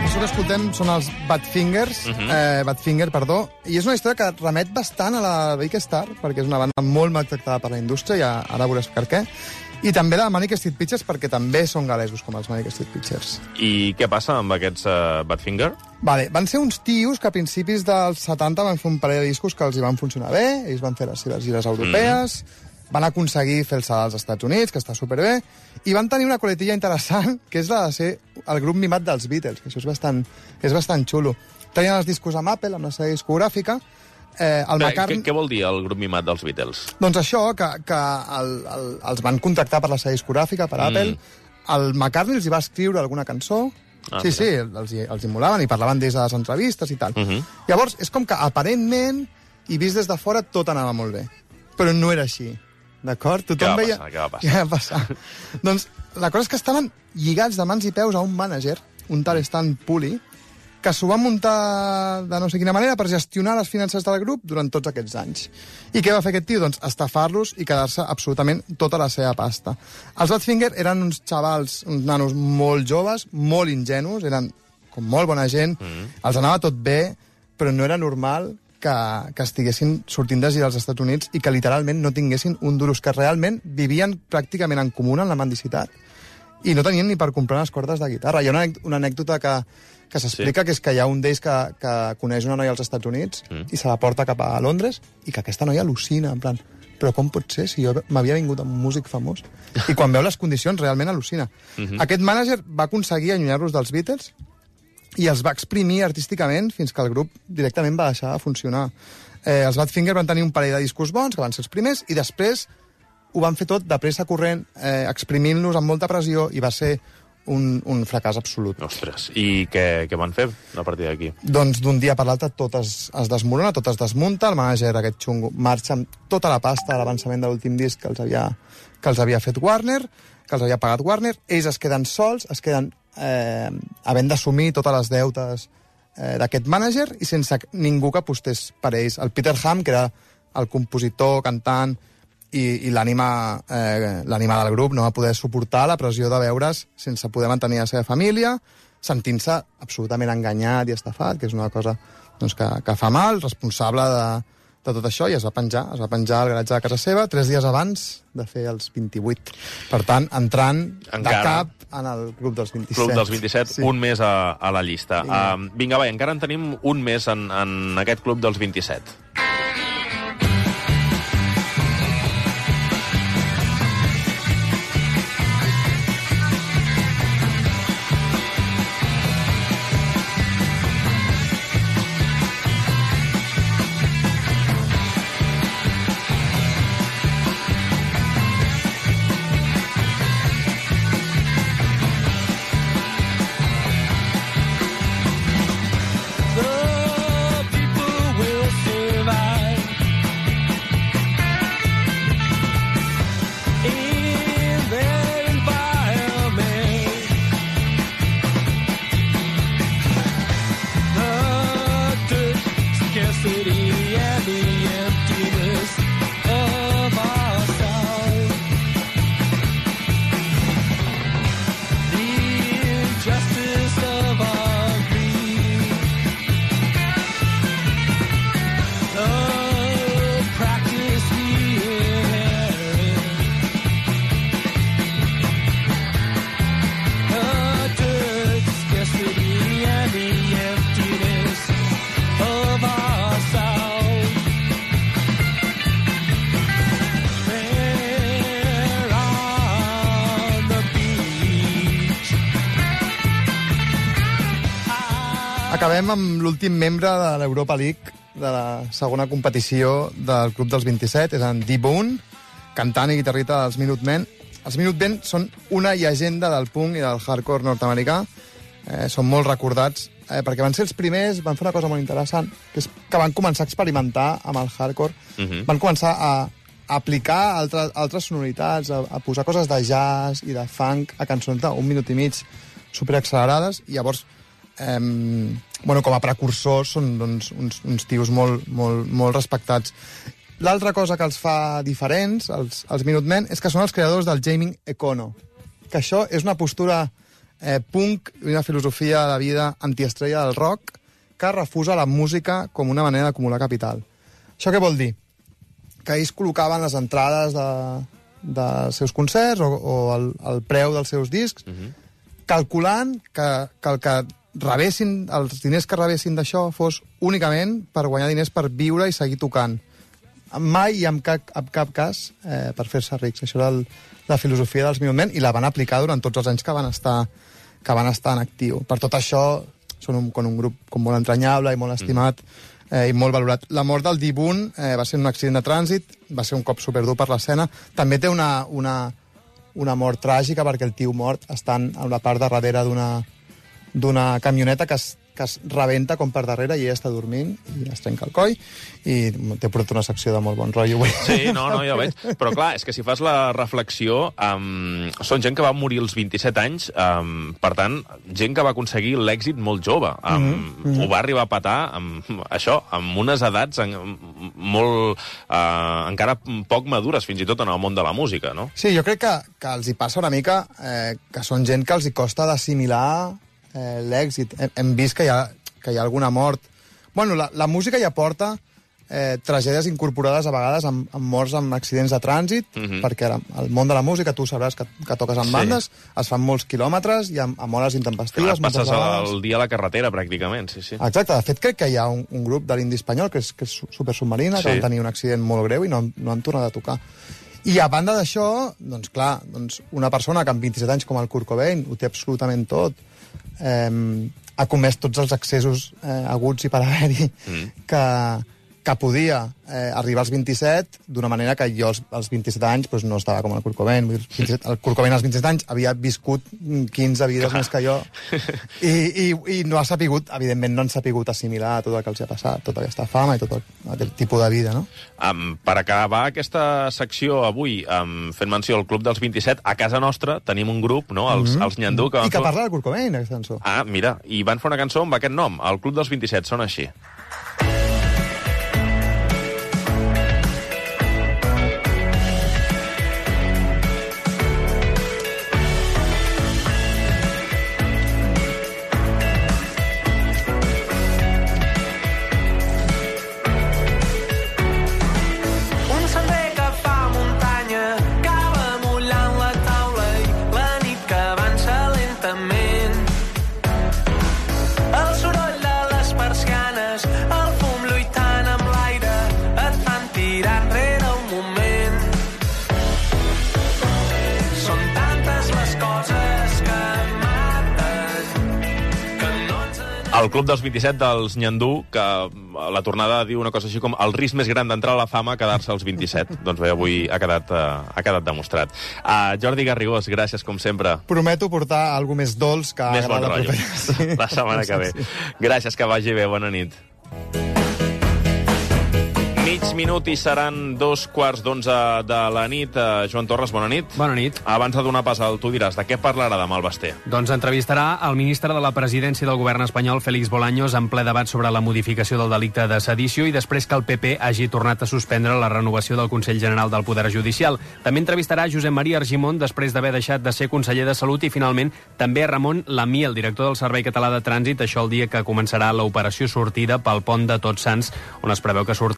Això que escoltem són els Badfingers, uh -huh. eh, Badfinger, perdó, i és una història que remet bastant a la Big Star, perquè és una banda molt maltractada per la indústria, i ara veuràs per què, i també la Manic Street Preachers, perquè també són galesos, com els Manic Street Preachers. I què passa amb aquests uh, Badfinger? Vale, van ser uns tios que a principis dels setanta van fer un parell de discos que els hi van funcionar bé, ells van fer les seves gires europees, mm. van aconseguir fer-se als Estats Units, que està superbé, i van tenir una coletilla interessant, que és la de ser el grup mimat dels Beatles, que això és bastant, és bastant xulo. Tenien els discos amb Apple, amb la seva discogràfica, eh, el Però, McCartney... què, què vol dir el grup mimat dels Beatles? Doncs això, que, que el, el, els van contractar per la seva discogràfica, per Mm. Apple, el McCartney els hi va escriure alguna cançó, Ah, sí, mira. sí, els, hi- els hi molaven i parlaven des de les entrevistes i tal. Uh -huh. Llavors, és com que aparentment, i vist des de fora, tot anava molt bé. Però no era així, d'acord? Tothom Què va veia... passar? Què va passar? Què va passar? Doncs la cosa és que estaven lligats de mans i peus a un mànager, un tal Stan Puli, que s'ho va muntar de no sé quina manera per gestionar les finances del grup durant tots aquests anys. I què va fer aquest tio? Doncs estafar-los i quedar-se absolutament tota la seva pasta. Els Badfinger eren uns xavals, uns nanos molt joves, molt ingenus, eren com molt bona gent, mm. els anava tot bé, però no era normal que, que estiguessin sortint de gira als Estats Units i que literalment no tinguessin un duros, que realment vivien pràcticament en comuna en la mendicitat i no tenien ni per comprar les cordes de guitarra. Hi ha una, anèc- una anècdota que, que s'explica, sí. que és que hi ha un d'ells que, que coneix una noia als Estats Units mm. i se la porta cap a Londres i que aquesta noia al·lucina, en plan, però com pot ser si jo m'havia vingut amb un músic famós? I quan veu les condicions realment al·lucina. Mm-hmm. Aquest mànager va aconseguir allunyar-los dels Beatles i els va exprimir artísticament fins que el grup directament va deixar de funcionar. Eh, els Badfinger van tenir un parell de discos bons, que van ser els primers, i després ho van fer tot de pressa corrent, eh, exprimint-los amb molta pressió, i va ser un, un fracàs absolut. Ostres, i què, què van fer a partir d'aquí? Doncs d'un dia per l'altre tot es, es desmorona, tot es desmunta, el mànager aquest xungo marxa amb tota la pasta de l'avançament de l'últim disc que els havia, que els havia fet Warner, que els havia pagat Warner, ells es queden sols, es queden eh, havent d'assumir totes les deutes eh, d'aquest mànager i sense ningú que apostés per ells. El Peter Ham, que era el compositor, cantant i, i l'ànima eh, l'ànima del grup, no va poder suportar la pressió de veure's sense poder mantenir la seva família, sentint-se absolutament enganyat i estafat, que és una cosa doncs, que, que fa mal, responsable de, de tot això, i es va penjar, es va penjar al garatge de casa seva tres dies abans de fer els vint-i-vuit. Per tant, entrant Encara. de cap en el Club dels vint-i-set. Club dels vint-i-set, Sí. un més a, a la llista. Vinga. Uh, vinga, va, encara en tenim un més en, en aquest Club dels vint-i-set. Acabem amb l'últim membre de l'Europa League, de la segona competició del Club dels vint-i-set, és en D-Bone, cantant i guitarrista dels Minutemen. Els Minutemen són una llegenda del punk i del hardcore nord-americà. Eh, són molt recordats eh, perquè van ser els primers, van fer una cosa molt interessant, que és que van començar a experimentar amb el hardcore. Mhm. Van començar a, a aplicar altres, altres sonoritats, a, a posar coses de jazz i de funk a cançons d'un minut i mig superaccelerades, i llavors eh, bueno, com a precursors són doncs, uns, uns tios molt, molt, molt respectats. L'altra cosa que els fa diferents, els, els Minutemen, és que són els creadors del Jamming Econo, que això és una postura eh, punk i una filosofia de vida antiestrella del rock que refusa la música com una manera d'acumular capital. Això què vol dir? Que ells col·locaven les entrades de, dels seus concerts o, o el, el preu dels seus discs, uh-huh. calculant que, que el que rebessin, els diners que rebessin d'això fos únicament per guanyar diners per viure i seguir tocant. Mai i en cap, en cap cas eh, per fer-se rics. Això era el, la filosofia dels Minutemen i la van aplicar durant tots els anys que van estar, que van estar en actiu. Per tot això són un, un grup com molt entranyable i molt estimat eh, i molt valorat. La mort del D-Bone eh, va ser un accident de trànsit, va ser un cop superdur per l'escena. També té una, una, una mort tràgica perquè el tio mort està en la part de darrere d'una d'una camioneta que es, que es rebenta com per darrere i ella està dormint i es trenca el coll i t'he portat una secció de molt bon rotllo. Sí, no, no, ja ho veig. Però clar, és que si fas la reflexió, um, són gent que va morir als vint-i-set anys, um, per tant, gent que va aconseguir l'èxit molt jove. Um, mm-hmm. Ho va arribar a petar amb això, amb unes edats en, molt, uh, encara poc madures, fins i tot en el món de la música, no? Sí, jo crec que, que els hi passa una mica eh, que són gent que els hi costa d'assimilar eh, l'èxit. Hem, hem vist que hi ha, que hi ha alguna mort. Bueno, la, la música ja porta eh, tragèdies incorporades a vegades amb, amb morts amb accidents de trànsit, mm-hmm. perquè el món de la música, tu sabràs que, que toques amb Sí. bandes, es fan molts quilòmetres i amb, amb hores intempestives. Clar, passes el dia a la carretera, pràcticament, sí, sí. Exacte, de fet crec que hi ha un, un grup de l'indi espanyol que és, que és supersubmarina, Sí. que van tenir un accident molt greu i no, no han tornat a tocar. I a banda d'això, doncs clar, doncs una persona que amb vint-i-set anys com el Kurt Cobain ho té absolutament tot, eh, ha comès tots els excessos eh, aguts i per haver-hi mm. que, que podia eh, arribar als vint-i-set d'una manera que jo als, als vint-i-set anys doncs, no estava com el Kurt Cobain. Vull dir, vint-i-set, el Kurt Cobain als vint-i-set anys havia viscut quinze vides Clar. més que jo i, i, i no ha sapigut, evidentment no han sapigut assimilar tot el que els ha passat, tota aquesta fama i tot el, aquest tipus de vida, no? Um, per acabar aquesta secció avui, um, fent menció al Club dels vint-i-set, a casa nostra tenim un grup, no? Els, Mhm. els Nyandú, que van I que fer... parla del Kurt Cobain, aquesta cançó. Ah, mira, i van fer una cançó amb aquest nom, el Club dels vint-i-set, sona així. Un sender que fa muntanya acaba mullant la taula i la nit que avança lentament. El soroll de les persianes, el fum lluitant amb l'aire, et fan tirar enrere un moment. Són tantes les coses que maten que no ens... El Club dels vint-i-set dels Nyandú, que a la tornada diu una cosa així com el risc més gran d'entrar a la fama, quedar-se als vint-i-set. Doncs bé, avui ha quedat, uh, ha quedat demostrat. Uh, Jordi Garrigós, gràcies, com sempre. Prometo portar alguna més dolç que Més bon agrada rotllo. propera. Sí. La setmana que ve. Gràcies, que vagi bé. Bona nit. Mig minut i seran dos quarts d'onze de la nit. Uh, Joan Torres, bona nit. Bona nit. Abans de donar pas al tu diràs, de què parlarà demà el Basté? Doncs entrevistarà el ministre de la presidència del govern espanyol, Félix Bolaños, en ple debat sobre la modificació del delicte de sedició i després que el P P hagi tornat a suspendre la renovació del Consell General del Poder Judicial. També entrevistarà Josep Maria Argimon després d'haver deixat de ser conseller de Salut i finalment també a Ramon Lamí, el director del Servei Català de Trànsit, això el dia que començarà l'operació sortida pel pont de Tots Sants, on es preveu que surt